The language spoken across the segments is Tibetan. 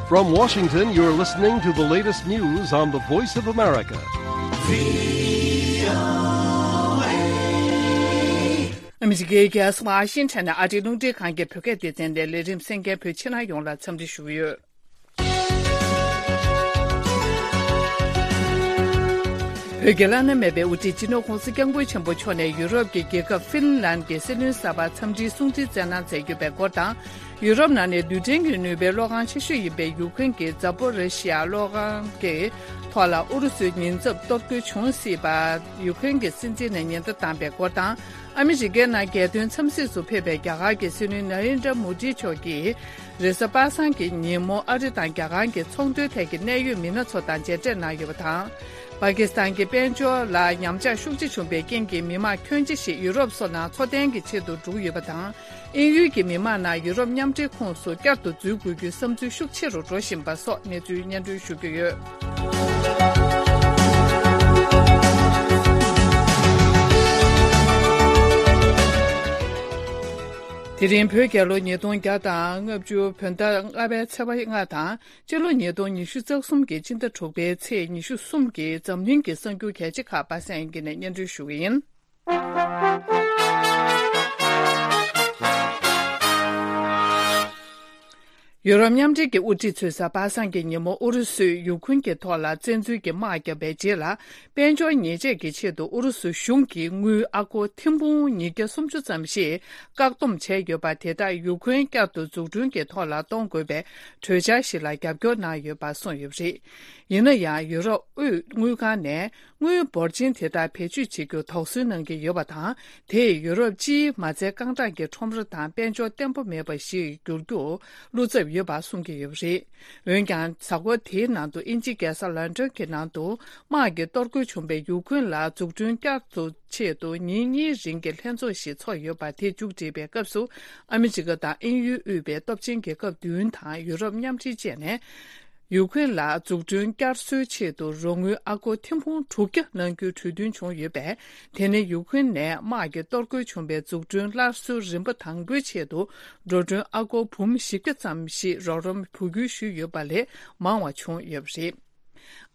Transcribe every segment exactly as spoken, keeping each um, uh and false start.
From Washington, you're listening to the latest news on the Voice of America. ཨ་མི་རི་ཀའི་རྒྱལ་ས་ཝ་ཤིང་ཊོན་ནས་ཨ་རིའི་རླུང་འཕྲིན་ཁང་གི་བོད་སྐད་སྡེ་ཚན་ནས་ལས་རིམ་གསན་མཁན་བོད་ཕྱི་ནང་ཡོངས་ལ་འཚམས་འདྲི་ཞུ་གི་ཡོད། བོད་ཀྱི་བླ་ན་མེད་པའི་དབུ་ཁྲིད་སྤྱི་ནོར་༸གོང་ས་༸སྐྱབས་མགོན་ཆེན་པོ་མཆོག་ནས་ཡུ་རོབ་ཀྱི་རྒྱལ་ཁབ་ཧྥིན་ལན་གྱི་སྲིད་བློན་གསར་པར་འཚམས་འདྲིའི་གསུང་འཕྲིན་སྩལ་གནང་མཛད་ཡོད་པའི་སྐོར་དང་། ཡུ་རོབ་ནང་ནས་རྡུལ་ཕྲན་གྱི་ནུས་པའི་གློག་ཁང་ཆེ་ཤོས་ཡིན་པའི་ཡུ་ཁུན་གྱི་ཛ་པོ་རེ་ཤི་ཡ་གློག་ཁང་གི་ཐོག་ལ་ཨུ་རུ་སུའི་ཉེན་ཚབས་གཏོར་རྒོལ་བྱུང་སྲིད་པ་ཡུ་ཁུན་གྱི་སྲིད་འཛིན་ནས་ཉེན་བརྡ་བཏང་པའི་སྐོར་དང་། ཨ་མི་རི་ཀའི་ནང་རྒྱལ་དོན་འཚམས་གཟིགས་སུ་ཕེབས་པའི་རྒྱ་གར་གྱི་སྲིད་བློན་ན་རེན་དྲ་མོ་དི་མཆོག་གིས། རེས་གཟའ་པ་སངས་ཀྱི་ཉིན་མོ་ཨ་རི་དང་རྒྱ་གར་གྱི་ཚོང་དོན་ཐད་ཀྱི་གནད་ཡོད་མི་སྣ་ཚོ་དང་མཇལ་འཕྲད་གནང་ཡོད་པ་དང་། པ་ཀི་སི་ཐན་གྱི་དཔལ་འབྱོར་ལ་ཉམས་ཆག་ཤུགས་ཆེ་བྱུང་བའི་རྐྱེན་གྱིས་མི་མང་ཁྱོན་ཆེ་ཞིག་ཡུ་རོབ་སོགས་ནང་འཚོ་རྟེན་གྱི་ཆེད་དུ་འགྲོ་གི་ཡོད་པ་དང་། དབྱིན་ཡུལ་གྱི་མི་མང་ནང་ཡུ་རོབ་མཉམ་འབྲེལ་ཁོངས་སུ་བསྐྱར་དུ་འཛུལ་དགོས་རྒྱུའི་བསམ་ཚུལ་ཤུགས་ཆེ་རུ་འགྲོ་བཞིན་པ་སོགས་གནས་ཚུལ་སྙན་སྒྲོན་ཞུ་རྒྱུ་ཡོད། དེ་རིང་བོད་རྒྱལ་ལོ་ཉིས་སྟོང་བརྒྱ་དང་ལྔ་བཅུ་བོད་ཟླ་ལྔ་པའི་ཚེས་པ་ལྔ་དང་། སྤྱི་ལོ་ཉིས་སྟོང་ཉི་ཤུ་རྩ་གསུམ་གྱི་སྤྱི་ཟླ་དྲུག་པའི་ཚེས་ཉི་ཤུ་གསུམ་གྱི་འཛམ་གླིང་གི་གསར་འགྱུར་གལ་ཆེ་ཁག་པ་སངས་དབྱངས་སྐྱིད་ནས་སྙན་སྒྲོན་ཞུ་གི་ཡིན། ཡུ་རོབ་མཉམ་འབྲེལ་གྱི་དབུ་ཁྲིད་ཚོས་གཟའ་པ་སངས་ཀྱི་ཉིན་མོ་ཨུ་རུ་སུས་ཡུ་ཁུན་གྱི་ཐོག་ལ་བཙན་འཛུལ་གྱི་དམག་བརྒྱབ་པའི་རྗེས་ལ། དཔལ་འབྱོར་ཉེས་ཆད་ཀྱི་ཆེད་དུ་ཨུ་རུ་སུ་གཞུང་གིས་དངུལ་ཨ་སྒོར་ཐེར་འབུམ་ཉིས་བརྒྱ་སུམ་ཅུ་ཙམ་ཞིག་བཀག་སྡོམ་བྱས་ཡོད་པ་དེ་དག་ཡུ་ཁུན་བསྐྱར་དུ་འཛུགས་སྐྲུན་གྱི་ཐོག་ལ་གཏོང་དགོས་པའི་གྲོས་འཆར་ཞིག་ལ་རྒྱབ་སྐྱོར་གནང་ཡོད་པ་གསུངས་ཡོད་པ་རེད། ཡིན་ན་ཡང་ཡུ་རོབ་དབུས་དངུལ་ཁང་ནས་དངུལ་འབོར་ཆེན་དེ་དག་བེད་སྤྱོད་བྱེད་རྒྱུར་དོགས་ཟོན་གནང་གི་ཡོད་པ་དང་། དེས་ཡུ་རོབ་སྤྱིའི་མ་རྩའི་རྐང་གྲངས་ཀྱི་ཁྲོམ་ར་དང་དཔལ་འབྱོར་བརྟན་པོ་མེད་པ་ཞིག་འགྱུར་རྒྱུར་བློ་འཚབ་ཡོད་པ་གསུང་གི་ཡོད་པ་རེད། འོན་ཀྱང་། གཟའ་འཁོར་དེའི་ནང་དུ་དབྱིན་ཇིའི་རྒྱལ་ས་ལོན་ཌོན་གྱི་ནང་དུ་དམག་གི་གཏོར་རྒོལ་བྱུང་བའི་ཡུ་ཁུན་ལ་འཛུགས་སྐྲུན་བསྐྱར་དུ་ཆེད་དུ་ཉིན་གཉིས་རིང་གི་ལྷན་ཚོགས་ཤིག་ཚོགས་ཡོད་པ་དེ་མཇུག་སྒྲིལ་བའི་སྐབས་སུ། ཨ་མི་རི་ཀ་དང་དབྱིན་ཡུལ་དབུས་པའི་སྟོབས་ཆེན་རྒྱལ་ཁབ་བདུན་དང་ཡུ་རོབ་མཉམ་འབྲེལ་བཅས་ནས། ཡུ་ཁུན་ལ་འཛུགས་སྐྲུན་བསྐྱར་གསོའི་ཆེད་དུ་རོགས་དངུལ་ཨ་སྒོར་ཐེར་འབུམ་དྲུག་བརྒྱ་གནང་རྒྱུའི་གྲོས་མཐུན་བྱུང་ཡོད་པས། དེ་ནི་ཡུ་ཁུན་ནས་དམག་གི་གཏོར་རྒོལ་བྱུང་བའི་འཛུགས་སྐྲུན་སླར་གསོའི་རིམ་པ་དང་པོའི་ཆེད་དུ། འགྲོ་གྲོན་ཨ་སྒོར་འབུམ་བཞི་བརྒྱ་ཙམ་ཞིག་རོགས་རམ་འབོད་སྐུལ་ཞུས་ཡོད་པ་ལས་མང་བ་བྱུང་ཡོད་པ་རེད།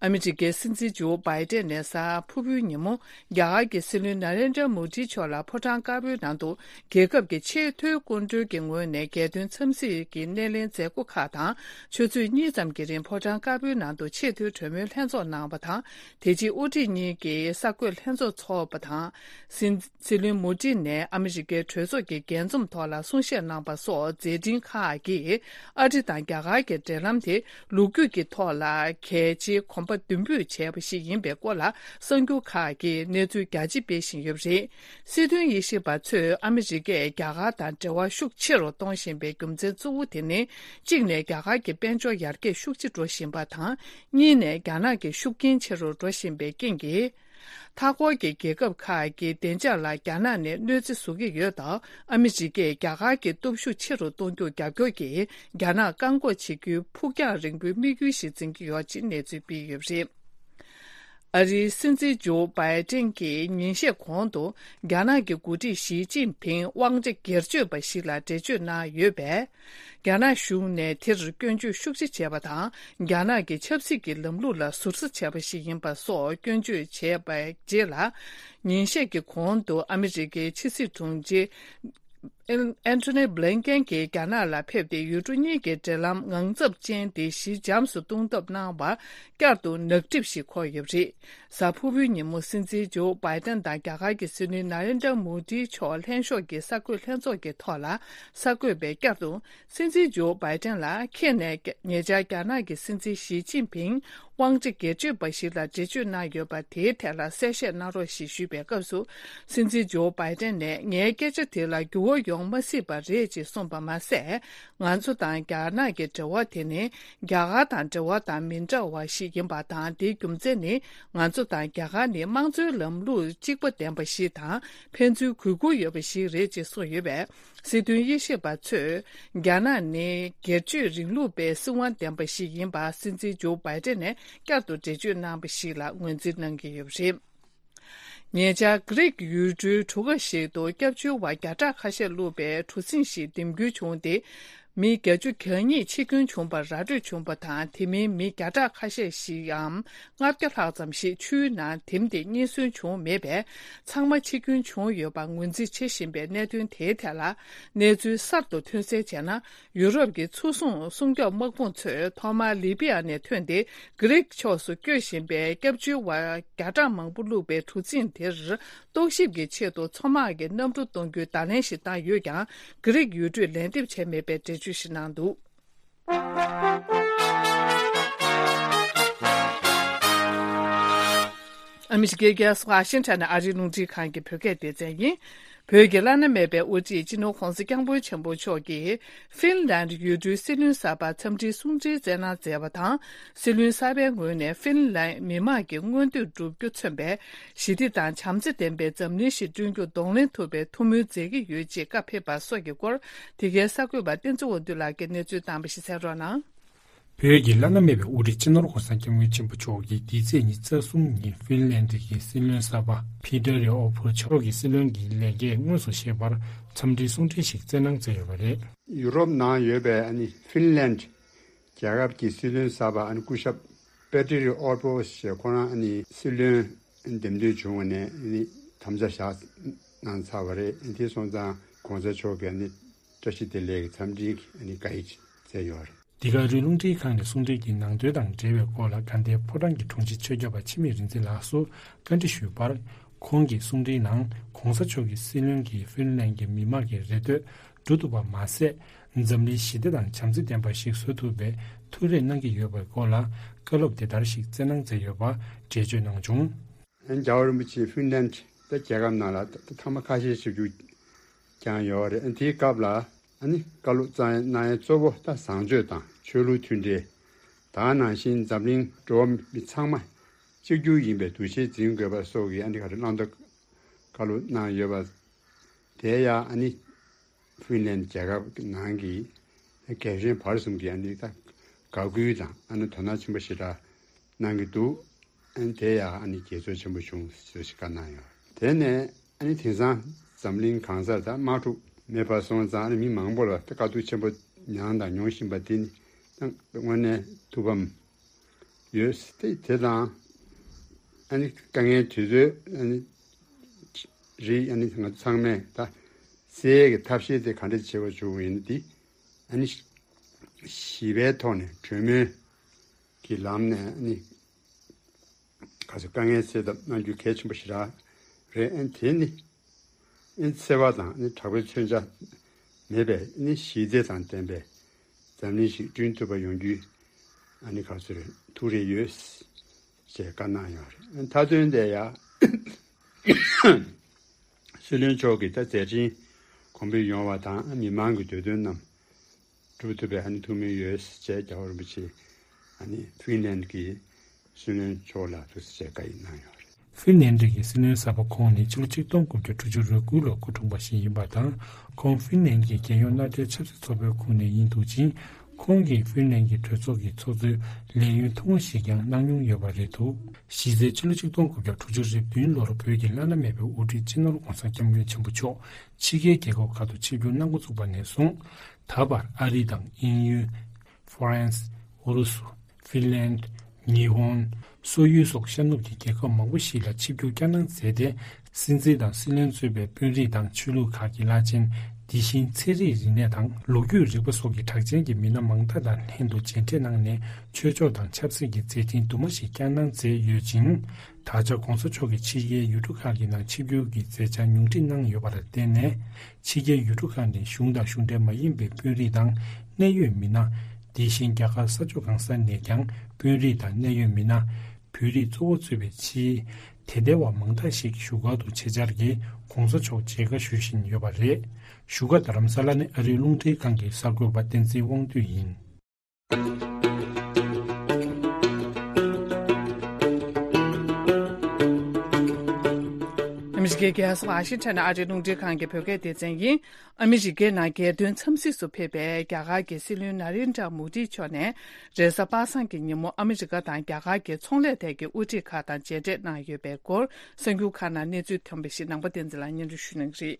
ཨ་མི་རི་ཀའི་སྲིད་འཛིན་ཇོ་བྷའི་ཏན་ནས་གཟའ་ཕུར་བུའི་ཉིན་མོ། རྒྱ་གར་གྱི་སྲིད་བློན་ན་རེན་དྲ་མོ་དི་མཆོག་ལ་ཕོ་བྲང་དཀར་པོའི་ནང་དུ། རྒྱལ་ཁབ་ཀྱི་ཆེས་མཐོའི་སྐུ་མགྲོན་གྱི་ངོས་ནས་རྒྱལ་དོན་འཚམས་གཟིགས་ཀྱི་སྣེ་ལེན་མཛད་སྒོ་ཁག་དང་། ཆུ་ཚོད་གཉིས་ཙམ་གྱི་རིང་ཕོ་བྲང་དཀར་པོའི་ནང་དུ་ཆེས་མཐོའི་གྲོས་མོལ་ལྷན་ཚོགས་གནང་བ་དང་། དེ་རྗེས་དབུ་ཁྲིད་གཉིས་ཀྱིས་གསར་འགོད་ལྷན་ཚོགས་འཚོགས་པ་དང་། སྲིད་སྲིད་བློན་མོ་དི་ནས་ཨ་མི་རི་ཀའི་གྲོས་ཚོགས་ཀྱི་རྒྱས་འཛོམས་ཐོག་ལ་གསུང་བཤད་གནང་པ་སོགས་མཛད་འཕྲིན་ཁག་གིས་ཨ་རི་དང་རྒྱ་གར་གྱི་འབྲེལ་ལམ་དེ་ལོ་རྒྱུས་ཀྱི་ཐོག་ལ་གལ་ཆེའི་གོམ་པ་མདུན་སྤོས་བྱས་པ་ཞིག་ཡིན་པའི་སྐོར་ལ་གསར་འགྱུར་ཁག་གིས་གནས་ཚུལ་རྒྱ་ཆེ་སྤེལ་བཞིན་ཡོད་པ་རེད། སྲིད་དོན་དབྱེ་ཞིབ་པ་ཚོས་ཨ་མི་རི་ཀས་རྒྱ་གར་དང་འབྲེལ་བ་ཤུགས་ཆེ་རུ་གཏོང་བཞིན་པའི་རྒྱུ་མཚན་གཙོ་བོ་དེ་ནི། གཅིག་ནས་རྒྱ་གར་གྱི་དཔལ་འབྱོར་ཡར་རྒྱས་ཤུགས་ཆེ་འགྲོ་བཞིན་པ་དང་། གཉིས་ནས་རྒྱ་ནག་གི་ཤུགས་རྐྱེན་ཆེ་རུ་འགྲོ་བཞིན་པའི་རྐྱེན་གྱིས། མཐའ་འཁོར་གྱི་རྒྱལ་ཁབ་ཁག་གི་བདེ་འཇགས་ལ་རྒྱ་ནག་ནས་གནོད་འཚེ་བཟོ་གི་ཡོད་སྟབས། ཨ་མི་རི་ཀས་རྒྱ་གར་གྱི་སྟོབས་ཤུགས་ཆེ་རུ་གཏོང་རྒྱུར་རྒྱབ་སྐྱོར་གྱིས་རྒྱ་ནག་བཀག་འགོག་བྱེད་རྒྱུའི་ཕུགས་རྒྱང་རིང་པོའི་དམིགས་ཡུལ་ཞིག་འཛིན་གྱི་ཡོད་ཅེས་གནས་ཚུལ་སྤེལ་ཡོད་པ་རེད། ཨ་རིའི་སྲིད་འཛིན་ཇོ་བྷའི་ཏན་གྱིས་ཉིན་ཤས་གོང་དུ་རྒྱ་ནག་གི་འགོ་ཁྲིད་ཞི་ཅིན་ཕིང་དབང་ཆ་སྒེར་གཅོད་པ་ཞིག་ལ་འགྲེལ་བརྗོད་གནང་ཡོད་པས། རྒྱ་ནག་གཞུང་ནས་དེར་སྐྱོན་བརྗོད་ཤུགས་ཆེ་བྱས་པ་དང་། རྒྱ་ནག་གི་ཆབ་སྲིད་ཀྱི་ལམ་ལུགས་ལ་ཟུར་ཟ་བྱས་པ་ཞིག་ཡིན་པ་སོགས་སྐྱོན་བརྗོད་བྱས་པའི་རྗེས་ལ། ཉིན་ཤས་ཀྱི་གོང་དུ་ཨ་མི་རི་ཀའི་ཕྱི་སྲིད་དྲུང་ཆེ་ཨན་ཨན་ཐོ་ནི་བྷི་ལིན་ཀེན་གྱིས་རྒྱ་ནག་ལ་ཕེབས་ཏེ། ཡུལ་གྲུ་གཉིས་ཀྱི་འབྲེལ་ལམ་ངང་ཚབ་ཅན་དེ་ཞི་འཇམ་སུ་གཏོང་ཐབས་གནང་བར་བསྐྱར་དུ་ནག་ཁྲིབས་ཤིག་འཁོར་ཡོད་པ་རེད། གཟའ་ཕུར་བུའི་ཉིན་མོ་སྲིད་འཛིན་ཇོ་བྷའི་ཏན་དང་རྒྱ་གར་གྱི་སྲིད་བློན་ན་རེན་དྲ་མོ་དི་མཆོག་ལྷན་ཤོག་གི་གསར་འགོད་ལྷན་ཚོགས་ཀྱི་ཐོག་ལ་གསར་འགོད་པས་བསྐྱར་དུ། སྲིད་འཛིན་ཇོ་བྷའི་ཏན་ལ་ཁྱེད་ནས་ཉེ་ཆར་རྒྱ་ནག་གི་སྲིད་འཛིན་ཞི་ཅིན་ཕིང་དབང་ཆ་སྒེར་གཅོད་པ་ཞིག་ལ་འགྲེལ་བརྗོད་གནང་ཡོད་པ་དེའི་ཐད་ལ་གསལ་བཤད་གནང་རོགས་ཞེས་ཞུས་པའི་སྐབས་སུ། སྲིད་འཛིན་ཇོ་བྷའི་ཏན་ནས་ངའི་སྐད་ཆ་དེ་ལ་འགྱུར་བ་ཡོང་མ་སྲིད་པ་རེད་ཅེས་གསུངས་པ་མ་ཟད། ང་ཚོ་དང་རྒྱ་ནག་གི་འབྲེལ་བ་དེ་ནི་རྒྱ་གར་དང་འབྲེལ་བ་དང་མི་འདྲ་བ་ཞིག་ཡིན་པ་དང་། དེའི་རྒྱུ་མཚན་ནི་ང་ཚོ་དང་རྒྱ་གར་ནི་དམངས་གཙོའི་ལམ་ལུགས་གཅིག་པ་ལྡན་པ་ཞིག་དང་ཕན་ཚུན་གུས་བཀུར་ཡོད་པ་ཞིག་རེད་ཅེས་གསུངས་ཡོད་པས། སྲིད་དོན་དབྱེ་ཞིབ་པ་ཚོས་རྒྱ་ནག་ནི་སྒེར་གཅོད་རིང་ལུགས་པའི་སྲིད་དབང་ལྡན་པ་ཞིག་ཡིན་པ་སྲིད་འཛིན་ཇོ་བྷའི་ཏན་ནས་བསྐྱར་དུ་འགྲེལ་བརྗོད་གནང་བ་ཞིག་ལ་ངོས་འཛིན་གནང་གི་ཡོད་པ་རེད། ཉེ་ཆར་གྷི་རིག་ཡུལ་གྲུའི་གྲུ་ཁ་ཞིག་ཏུ་སྐྱབས་བཅོལ་བ་བརྒྱ་ཕྲག་ཁ་ཤས་བླུགས་པའི་གྲུ་གཟིངས་ཤིག་འདེམས་འགུལ་བྱུང་སྟེ། མི་བརྒྱད་ཅུ་གྱ་གཉིས་འཆི་སྐྱོན་བྱུང་བར་ར་སྤྲོད་བྱུང་བ་དང་། དེ་མིན་མི་བརྒྱ་ཕྲག་ཁ་ཤས་ཤིག་གམ་ལྔ་བརྒྱ་ལྷག་ཙམ་ཞིག་ཆུའི་ནང་དེམ་སྟེ་རྙེད་སོན་བྱུང་མེད་པས། ཚང་མ་འཆི་སྐྱོན་བྱུང་ཡོད་པར་ངོས་འཛིན་བྱེད་བཞིན་པའི་གནད་དོན་དེའི་ཐད་ལ། གནས་ཚུལ་གསར་དུ་ཐོན་གསལ་བྱས་ན། ཡུ་རོབ་ཀྱི་མཚོ་སྲུང་སྲུང་སྐྱོབ་དམག་དཔུང་ཚོས་ཐོག་མར་ལི་པི་ཡ་ནས་ཐོན་ཏེ། གྷི་རིག་ཕྱོགས་སུ་སྐྱོད་བཞིན་པའི་སྐྱབས་བཅོལ་བ་བརྒྱ་ཕྲག་མང་པོ་བླུགས་པའི་གྲུ་གཟིངས་དེར། རྟོག་ཞིབ་ཀྱི་ཆེད་དུ་མཚོ་དམག་གིས་གནམ་གྲུ་གཏོང་རྒྱུའི་བརྡ་ལན་ཞིག་བཏང་ཡོད་ཀྱང་། གྷི་རིག་ཡུལ་གྲུས་ལན་འདེབས་བྱས་མེད་པའི་འགྲེལ་བརྗོད་ཞིག་གནང་འདུག། ཨ་མི་རི་ཀའི་རྒྱལ་ས་ཝ་ཤིང་ཊོན་ནས་ཨ་རིའི་རླུང་འཕྲིན་ཁང་གི་བོད་སྐད་སྡེ་ཚན་ཡིན། བོད་ཀྱི་བླ་ན་མེད་པའི་དབུ་ཁྲིད་སྤྱི་ནོར་༧གོང་ས་༧སྐྱབས་མགོན་ཆེན་པོ་མཆོག་གིས་ཧྥིན་ལན་ཡུལ་གྲུའི་སྲིད་བློན་གསར་པར་འཚམས་འདྲིའི་གསུང་འཕྲིན་བསྩལ་གནང་མཛད་པ་དང་། སྲིད་བློན་གསར་པའི་ངོས་ནས་ཧྥིན་ལན་མི་དམངས་ཀྱི་མངོན་འདོད་བསྒྲུབ་རྒྱུ་མཚོན་པའི་ཞི་བདེ་དང་བྱམས་བརྩེ་ལྡན་པའི་འཛམ་གླིང་ཞིག་བསྐྲུན་རྒྱུར་གདོང་ལེན་ཐུབ་པའི་ཐུགས་སྨོན་མཛད་ཀྱི་ཡོད་ཅེས་བཀའ་ཕེབས་པ་སོགས་ཀྱི་སྐོར། འདི་གའི་གསར་འགོད་པ་བསྟན་འཛིན་དབང་འདུས་ལགས་ཀྱིས་གནས་ཚུལ་བཏང་བ་ཞིག་གསན་རོགས་གནང་། བོད་ཀྱི་བླ་ན་མེད་པའི་དབུ་ཁྲིད་སྤྱི་ནོར་༧གོང་ས་༧སྐྱབས་མགོན་ཆེན་པོ་མཆོག་གིས་འདི་ཚེས་ཉི་ཤུ་རྩ་གསུམ་ཉིན་ཧྥིན་ལན་ཌི་གི་སྲིད་བློན་གསར་པ་ཕི་ཏེ་རི་ཨོར་པོ་མཆོག་གི་སྲིད་བློན་གྱི་ལས་ཀས་དངོས་སུ་བཞེས་པར་འཚམས་འདྲིའི་གསུང་འཕྲིན་ཞིག་བསྩལ་གནང་མཛད་ཡོད་པ་རེད། ཡུ་རོབ་ནང་ཡོད་པའི་ཨ་ནི་ཧྥིན་ལན་ཌི་རྒྱལ་ཁབ་ཀྱི་སྲིད་བློན་གསར་པ་ཨ་ནི་སྐུ་ཞབས་པེ་ཏི་རི་ཨོར་པོ་ཞེས་ཁོ་རང་ཨ་ནི་སྲིད་བློན་འདེམས་ཐོན་བྱུང་བ་ནས་ཨ་ནི་དམ་བཅའ་བཞག་གནང་ཚར་བ་རེད། དེ་སོང་ཙང་༧གོང་ས་མཆོག་གིས་ཨ་ནི་བཀྲ་ཤིས་བདེ་ལེགས་ཀྱི་འཚམས་འདྲིའི་ཨ་ནི་བཀའ་ཡིག་བསྩལ་ཡོད་རེད། འདི་ག་རེ་རླུང་འཕྲིན་ཁང་ནས་གསུང་འཕྲིན་གྱི་ནང་དོན་དང་འབྲེལ་བའི་སྐོར་ལ་དགའ་ལྡན་ཕོ་བྲང་གི་དྲུང་ཆེ་ཆོས་སྐྱབས་པ་འཆི་མེད་རིག་འཛིན་ལགས་སུ་བཀའ་འདྲི་ཞུས་པར། ཁོང་གིས་གསུང་འཕྲིན་ནང་༧གོང་ས་མཆོག་གི་སྲིད་བློན་གྱིས་ཧྥིན་ལན་གྱི་མི་དམངས་ཀྱི་རེ་འདོད་སྒྲུབ་ཐུབ་པ་མ་ཟད། འཛམ་གླིང་ཞི་བདེ་དང་བྱམས་བརྩེ་ལྡན་པ་ཞིག་བཟོ་ཐུབ་པའི་ཐུགས་རེ་གནང་གི་ཡོད་པའི་སྐོར་ལ་བཀའ་སློབ་དེ་ལྟར་ཞིག་བསྩལ་གནང་མཛད་ཡོད་པ་འགྲེལ་བརྗོད་གནང་བྱུང་། རྒྱལ་བ་རིན་པོ་ཆེ་ཧྥིན་ལན་ད་རྒྱལ་ཁབ་ནང་ལ་ཐ་མ་ཁ་ཤས་ཞིབ་འཇུག་ཀྱང་ཡོད་རེད། དེའི་སྐབས་ལ་ཨ་ནི་བཀའ་སློབ་གནང་ཡ་གཙོ་བོ་ད་བཟང་སྤྱོད་དང་ཆོས་ལུགས་མཐུན་འབྲེལ། ད་ནང་བཞིན་འཛམ་གླིང་འགྲོ་བ་མི་ཚང་མ་གཅིག་གྱུར་ཡིན་པའི་འདུ་ཤེས་འཛིན་དགོས་པ་སོགས་ཀྱི་ཨ་ནི་ག་རེ་བླང་དོར་བཀའ་སློབ་གནང་ཡོད་པ། དེ་ཡང་ཨ་ནི་ཧྥིན་ལན་རྒྱལ་ཁབ་ནང་གི་རྒན་གཞོན་བར་གསུམ་གྱིས་ཨ་ནི་ད་དགའ་གུས་དང་ཨ་ནི་དོ་སྣང་ཆེན་པོ་ཞེ་དྲག་གནང་གི་འདུག་ཨ་ནི་དེ་ཡང་ཨ་ནི་དགྱེས་ཚོར་ཆེན་པོ་བྱུང་ཟེར་ཞིག་བཀའ་གནང་ཡོད། དེ་ནས་ཨ་ནི་དེང་སང་འཛམ་གླིང་གང་སར་ད་དམག་འཁྲུག་མེད་པ་སོང་ཙང་ཨ་ནི་མི་མང་པོ་ལ་ད་དཀའ་སྡུག་ཆེན་པོ་མྱངས་དང་མྱོང་བཞིན་པ་དེ་ནི་ད་དངོས་གནས་ཐུགས་ཕམ་ཡོད། དེ་དེ་དང་ཨ་ནི་དཀའ་ངལ་དེ་ཚོའི་ཨ་ནི་རིགས་ཨ་ནི་ང་ཚོ་ཚང་མས་ད་སེལ་ཡས་ཀྱི་ཐབས་ཤེས་དེ་ག་འདྲ་བྱེད་པ་བྱུང་ཡིན་དེ་ཨ་ནི་ཞི་བའི་ཐོག་ནས་གྲོས་མོལ་གྱི་ལམ་ནས་ཨ་ནི་ག་ཚོད་དཀའ་ངལ་སེལ་ཐབས་གནང་རྒྱུ་གལ་ཆེན་པོ་ཞེ་དྲག་རེད། ཨ་ནི་དེ་ནི་ཨ་ནི་འཚེ་བ་དང་ཨ་ནི་དྲག་པོའི་མཚོན་ཆ་མེད་པའི་ཨ་ནི་ཞི་བདེ་དང་ལྡན་པའི་འཛམ་གླིང་ཞིག་བསྐྲུན་ཐུབ་པ་ཡོང་རྒྱུའི་ཨ་ནི་ག་ཚོད་རེད་ཐུགས་རེ་ཡོད་ཅེས་བཀའ་གནང་ཡོད་རེད། མཐའ་དོན་དེ་ཡང་སྲིད་བློན་མཆོག་གི་ད་མཛད་འཕྲིན་གོང་འཕེལ་ཡོང་བ་དང་མི་མང་གི་འདོད་དོན་རྣམས་སྒྲུབ་ཐུབ་པའི་ཨ་ནི་ཐུགས་སྨོན་ཡོད་ཅེས་རྒྱལ་བ་རིན་པོ་ཆེ་ཨ་ནི་ཧྥིན་ལན་གྱི་སྲིད་བློན་མཆོག་ལ་ཐུགས་རྗེ་ཆེ་བཀའ་ཡིག་གནང་ཡོད་རེད། ཧྥིན་ལན་ཌི་གི་སྲིད་བློན་གསར་པ་ཁོང་ནི་ཕྱི་ལོ་ཆིག་སྟོང་དགུ་བརྒྱ་དྲུག་ཅུ་རེ་དགུ་ལོར་སྐུ་འཁྲུངས་པ་ཞིག་ཡིན་པ་དང་། ཁོང་ཧྥིན་ལན་གྱི་རྒྱལ་ཡོངས་མནའ་འབྲེལ་ཆབ་སྲིད་ཚོགས་པའི་ཁོངས་ནས་ཡིན་འདུག་ཅིང་། ཁོང་གིས་ཧྥིན་ལན་གྱི་གྲོས་ཚོགས་ཀྱི་ཚོགས་གཙོའི་ལས་ཡུན་ཐུང་ངུ་ཞིག་ཀྱང་གནང་མྱོང་ཡོད་པ་རེད་འདུག། གཞི་རྩའི་ཕྱི་ལོ་ཆིག་སྟོང་དགུ་བརྒྱ་དྲུག་ཅུ་རེ་བདུན་ལོར་བོད་ཀྱི་བླ་ན་མེད་པའི་དབུ་ཁྲིད་སྤྱི་ནོར་༧གོང་ས་༧སྐྱབས་མགོན་ཆེན་པོ་མཆོག་ཕྱི་རྒྱལ་རྒྱལ་ཁབ་ཁག་ཏུ་ཆིབས་བསྒྱུར་གནང་འགོ་བཙུགས་པ་ནས་བཟུང་། ད་བར་ཨ་རི་དང་དབྱིན་ཡུལ། ཧྥ་རན་སི། ཨུ་རུ་སུ། ཧྥིན་ལན། ཉི་ཧོང་། སོག་ཡུལ་སོགས་ཤར་ནུབ་ཀྱི་རྒྱལ་ཁབ་མང་པོ་ཞིག་ལ་ཆིབས་བསྒྱུར་བསྐྱངས་གནང་མཛད་དེ། སྲིད་འཛིན་དང་སྲིད་བློན་གཙོས་པའི་དཔོན་རིགས་དང་ཆོས་ལུགས་ཁག་གི་བླ་ཆེན། དེ་བཞིན་ཚན་རིག་རིག་གནས་དང་ལོ་རྒྱུས་རིག་པ་སོགས་ཀྱི་གྲགས་ཅན་གྱི་མི་སྣ་མང་དག་དང་ལྷན་དུ་མཇལ་འཕྲད་གནང་ནས། ཆོས་ཕྱོགས་དང་ཆབ་སྲིད་ཀྱི་མཛད་འཕྲིན་དུ་མ་ཞིག་བསྐྱངས་གནང་མཛད་ཡོད་ཅིང་། ད་ཆ་༧གོང་ས་མཆོག་གིས་ཕྱི་རྒྱལ་ཡུལ་གྲུ་ཁག་གི་ནང་ཆིབས་བསྒྱུར་གྱི་མཛད་འཆར་ཉུང་འཕྲི་གནང་ཡོད་པར་བརྟེན་ནས། ཕྱི་རྒྱལ་ཡུལ་གྲུ་ཁག་ནས་གཞུང་དང་གཞུང་འབྲེལ་མ་ཡིན་པའི་དཔོན་རིགས་དང་གནད་ཡོད་མི་སྣ། དེ་བཞིན་རྒྱ་གར་ས་ཕྱོགས་གང་ས་ནས་ཀྱང་དཔོན་རིགས་དང་གནད་ཡོད་མི་སྣ། བོད་རིགས་གཙོ་བོ་གཙོས་པའི་ཕྱིའི་དད་ལྡན་པ་མང་དག་ཞིག་བཞུགས་སྒར་དུ་ཆེད་བཅར་གྱིས་༧གོང་ས་མཆོག་མཇལ་ཁ་ཞུ་བཞིན་ཡོད་པ་རེད། བཞུགས་སྒར་རྡ་རམ་ས་ལ་ནས་ཨ་རིའི་རླུང་འཕྲིན་ཁང་གི་གསར་འགོད་པ་བསྟན་འཛིན་དབང་འདུས་ཡིན། ཨ་མི་རི་ཀའི་རྒྱལ་ས་ཝ་ཤིང་ཊོན་ཨ་རིའི་རླུང་འཕྲིན་ཁང་གི་བོད་སྐད་སྡེ་ཚན་ཡིན། ཨ་མི་རི་ཀའི་ནང་རྒྱལ་དོན་འཚམས་གཟིགས་སུ་ཕེབས་པའི་རྒྱ་གར་གྱི་སྲིད་བློན་ན་རེན་དྲ་མོ་དི་མཆོག་ནས། རེས་གཟའ་པ་སངས་ཀྱི་ཉིན་མོ་ཨ་མི་རི་ཀ་དང་རྒྱ་གར་གྱི་ཚོང་ལས་ཐད་ཀྱི་དབུ་ཁྲིད་ཁག་དང་མཇལ་འཕྲད་གནང་ཡོད་པའི་སྐོར། གསར་འགྱུར་ཁག་ནང་གནས་ཚུལ་ཐོན་པ་ཞིག་ནང་པ་བསྟན་འཛིན་ལགས་སྙན་སྒྲོན་ཞུ་གནང་གི་རེད།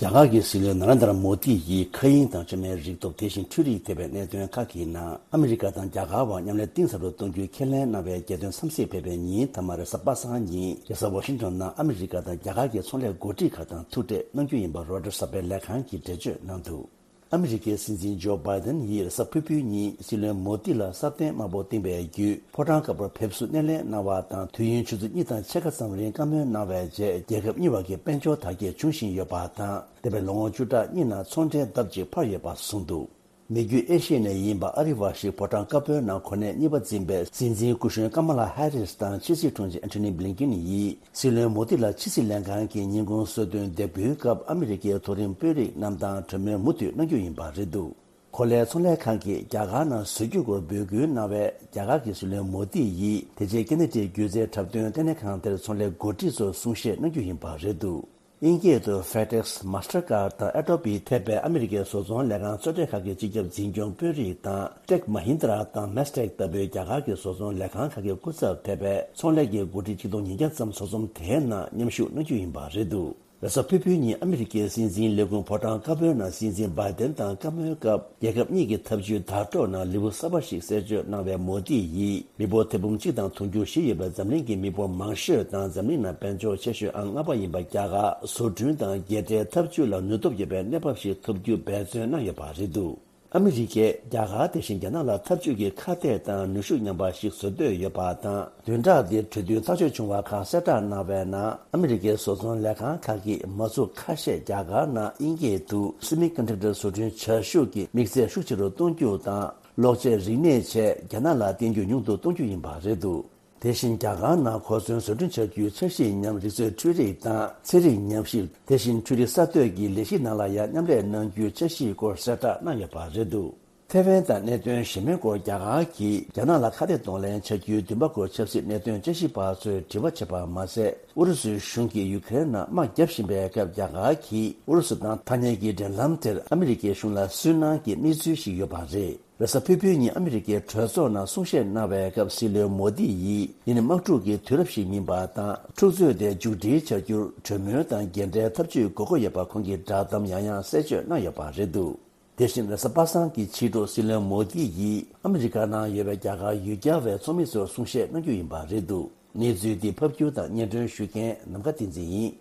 རྒྱ་གར་གྱི་སྲིད་བློན་ན་རེན་དྲ་མོ་དི་ཡིས་མཁའ་དབྱིངས་དང་བཅོས་མའི་རིག་སྟོབས། དེ་བཞིན་འཕྲུལ་རིག་ཐེ་བའི་གནད་དོན་ཁག་གི་ནང་ཨ་མི་རི་ཀ་དང་རྒྱ་གར་བར་མཉམ་ལས་གཏིང་ཟབ་ཏུ་གཏོང་རྒྱུའི་ཁས་ལེན་གནང་བའི་རྒྱལ་དོན་འཚམས་གཟིགས་ཕེབས་པའི་ཉིན་མཐའ་མར་རེས་གཟའ་པ་སངས་ཉིན་རེས་གཟའ་ཝ་ཤིང་ཊོན་ནང་ཨ་མི་རི་ཀ་དང་རྒྱ་གར་གྱི་ཚོང་ལས་འགོ་ཁྲིད་ཁག་དང་ཐུག་འཕྲད་གནང་རྒྱུ་ཡིན་པ་རོའི་ཊར་གསར་པའི་ལས་ཁང་གིས་འགྲེལ་བརྗོད་གནང་འདུག་ཨ་མི་རི་ཀའི་སྲིད་འཛིན་ཇོ་བྷའི་ཏན་ཡིས་རེས་གཟའ་ཕུར་བུའི་ཉིན་སྲིད་བློན་མོ་དི་ལ་སྲ་བརྟན་དམར་པོ་བཏིང་པའི་བརྒྱུད་ཕོ་བྲང་དཀར་པོར་ཕེབས་བསུ་སྣེ་ལེན་གནང་བ་དང་། དུས་ཡུན་ཆུ་ཚོད་གཉིས་དང་ཕྱེད་ཀ་ཙམ་རིང་བཀའ་མོལ་གནང་བའི་རྗེས་རྒྱལ་ཁབ་གཉིས་བར་གྱི་དཔལ་འབྱོར་དར་རྒྱས་འབྱུང་བཞིན་ཡོད་པ་དང་། འདས་པའི་ལོ་ངོ་བཅུ་ཕྲག་གཉིས་ནང་ཚོང་འབྲེལ་ལྡབ་གཅིག་འཕར་ཡོད་པ་གསུངས་འདུག་མི་རྒྱུད་ཨེ་ཤི་ཡ་ནས་ཡིན་པ་ཨ་རི་བ་ཞིག་ཕོ་བྲང་དཀར་པོའི་ནང་གོ་གནས་གཉིས་པ་འཛིན་པའི་སྲིད་འཛིན་སྐུ་གཞོན་ཀ་མ་ལ་ཧེ་རིས་དང་ཕྱི་སྲིད་དྲུང་ཆེ་ཨན་ཐོ་ནི་བྷི་ལིན་ཀིན་ཡིས་སྲིད་བློན་མོ་དི་ལ་ཕྱི་སྲིད་ལྷན་ཁང་གི་ཉིན་གུང་གསོལ་སྟོན་འདེགས་འབུལ་སྐབས་ཨ་མི་རི་ཀའི་མཐོ་རིམ་དཔོན་རིགས་རྣམས་དང་གྲོས་མོལ་མུ་མཐུད་གནང་རྒྱུ་ཡིན་པ་རེད་འདུག་གོ་ལའི་ཚོང་ལས་ཁང་གིས་རྒྱ་གར་ནང་བཟོ་རྒྱུ་སྐོར་འབོད་སྐུལ་གནང་བས། རྒྱ་གར་གྱི་སྲིད་བློན་མོ་དི་ཡིས་དེ་རྗེས་ཀེ་ན་ཌའི་སྒྱུ་རྩལ་འཁྲབ་སྟོན་ལྟེ་གནས་ཁང་དེར་ཚོང་ལས་འགོ་ཁྲིད་ཚོར་གསུང་བཤད་གནང་རྒྱུ་ཡིན་པ་རེད་འདུག་དབྱིན་སྐད་དུ་FedEx, Mastercard དང་Adobe ཐེ་བའི་ཨ་མི་རི་ཀའི་བཟོ་ཚོང་ལས་ཁང་གཙོ་གྲས་ཁག་གི་སྤྱི་ཁྱབ་འཛིན་སྐྱོང་དཔོན་རིགས་དང་། Tech Mahindra དང་Maersk ལྟ་བུའི་རྒྱ་གར་གྱི་བཟོ་ཚོང་ལས་ཁང་ཁག་གི་སྐུ་ཚབ་ཐེ་བའི་ཚོང་ལས་ཀྱི་འགོ་ཁྲིད་ཆིག་སྟོང་ཉིས་བརྒྱ་ཙམ་ཚོགས་འཛོམས་དེའི་ནང་མཉམ་ཞུགས་གནང་རྒྱུ་ཡིན་པ་རེད་འདུག་རེས་གཟའ་ཕུར་བུའི་ཉིན་ཨ་མི་རི་ཀའི་སྲིད་འཛིན་ལས་ཁུངས་ཕོ་བྲང་དཀར་པོའི་ནང་སྲིད་འཛིན་བྷའི་ཏན་དང་བཀའ་མོལ་སྐབས། རྒྱལ་ཁབ་གཉིས་ཀྱི་འཐབ་ཇུས་དར་སྒྲོག་ནང་ལེའུ་གསར་པ་ཞིག་གསལ་བརྗོད་གནང་བའི་མོ་དི་ཡིས། མི་འབོར་ཐེར་འབུམ་གཅིག་དང་དུང་ཕྱུར་བཞི་ཡོད་པའི་འཛམ་གླིང་གི་མི་འབོར་མང་ཤོས་དང་འཛམ་གླིང་ནང་དཔལ་འབྱོར་ཆེ་ཤོས་ཨང་ལྔ་པ་ཡིན་པ་རྒྱ་གར་བཟོ་སྐྲུན་དང་རྒྱལ་སྤྲད་འཐབ་ཇུས་ལ་ནུས་སྟོབས་ཡོད་པའི་གནས་བབ་ཞིག་ཐོབ་རྒྱུ་འབད་བརྩོན་གནང་ཡོད་པ་རེད་འདུག་ཨ་མི་རི་ཀས་རྒྱ་གར་དེ་བཞིན་རྒྱ་ནག་ལ་འཐབ་ཇུས་ཀྱི་ཁ་གཏད་དང་ནུས་ཤུགས་མཉམ་པ་ཞིག་བཟོ་འདོད་ཡོད་པ་དང་། བདུན་ཕྲག་འདིར་གྲོས་མཐུན་ཐག་གཅོད་བྱུང་བ་ཁག་གསལ་བསྒྲགས་གནང་བའི་ནང་། ཨ་མི་རི་ཀའི་བཟོ་ཚོང་ལས་ཁང་ཁག་གིས་མ་སུ་ཁ་ཤས་རྒྱ་གར་ནང་དབྱིན་སྐད་དུ་སེ་མི་ཀོན་ཌག་ཊར་བཟོ་སྐྲུན་བྱ་ཤུགས་ཀྱི་དམིགས་ཚད་ཤུགས་ཆེ་རུ་གཏོང་རྒྱུ་དང་། གློག་ཆས་རིག་གནས་བཅས་རྒྱ་ནག་ལ་བརྟེན་རྒྱུ་ཉུང་དུ་གཏོང་རྒྱུ་ཡིན་པ་རེད་འདུག་དེ་བཞིན་རྒྱ་གར་ནང་གོ་མཚོན་བཟོ་སྐྲུན་བྱ་རྒྱུའི་འཆར་གཞི་ཉམས། རིག་མཛོད་འཕྲུལ་རིག་དང་ཚན་རིག་ཉམས་ཞིབ། དེ་བཞིན་འཕྲུལ་རིག་གསར་གཏོད་ཀྱི་ལས་གཞི་ནང་ལ་ཡང་མཉམ་ལས་གནང་རྒྱུའི་འཆར་གཞིའི་སྐོར་གསལ་བསྒྲགས་གནང་ཡོད་པ་རེད་འདུག་ཐེ་ཝན་དང་གནད་དོན་གཞན་པའི་སྐོར་རྒྱ་གར་གྱིས་རྒྱ་ནག་ལ་ཁ་གཏད་གཏོང་ལེན་བྱ་རྒྱུའི་འདུན་པ་སྐོར་ཆབ་སྲིད་གནད་དོན་དཔྱད་ཞིབ་པ་ཚོས་དྲི་བ་བྱས་པ་མ་ཟད། ཨུ་རུ་སུའི་གཞུང་གིས་ཡུ་ཁེ་རེན་ནང་དམག་བརྒྱབ་བཞིན་པའི་སྐབས། རྒྱ་གར་གྱིས་ཨུ་རུ་སུ་དང་ཐག་ཉེ་གི་འབྲེལ་ལམ་དེར་ཨ་མི་རི་ཀའི་གཞུང་ལ་སུན་སྣང་གི་གནས་ཚུལ་ཞིག་ཡོད་པ་རེད། རེས་གཟའ་ཕུར་བུའི་ཉིན་ཨ་མི་རི་ཀའི་གྲོས་ཚོགས་ནང་གསུང་བཤད་གནང་བའི་སྐབས། སྲིད་བློན་མོ་དི་ཡིས། འདི་ནི་དམག་འཁྲུག་གི་དུས་རབས་ཤིག་མིན་པ་དང་། འཁྲུག་རྩོད་དེ་མཇུག་སྒྲིལ་བྱ་རྒྱུར་གྲོས་མོལ་དང་རྒྱལ་འབྲེལ་འཐབ་ཇུས་དགོས་མཁོ་ཡོད་པ་ཁོང་གིས་བསྒྲགས་གཏམ་ཡང་ཡང་གསལ་བརྗོད་གནང་ཡོད་པ་རེད་འདུག་དེ་བཞིན་རེས་གཟའ་པ་སངས་ཀྱི་ཕྱི་དྲོ་སྲིད་བློན་མོ་དི་ཡིས་ཨ་མི་རི་ཀ་ནང་ཡོད་པའི་རྒྱ་གར་ཡུལ་གྱར་བའི་ཚོགས་མི་ཚོར་གསུང་བཤད་གནང་རྒྱུ་ཡིན་པ་རེད་འདུག་གནས་ཚུལ་འདི་ཕབ་སྒྱུར་དང་སྙན་སྒྲོན་ཞུ་མཁན་ནམ་མཁའ་བསྟན་འཛིན་ཡིན།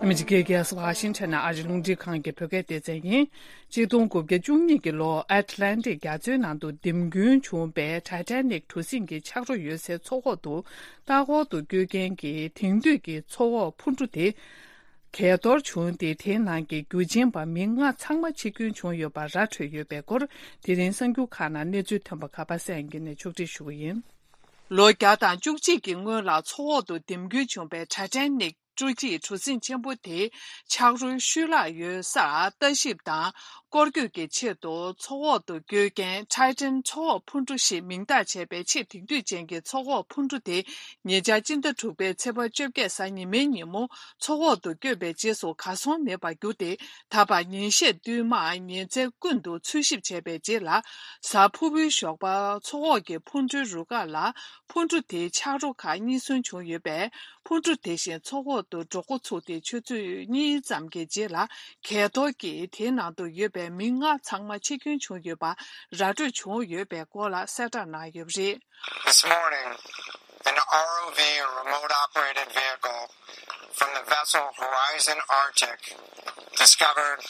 ཨ་མི་རི་ཀའི་རྒྱལ་ས་ཝ་ཤིང་ཊོན་ནས་ཨ་རིའི་རླུང་འཕྲིན་ཁང་གི་བོད་སྐད་སྡེ་ཚན་ཡིན། ཆིག་སྟོང་དགུ་བརྒྱ་བཅུ་གཉིས་ཀྱི་ལོ་ཨེཊ་ལན་ཊིག་རྒྱ་མཚོའི་ནང་དུ་ལྡེམ་སྐྱོན་བྱུང་བའི་ཊའི་ཊན་ནིག་གྲུ་གཟིངས་ཀྱི་ཆག་རོ་ཡོད་སའི་མཚོ་ཁོག་ཏུ་ལྟ་སྐོར་དུ་བསྐྱོད་མཁན་གྱི་དེང་དུས་ཀྱི་མཚོ་འོག་འཕུར་གྲུ་དེ་གས་གཏོར་བྱུང་སྟེ། དེའི་ནང་གི་རྒྱུ་ཆེན་པ་མི་ལྔ་ཚང་མ་འཆི་སྐྱོན་བྱུང་ཡོད་པ་ར་འཕྲོད་ཡོད་པའི་སྐོར། དེ་རིང་གསར་འགྱུར་ཁག་ནང་གནས་ཚུལ་ཐོན་པ་ཁ་པ་སངས་སྐྱིད་ནས་ཕྱོགས་སྒྲིག་ཞུ་གི་ཡིན། ལོ་བརྒྱ་དང་བཅུ་གཅིག་གི་སྔོན་ལ་མཚོ་འོག་ཏུ་ལྡེམ་སྐྱོན་བྱུང་བའི་ཊའི་ཊན་ནིག་གྲུ་གཟིངས་གྲུ་གཟིངས་ཆེན་པོ་དེའི་ཆག་རོའི་ཤུལ་ལྷག་ཡོད་སར་ལྟ་ཞིབ་དང་སྐོར་སྐྱོད་ཀྱི་ཆེད་དུ། མཚོ་འོག་ཏུ་བསྐྱོད་མཁན་ཊའི་ཊན་མཚོ་འོག་འཕུར་གྲུ་ཞེས་མིང་བཏགས་བྱས་པའི་ཆེས་དེང་དུས་ཅན་གྱི་མཚོ་འོག་འཕུར་གྲུ་དེ། ཉེ་ཆར་སྤྱི་ཟླ་དྲུག་པའི་ཚེས་པ་བཅོ་བརྒྱད་གཟའ་ཉི་མའི་ཉིན་མོ་མཚོ་འོག་ཏུ་བསྐྱོད་པའི་རྗེས་སུ་གར་སོང་མེད་པར་གྱུར་ཏེ། ད་བར་ཉིན་ཤས་བསྟུད་མར་ཉེན་ཚན་ཀུན་ཏུ་འཚོལ་ཞིབ་བྱས་པའི་རྗེས་ལ། གཟའ་ཕུར་བུའི་ཞོགས་པར་མཚོ་འོག་གི་འཕུར་གྲུའི་རུ་ཁག་ལ་འཕུར་གྲུ་དེའི་ཆག་རོ་ཁག་གཉིས་ཟིན་བྱུང་ཡོད་པས། འཕུར་གྲུ་དེ་བཞིན་མཚོ་འོག་ཏུ་འགྲོ་འགོ་ཚུགས་ཏེ་ཆུ་ཚོད་གཉིས་ཙམ་གྱི་རྗེས་ལ་གས་གཏོར་གྱིས་དེའི་ནང་དུ་ཡོད་པའི་མི་ལྔ་ཚང་མ་འཆི་སྐྱོན་བྱུང་ཡོད་པ་ར་སྤྲོད་བྱུང་ཡོད་པའི་སྐོར་ལ་གསལ་བསྒྲགས་གནང་ཡོད་པ་རེད། This morning, an R O V, or remote operated vehicle, from the vessel Horizon Arctic discovered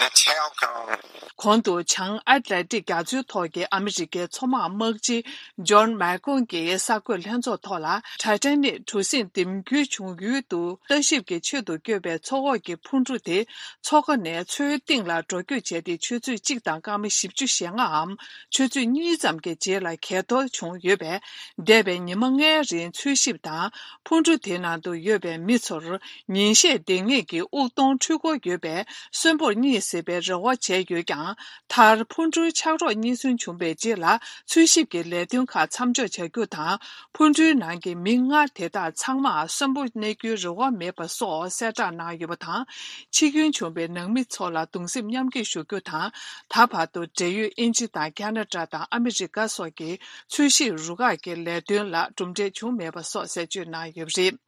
the tail cone. གོང་དུ་བྱང་ཨེཊ་ལན་ཊིག་རྒྱ་མཚོའི་ཐོག་གི་ཨ་མི་རི་ཀའི་མཚོ་དམག་དམག་སྤྱི་ཇོན་མཱི་ཀོན་གྱིས་གསར་འགོད་ལྷན་ཚོགས་ཐོག་ལ། ཊའི་ཊན་ནིག་གྲུ་གཟིངས་ལྡེམ་སྐྱོན་བྱུང་ཡུལ་དུ་ལྟ་ཞིབ་ཀྱི་ཆེད་དུ་བསྐྱོད་པའི་མཚོ་འོག་གི་འཕུར་གྲུ་དེ། མཚོ་ཁ་ནས་མཚོའི་གཏིང་ལ་འགྲོ་སྐྱོད་བྱས་ཏེ། ཆུ་ཚོད་གཅིག་དང་སྐར་མ་བཞི་བཅུ་ཞེ་ལྔའམ། ཆུ་ཚོད་གཉིས་ཙམ་གྱི་རྗེས་ལ་གས་གཏོར་བྱུང་ཡོད་པས། འདས་པའི་ཉི་མ་ལྔའི་རིང་འཚོལ་ཞིབ་དང་། འཕུར་གྲུ་དེའི་ནང་དུ་ཡོད་པའི་མི་ཚོར་ ཉིན་ཤས་སྡོད་མཁན་གྱི་དབུགས་གཏོང་འཕྲུལ་འཁོར་ཡོད་པའི་གསོན་པོར་གཉིད་སད་པའི་རེ་བ་བྱས་ཡོད་ཀྱང་། མཐར་འཕུར་འགྲུལ་ཆག་རོགས་རྙེད་སོན་བྱུང་བའི་རྗེས་ལ། འཚོལ་ཞིབ་ཀྱི་ལས་དོན་ཁག་མཚམས་འཇོག་བྱ་རྒྱུ་དང་། འཕུར་འགྲུལ་ནང་གི་མི་ལྔ་དེ་དག་ཚང་མར་གསོན་པོར་གནས་རྒྱུའི་རེ་བ་མེད་པ་སོགས་གསལ་བསྒྲགས་གནང་ཡོད་པ་དང་། འཆི་སྐྱོན་བྱུང་བའི་ནང་མི་ཚོ་ལ་གདུང་སེམས་མཉམ་སྐྱེད་ཞུ་རྒྱུ་དང་། ད་བར་དུ་འབྲེལ་ཡོད་དབྱིན་ཇི་དང་ཁ་ན་ཌ་དང་ཨ་མི་རི་ཀ་སོགས་ཀྱི་འཚོལ་ཞིབ་རུ་ཁག་གི་ལས་དོན་ལ་གྲུབ་འབྲས་བྱུང་མེད་པ་སོགས་གསལ་བརྗོད་གནང་ཡོད་པ་རེད།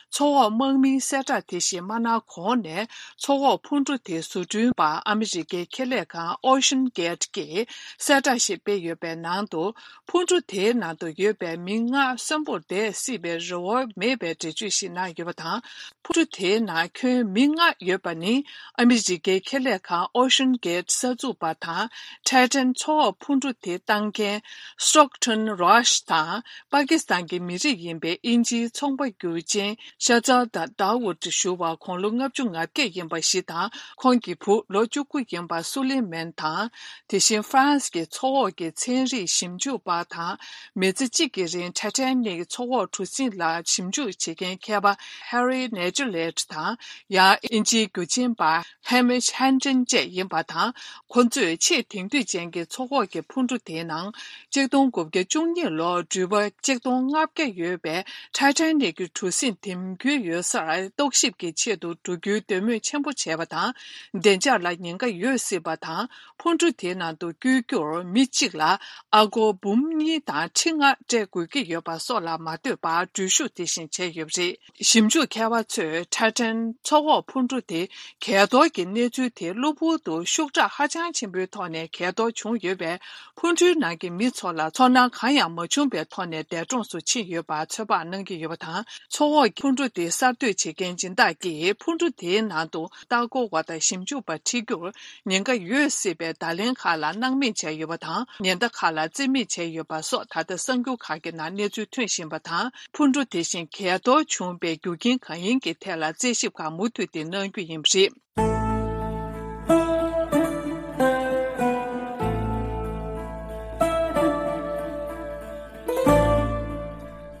མཚོ་འོག་དམག་མིའི་གསལ་བསྒྲགས་དེ་བཞིན་མ་གནང་གོང་ནས། མཚོ་འོག་འཕུར་འགྲོ་དེ་བཟོ་སྐྲུན་པ་ཨ་མི་རི་ཀའི་ཁེ་ལས་ཁང་Ocean Gate གིས་གསལ་བསྒྲགས་ཤིག་སྤེལ་ཡོད་པའི་ནང་དུ། འཕུར་འགྲོ་དེའི་ནང་དུ་ཡོད་པའི་མི་ལྔ་གསོན་པོར་བསྡད་སྲིད་པའི་རེ་བ་མེད་པའི་འགྲེལ་བརྗོད་ཞིག་གནང་ཡོད་པ་དང་། འཕུར་འགྲོ་དེའི་ནང་ཁྱོན་མི་ལྔ་ཡོད་པ་ནི། ཨ་མི་རི་ཀའི་ཁེ་ལས་ཁང་Ocean Gate གསར་འཛུགས་པ་དང་། Titan མཚོ་འོག་འཕུར་འགྲོ་དེ་བཏང་མཁན་Stockton Rush དང་། པ་ཀི་སི་ཐན་གྱི་མི་རིགས་ཡིན་པའི་དབྱིན་ཇིའི་ཚོང་པ་རྒྱུ་ཆེན་ཤ་ཛར་ད་ད་ཝུད་ཞུ་བ་དགུང་ལོ་ལྔ་བཅུ་ང་བརྒྱད་ཡིན་པ་ཞིག་དང་། ཁོང་གི་བུ་ལོ་བཅུ་དགུ་ཡིན་པ་སུ་ལི་མན་དང་། དེ་བཞིན་ཧྥ་རན་སི་གི་མཚོ་འོག་གི་ཚན་རིག་ཞིབ་འཇུག་པ་དང་། མི་ཚེ་གཅིག་གི་རིང་Titanic མཚོ་འོག་གྲུ་གཟིངས་ལ་ཞིབ་འཇུག་བྱེད་མཁན་མཁས་པ་Harry Natchet དང་། ཡང་དབྱིན་ཇིའི་རྒྱུ་ཆེན་པ་Hamish Huntington བཅས་ཡིན་པ་དང་། ཁོ་ཚོས་ཆེས་དེང་དུས་ཅན་གྱི་མཚོ་འོག་གི་འཕུར་འགྲོ་དེའི་ནང་། ཆིག་སྟོང་དགུ་བརྒྱ་བཅུ་གཉིས་ལོར་འགྲུལ་པ་ཆིག་སྟོང་ལྔ་བརྒྱ་ཡོད་པའི་Titanic གི་གྲུ་གཟིངས་འདེམས་རྒྱུ་ཡོད་སར་རྟོག་ཞིབ་ཀྱི་ཆེད་དུ་འགྲོ་རྒྱུའི་འདོད་མོས་ཆེན་པོ་བྱས་པ་དང་། བདེ་འཇགས་ལ་ཉེན་ཁ་ཡོད་སྲིད་པ་དང་། འཕུར་འགྲོ་དེའི་ནང་དུ་བསྐྱོད་རྒྱུར་མི་གཅིག་ལ་ཨ་སྒོར་འབུམ་གཉིས་དང་ཁྲི་ལྔ་སྤྲད་དགོས་ཀྱི་ཡོད་པ་སོགས་ལ་མ་ལྟོས་པར་འགྲུལ་བཞུད་དེ་བཞིན་བྱས་ཡོད་པ་རེད། ཞིབ་འཇུག་མཁས་པ་ཚོས་Titan མཚོ་འོག་འཕུར་འགྲོ་དེ་གས་གཏོར་གྱི་གནས་ཚུལ་དེ་གློ་བུར་དུ་ཤུགས་དྲག་ཧ་ཅང་ཆེན་པོའི་ཐོག་ནས་གས་གཏོར་བྱུང་ཡོད་པས། འཕུར་འགྲོའི་ནང་གི་མི་ཚོ་ལ་ཚོར་སྣང་གང་ཡང་མ་བྱུང་པའི་ཐོག་ནས་འདས་གྲོངས་སུ་ཕྱིན་ཡོད་པར་ཚོད་དཔག་གནང་གི་ཡོད་པ་དང་། མཚོ་འོག་གི་འཕུར་འགྲོ་དེ་གསར་གཏོད་བྱེད་མཁན་སྦྱིན་བདག་གིས་འཕུར་འགྲོ་དེའི་ནང་དུ་ལྟ་སྐོར་བ་དང་ཞིབ་འཇུག་པ་ཁྲིད་རྒྱུར་ཉེན་ཁ་ཡོད་སྲིད་པའི་བརྡ་ལན་ཁག་ལ་སྣང་མེད་བྱས་ཡོད་པ་དང་། ཉེན་བརྡ་ཁག་ལ་རྩིས་མེད་བྱས་ཡོད་པ་སོགས་ད་ལྟ་གསར་འགྱུར་ཁག་གི་ནང་གནས་ཚུལ་ཐོན་བཞིན་པ་དང་། འཕུར་འགྲོ་དེ་བཞིན་གས་གཏོར་བྱུང་བའི་རྒྱུ་རྐྱེན་གང་ཡིན་གྱི་ཐད་ལ་རྩད་ཞིབ་ཁག་མུ་མཐུད་དེ་གནང་རྒྱུ་ཡིན་པ་རེད།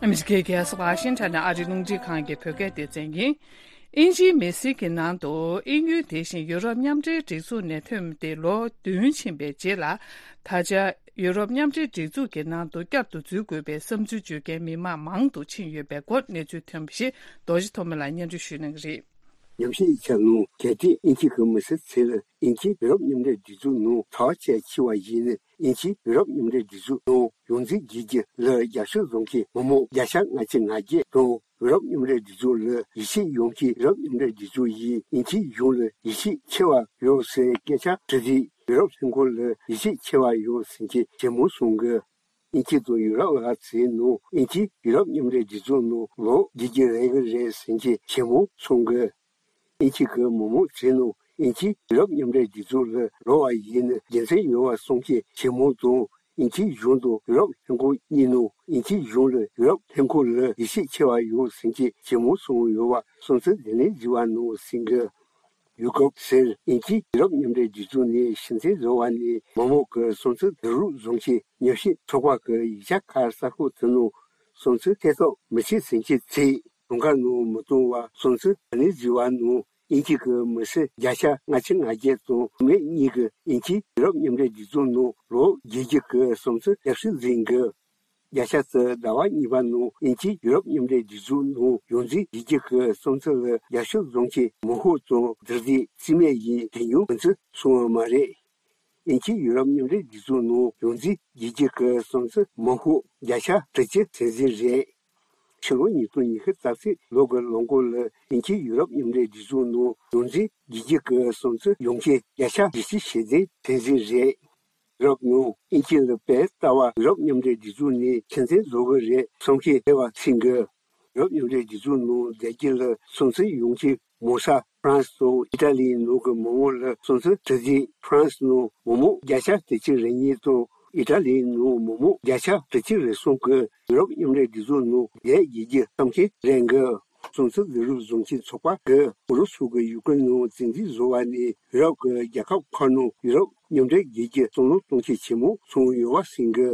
ཨ་མི་རི་ཀའི་རྒྱལ་ས་ཝ་ཤིང་ཊོན་ནས་ཨ་རིའི་རླུང་འཕྲིན་ཁང་གི་བོད་སྐད་སྡེ་ཚན་ཡིན། དབྱིན་ཇིའི་མི་སེར་གྱི་ནང་དུ་དབྱིན་ཡུལ་དེ་བཞིན་ཡུ་རོབ་མཉམ་འབྲེལ་སྒྲིག་འཛུགས་ནས་ཐོན་ཏེ་ལོ་བདུན་ཕྱིན་པའི་རྗེས་ལ། ད་ཆ་ཡུ་རོབ་མཉམ་འབྲེལ་སྒྲིག་འཛུགས་ཀྱི་ནང་དུ་བསྐྱར་དུ་འཛུལ་དགོས་པའི་བསམ་ཚུལ་བརྗོད་མཁན་མི་མང་མང་དུ་ཕྱིན་ཡོད་པའི་སྐོར་གནས་ཚུལ་ཐོན་པ་ཞིག་རྡོ་རྗེ་ཐོགས་མེད་ལགས་སྙན་སྒྲོན་ཞུ་གནང་གི་རེད། ཉམས་ཞིབ་བྱས་ན། གལ་ཏེ་དབྱིན་ཇི་གི་མི་སེར་ཚོས་དབྱིན་ཇི་ཡུ་རོབ་མཉམ་འབྲེལ་སྒྲིག་འཛུགས་ནང་གྲྭ་པ་བཅས་འཁྱེར་བ་ཡིན་ན། དབྱིན་ཇི་ཡུ་རོབ་མཉམ་འབྲེལ་སྒྲིག་འཛུགས་ནང་ཡོང་འཛིན་བྱེད་རྒྱུ་ལ་རྒྱབ་སྐྱོར་བཟོ་མཁན་མི་མང་བརྒྱ་ཆ་ལྔ་བཅུ་ང་བརྒྱད་དང་། ཡུ་རོབ་མཉམ་འབྲེལ་སྒྲིག་འཛུགས་ལ་ཡིད་ཆེས་ཡོད་མཁན་ཡུ་རོབ་མཉམ་འབྲེལ་སྒྲིག་འཛུགས་ཡིས་དབྱིན་ཇི་གཞུང་ལ་ཡིད་ཆེས་ཆེ་བ་ཡོད་ཟེར་སྐད་ཆ་དྲི་དུས། ཡུ་རོབ་ལྷན་ཁང་ལ་ཡིད་ཆེས་ཆེ་བ་ཡོད་ཟེར་མཁན་ཇེ་མང་སོང་གི། དབྱིན་ཇི་དང་ཡུ་རོབ་ལ་ཚོས་ནང་དབྱིན་ཇི་ཡུ་རོབ་མཉམ་འབྲེལ་སྒྲིག་འཛུགས་ནང་ལོག་རྒྱུ་རེད་གི་རེད་ཟེར་མཁན་ཇེ་མང་སོང་གི། དབྱིན་ཇི་གི་མི་མང་ཚོའི་ནང་དབྱིན་ཇི་ཡུ་རོབ་མཉམ་འབྲེལ་སྒྲིག་འཛུགས་ལ་ལོག་པ་ཡིན་ན་རྒྱུ་མཚན་ཡོད་པ་གསུང་མཁན་ཇེ་མང་དང་། དབྱིན་ཇིའི་གཞུང་དང་ཡུ་རོབ་ལྷན་ཁང་གཉིས་ནང་དབྱིན་ཇིའི་གཞུང་ལ་ཡུ་རོབ་ལྷན་ཁང་ལ་ཡིད་ཆེས་ཆེ་བ་ཡོད་ཟེར་མཁན་ཇེ་མང་སོང་ཡོད་པ་སུན་ཙི་བདེ་ལེགས་ཟེར་བ་ནང་གསུངས་གི། ཡུ་གོབ་ཟེར་དབྱིན་ཇི་ཡུ་རོབ་མཉམ་འབྲེལ་སྒྲིག་འཛུགས་ནས་ཕྱི་ཚན་བཟོ་བ་ནས་མི་མང་གི་སུན་ཙི་བསྡུ་རུབ་བཟོ་མཁན་ཉམས་ཞིབ་ཚོགས་པ་གི་ཡིག་ཆ་ཁ་གསར་ཤོག་དེ་ནང་སུན་ཙི་ཐེ་གཏོགས་མི་བྱེད་ཟེར་མཁན་ཚོས་དོན་ཁ་ནང་མི་གཏོང་བར་སུན་ཙི་བདེ་ལེགས་ཟེར་བ་ནང་དབྱིན་ཇི་གི་མི་སེར་བརྒྱ་ཆ་ལྔ་བཅུ་ང་བརྒྱད་དང་མི་གཉིས་ཀྱིས་དབྱིན་ཇི་ཡུ་རོབ་མཉམ་འབྲེལ་སྒྲིག་འཛུགས་ནང་ལོག་རྒྱུ་གི་སུན་ཙི་རྒྱབ་སྐྱོར་མཛད་འགོ། བརྒྱ་ཆ་གཅིག་ཟླ་བ་གཉིས་པ་ནང་དབྱིན་ཇི་ཡུ་རོབ་མཉམ་འབྲེལ་སྒྲིག་འཛུགས་ནང་ཡོང་འཛིན་བྱེད་རྒྱུ་གི་སུན་ཙི་ལ་རྒྱབ་སྐྱོར་བཟོ་མཁན་མང་ཤོས་ཙམ་དེ་རིང་རྩིས་མེད་ཡིན། དེ་ཡང་མི་ཚོས་གསུང་བ་མ་རེད། དབྱིན་ཇི་ཡུ་རོབ་མཉམ་འབྲེལ་སྒྲིག་འཛུགས་ནང་ཡོང་འཛིན་བྱེད་རྒྱུ་གི་སུན་ཙི་མང་ཤོས་བརྒྱ་ཆ་དྲུག་ཅུ་ཟིན་རེད། ཕྱི་ལོ་ཉིས་སྟོང་ཉི་ཤུ་རྩ་གཅིག་ལོ་གི་ལོ་འགོ་ལ་དབྱིན་ཇི་ཡུ་རོབ་མཉམ་འབྲེལ་སྒྲིག་འཛུགས་ནང་ཡོང་འཛིན་བྱེད་རྒྱུ་གི་སུན་ཙི་ཡོང་མཁན་བརྒྱ་ཆ་བཞི་བཅུ་ཞེ་བདུན་ཟིན་རེད། ཡུ་རོབ་ནང་དབྱིན་ཇི་ལ་དཔེ་ལྟ་བ་ཡུ་རོབ་མཉམ་འབྲེལ་སྒྲིག་འཛུགས་ནས་ཁྱིམ་མཚེས་བཟོ་གི་རེད་བསམ་མཁན་དེ་བ་ཚིག་གི། ཡུ་རོབ་མཉམ་འབྲེལ་སྒྲིག་འཛུགས་ནང་བསྡད་རྒྱུ་ལ་སུན་ཙི་ཡོང་མཁན་མང་ས་ཧྥ་རན་སི་དང་ཨི་ཊ་ལིའི་ནང་གི་མི་མང་ལ་སུན་ཙི་དྲི་དུས། ཧྥ་རན་སི་ནང་མི་མང་བརྒྱ་ཆ་དྲུག་ཅུ་རེ་གཉིས་དང་ཨི་ཊ་ལིའི་ནང་མི་མང་བརྒྱ་ཆ་དྲུག་ཅུ་རེ་གསུམ་གྱིས་ཡུ་རོབ་མཉམ་འབྲེལ་སྒྲིག་འཛུགས་ནང་བསྡད་དགོས་རྒྱུ་བསམ་མཁན་རེད་འགའ། སུན་ཙི་བསྡུ་རུབ་བཟོ་མཁན་ཚོགས་པ་གིས་ཨུ་རུ་སུ་གི་ཡུ་ཀེ་རེན་ནང་རྩིས་འཛིན་བཟོ་བ་ནས་ཡུ་རོབ་ཀྱི་རྒྱལ་ཁབ་ཁག་ནང་ཡུ་རོབ་མཉམ་འབྲེལ་བརྒྱུད་རྒྱུ་བསམ་བློ་གཏོང་མཁན་ཇེ་མང་སོང་ཡོད་པ་གསུངས་གི།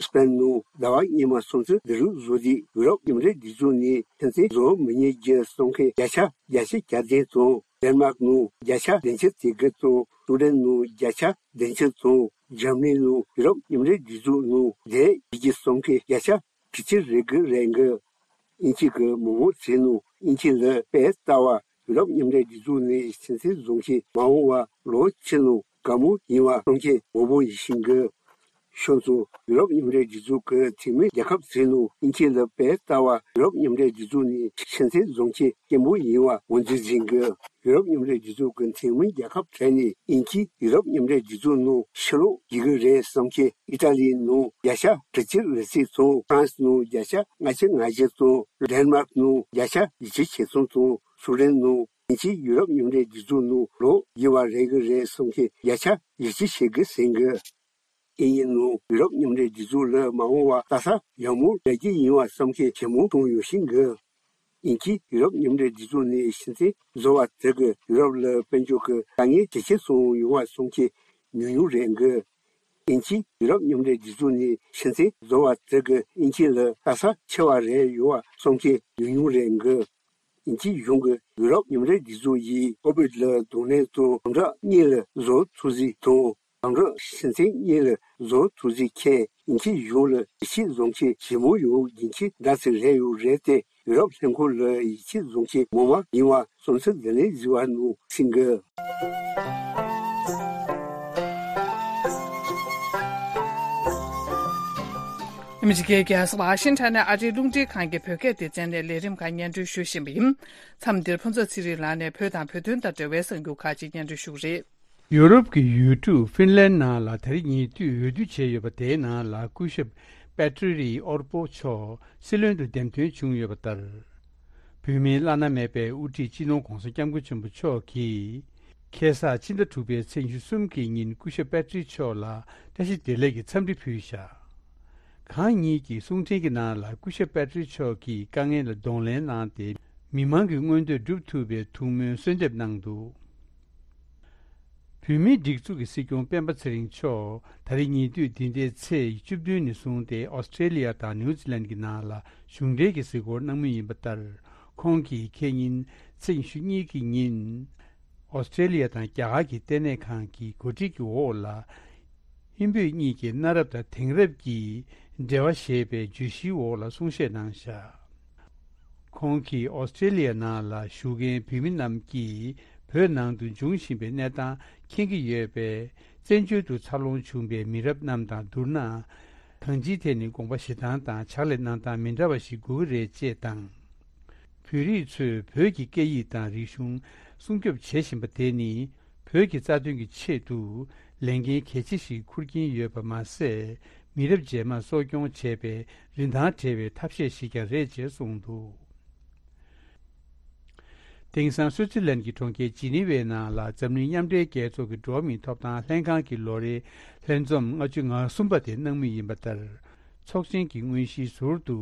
སི་པེན་ནང་ཟླ་བ་སྔོན་མ་སུམ་ཅུ་དྲུག་བཟོ་དུས་ཡུ་རོབ་མཉམ་འབྲེལ་སྒྲིག་འཛུགས་ནས་ཕྱི་འཐེན་བཟོ་མི་ཉན་རྒྱུ་གསུང་མཁན་བརྒྱ་ཆ་བརྒྱད་ཅུ་གྱ་བདུན་དང་། ཌེན་མཱག་ནང་བརྒྱ་ཆ་བདུན་ཅུ་དེ་དགུ་དང་། སུའུ་ཌེན་ནང་བརྒྱ་ཆ་བདུན་ཅུ་དང་། འཇར་མ་ནི་ནང་ཡུ་རོབ་མཉམ་འབྲེལ་སྒྲིག་འཛུགས་ནང་འདྲེན་བྱེད་རྒྱུ་གསུང་མཁན་བརྒྱ་ཆ་དྲུག་ཅུ་རེ་དགུ་རེད་འདུག་དབྱིན་ཇི་གི་མི་མང་ཚོའི་ནང་དབྱིན་ཇི་ལ་དཔེ་ལྟ་བ་ཡུ་རོབ་མཉམ་འབྲེལ་སྒྲིག་འཛུགས་ནས་ཕྱི་འཐེན་བཟོ་མཁན་མ་འོངས་པ་ལོ་ཕྱི་ནང་དགའ་མོ་ཡིན་པ་གསུང་མཁན་མང་པོ་ཡིན་བཞིན་འདུག་ཤོག་ཚོ་ཡུ་རོབ་མཉམ་འབྲེལ་སྒྲིག་འཛུགས་ཀྱི་འཐུས་མི་རྒྱལ་ཁབ་ཚོའི་ནང་དབྱིན་ཇི་ལ་དཔེ་ལྟ་བ་ཡུ་རོབ་མཉམ་འབྲེལ་སྒྲིག་འཛུགས་ནས་ཕྱི་འཐེན་བཟོ་མཁན་སྐྱེན་པོ་ཡིན་པ་ངོས་འཛིན་བྱེད་དགོས། ཡུ་རོབ་མཉམ་འབྲེལ་སྒྲིག་འཛུགས་ཀྱི་འཐུས་མི་རྒྱལ་ཁབ་གྲས་ནས་དབྱིན་ཇི་ཡུ་རོབ་མཉམ་འབྲེལ་སྒྲིག་འཛུགས་ནང་ཕྱིར་ལོག་བྱེད་ཀྱི་རེད་བསམ་མཁན་ཨི་ཏཱ་ལི་ནང་བརྒྱ་ཆ་དྲུག་ཅུ་རེ་གཅིག་དང་། ཧྥ་རན་སི་ནང་བརྒྱ་ཆ་ལྔ་བཅུ་ང་བཞི་དང་། ཌེན་མཱག་ནང་བརྒྱ་ཆ་བཞི་བཅུ་ཞེ་གསུམ་དང་། སུའུ་ཌེན་ནང་དབྱིན་ཇི་ཡུ་རོབ་མཉམ་འབྲེལ་སྒྲིག་འཛུགས་ནང་ལོག་དགོས་པ་རེད་ཀྱི་རེད་བསམ་མཁན་བརྒྱ་ཆ་བཞི་བཅུ་ཞེ་དགུ་ཟིན་གྱི། དབྱིན་ཡུལ་ནང་ཡུ་རོབ་མཉམ་འབྲེལ་སྒྲིག་འཛུགས་ལ་མ་འོངས་པ་ལྟ་ས་ཡག་མོ་རག་རྒྱུ་ཡིན་པ་བསམ་མཁན་ཇེ་མང་དུ་ཡོང་བཞིན་འདུག་དབྱིན་ཇི་ཡུ་རོབ་མཉམ་འབྲེལ་སྒྲིག་འཛུགས་ནས་ཕྱི་འཐེན་བཟོ་བ་དེ་གིས་ཡུ་རོབ་ལ་དཔལ་འབྱོར་གྱི་དཀའ་ངལ་ཇེ་ཆེ་སོང་ཡོང་བ་གསུང་མཁན་ཉུང་ཉུང་རེད་འདུག་དབྱིན་ཇི་ཡུ་རོབ་མཉམ་འབྲེལ་སྒྲིག་འཛུགས་ནས་ཕྱི་འཐེན་བཟོ་བ་དེ་གིས་དབྱིན་ཇི་ལ་ལྟ་ས་ཆེ་བ་རེ་ཡོང་བ་གསུང་མཁན་ཉུང་ཉུང་རེད་འདུག་དབྱིན་ཇི་གཞུང་གིས་ཡུ་རོབ་མཉམ་འབྲེལ་སྒྲིག་འཛུགས་ཀྱིས་ཀོ་བིཌ་ལ་གདོང་ལེན་དང་དམ་དྲག་གཉིས་ལ་བཟོ་ཐུབ་ཚུལ་དང་། དམ་དྲག་ཕྱི་འཐེན་གཉིས་ལ་བཟོ་ཐུབ་ཚུལ་མཁྱེན་དབྱིན་ཇི་གཞུང་ལ་ཡིད་ཆེས་བཟུང་མཁན་ཞིབ་མོ་ཡོད་རྒྱུ་མཁན་འདྲ་ཚིག་རེ་ཡོད་རེད་དེ། ཡུ་རོབ་ལྷན་ཁང་ལ་ཡིད་ཆེས་བཟུང་མཁན་ངོ་མ་ཡིན་པ་སོང་ཚུལ་འདི་ནས་གཟིགས་པ་ནང་གསུངས་འདུག་ཨ་མི་རི་ཀའི་རྒྱལ་ས་ཝ་ཤིང་ཊོན་ནས་ཨ་རིའི་རླུང་འཕྲིན་ཁང་གི་བོད་སྐད་སྡེ་ཚན་ནས་ལས་རིམ་ཁག་སྙན་སྒྲོན་ཞུ་བཞིན་པ་ཡིན། མཚམས་འདིར་ཕུན་ཚོགས་ཚེ་རིང་ལགས་ནས་བོད་དང་བོད་དོན་དང་འབྲེལ་བའི་གསར་འགྱུར་ཁག་ཅིག་སྙན་སྒྲོན་ཞུ་གི་རེད། ཡུ་རོབ་ཀྱི་ཡུལ་གྲུ་ཧྥིན་ལན་ནང་ལ་ད་རེས་ཉེ་དུས་འོས་བསྡུ་བྱས་ཡོད་པ་དེའི་ནང་ལ་སྐུ་ཞབས་པེ་ཏྲི་རི་ཨོར་པོ་མཆོག་སྲིད་བློན་དུ་འདེམས་ཐོན་བྱུང་ཡོད་པ་ལྟར། བོད་མིའི་བླ་ན་མེད་པའི་དབུ་ཁྲིད་སྤྱི་ནོར་༧གོང་ས་༧སྐྱབས་མགོན་ཆེན་པོ་མཆོག་གིས། ཁ་སང་ཕྱི་ཟླ་དྲུག་པའི་ཚེས་ཉི་ཤུ་གསུམ་གྱི་ཉིན་སྐུ་ཞབས་པེ་ཏྲི་མཆོག་ལ་བཀྲ་ཤིས་བདེ་ལེགས་ཀྱི་འཚམས་འདྲི་ཕུལ་བཞག་གང་ཉིད་ཀྱི་གསུང་འཕྲིན་གྱི་ནང་ལ་སྐུ་ཞབས་པེ་ཏྲི་མཆོག་གིས་དཀའ་ངལ་ལ་གདོང་ལེན་གནང་སྟེ། མི་མང་གི་མངོན་འདོད་སྒྲུབ་ཐུབ་པའི་ཐུགས་སྨོན་གསོལ་འདེབས་གནང་འདུག་བོད་མིའི་སྒྲིག་འཛུགས་ཀྱི་སྲིད་སྐྱོང་སྤེན་པ་ཚེ་རིང་མཆོག་ད་རེས་ཉེ་དུས་འདི་ཟླའི་ཚེས་བཅུ་བདུན་ནས་བཟུང་སྟེ་ཨོ་སི་ཀྲེ་ལི་ཡ་དང་ནིའུ་ཛི་ལན་གྱི་ནང་ལ་གཞུང་འབྲེལ་གྱི་གཟིགས་སྐོར་གནང་མུས་ཡིན་པ་ལྟར། ཁོང་གིས་ཁེ་ཉིན་ཚེས་ཉི་ཤུ་གཉིས་ཀྱི་ཉིན། ཨོ་སི་ཀྲེ་ལི་ཡ་དང་རྒྱ་གར་གྱི་ལྟེ་གནས་ཁང་གི་གོ་སྒྲིག་གི་འོག་ལ། ཧིན་བོད་གཉིས་ཀྱི་གནའ་རབས་དང་དེང་རབས་ཀྱི་འབྲེལ་བ་ཞེས་པའི་བརྗོད་གཞིའི་འོག་ལ་གསུང་བཤད་གནང་བཞག་ཁོང་གིས་ཨོ་སི་ཀྲེ་ལི་ཡ་ནང་ལ་བཞུགས་མཁན་བོད་མི་རྣམས་ཀྱིས་བོད་ནང་དུ་འབྱུང་བཞིན་པའི་གནས་སྟངས་མཁྱེན་གྱི་ཡོད་པས། བཙན་བྱོལ་དུ་འཚར་ལོངས་བྱུང་བའི་མི་རབས་རྣམས་དང་བསྡུར་ན། གང་ཅིའི་ཐད་ནས་དགོངས་པ་བཞེས་སྟངས་དང་ཕྱག་ལས་གནང་སྟངས་མི་འདྲ་བ་ཞིག་དགོས་ཀྱི་རེད་ཅེས་དང་། བོད་རིགས་ཚོས་བོད་ཀྱི་སྐད་ཡིག་དང་རིག་གཞུང་སྲུང་སྐྱོབ་བྱེད་བཞིན་པ་དེ་ནི། བོད་ཀྱི་རྩ་དོན་གྱི་ཆེད་དུ་ལས་འགན་གལ་ཆེ་ཞིག་འཁུར་གྱིན་ཡོད་པ་མ་ཟད། མི་རབས་རྗེས་མ་གསོ་སྐྱོང་བྱེད་པའི་རིན་ཐང་བྲལ་བའི་ཐབས་ཤེས་ཤིག་ཀྱང་རེད་ཅེས་གསུངས་འདུག་དེང་སང་སུའུ་ཙི་ལན་གྱི་གྲོང་ཁྱེར་ཇི་ནི་ཝའི་ནང་ལ་འཛམ་གླིང་མཉམ་འབྲེལ་རྒྱལ་ཚོགས་ཀྱི་འགྲོ་བ་མིའི་ཐོབ་ཐང་ལྷན་ཁང་གི་ལོ་རེའི་ལྷན་འཛོམས་ལྔ་བཅུ་ང་གསུམ་པ་དེ་གནང་མུས་ཡིན་པ་ལྟར། ཚོགས་ཆེན་གྱི་དངོས་གཞིའི་ཟུར་དུ།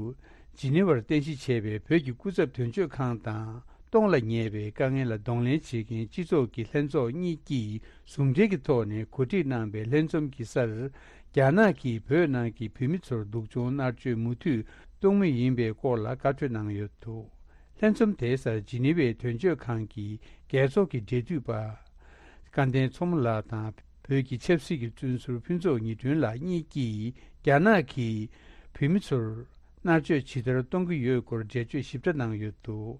ཇི་ནི་ཝར་རྟེན་གཞི་བྱས་པའི་བོད་ཀྱི་སྐུ་ཚབ་དོན་གཅོད་ཁང་དང་། སྟོངས་ལ་ཉེ་བའི་དཀའ་ངལ་ལ་གདོང་ལེན་བྱེད་མཁན་སྤྱི་ཚོགས་ཀྱི་ལྷན་ཚོགས་གཉིས་ཀྱིས་ཟུང་འབྲེལ་གྱི་ཐོག་ནས་གོ་སྒྲིག་གནང་པའི་ལྷན་འཛོམས་ཀྱི་སར། རྒྱ་ནག་གིས་བོད་ནང་གི་བོད་མི་ཚོར་སྡུག་སྦྱོང་མནར་གཅོད་མུ་མཐུད་གཏོང་མུས་ཡིན་པའི་སྐོར་ལ་བཀའ་འཁྲོལ་གནང་ཡོད་འདུག་ལྷན་འཛོམས་དེའི་སར་ཇི་ནི་ཝའི་དོན་གཅོད་ཁང་གི་རྒྱལ་ཚོགས་ཀྱི་འབྲེལ་མཐུད་པ། སྐལ་ལྡན་མཚོ་མོ་ལགས་དང་། བོད་ཀྱི་ཆབ་སྲིད་ཀྱི་བཙོན་ཟུར་ཕུན་ཚོགས་ཉི་སྒྲོན་ལགས་གཉིས་ཀྱིས། རྒྱ་ནག་གིས་བོད་མི་ཚོར་མནར་གཅོད་ཇི་ལྟར་གཏོང་གི་ཡོད་སྐོར་འགྲེལ་བརྗོད་ཞིབ་ཕྲ་གནང་ཡོད་འདུག་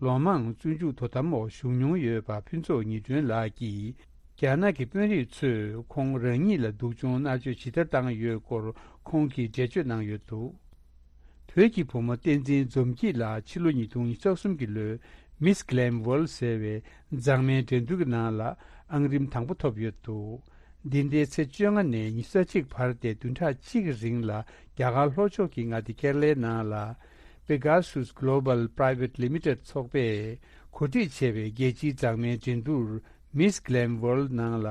ལོ་མང་བཙོན་འཇུག་དོ་དམ་འོག་བཞུགས་མྱོང་ཡོད་པ་ཕུན་ཚོགས་ཉི་སྒྲོན་ལགས་ཀྱིས། རྒྱ་ནག་གི་དཔོན་རིགས་ཚོས་ཁོང་རང་ཉིད་ལ་སྡུག་སྦྱོང་མནར་གཅོད་ཇི་ལྟར་བཏང་ཡོད་སྐོར་ཁོང་གིས་འགྲེལ་བརྗོད་གནང་ཡོད་འདུག་བོད་ཀྱི་བུ་མོ་བསྟན་འཛིན་འཛོམས་སྐྱིད་ལགས་ཕྱི་ལོ་ཉིས་སྟོང་ཉི་ཤུ་རྩ་གསུམ་གྱི་ལོའི་Miss Glam World ཟེར་བའི་མཛངས་མའི་འགྲན་བསྡུར་གྱི་ནང་ལ་ཨང་རིམ་དང་པོ་ཐོབ་ཡོད་འདུག་འདི་ཟླའི་ཚེས་བཅོ་ལྔ་ནས་ཉི་ཤུ་རྩ་གཅིག་བར་ཏེ་བདུན་ཕྲག་གཅིག་གི་རིང་ལ་རྒྱ་གར་ལྷོ་ཕྱོགས་ཀྱི་མངའ་སྡེ་ཀེ་ར་ལའི་ནང་ལ་Pegasus Global Private Limited ཚོགས་པས་གོ་སྒྲིག་བྱས་པའི་རྒྱལ་སྤྱིའི་མཛངས་མའི་འགྲན་བསྡུར་Miss Glam World ནང་ལ་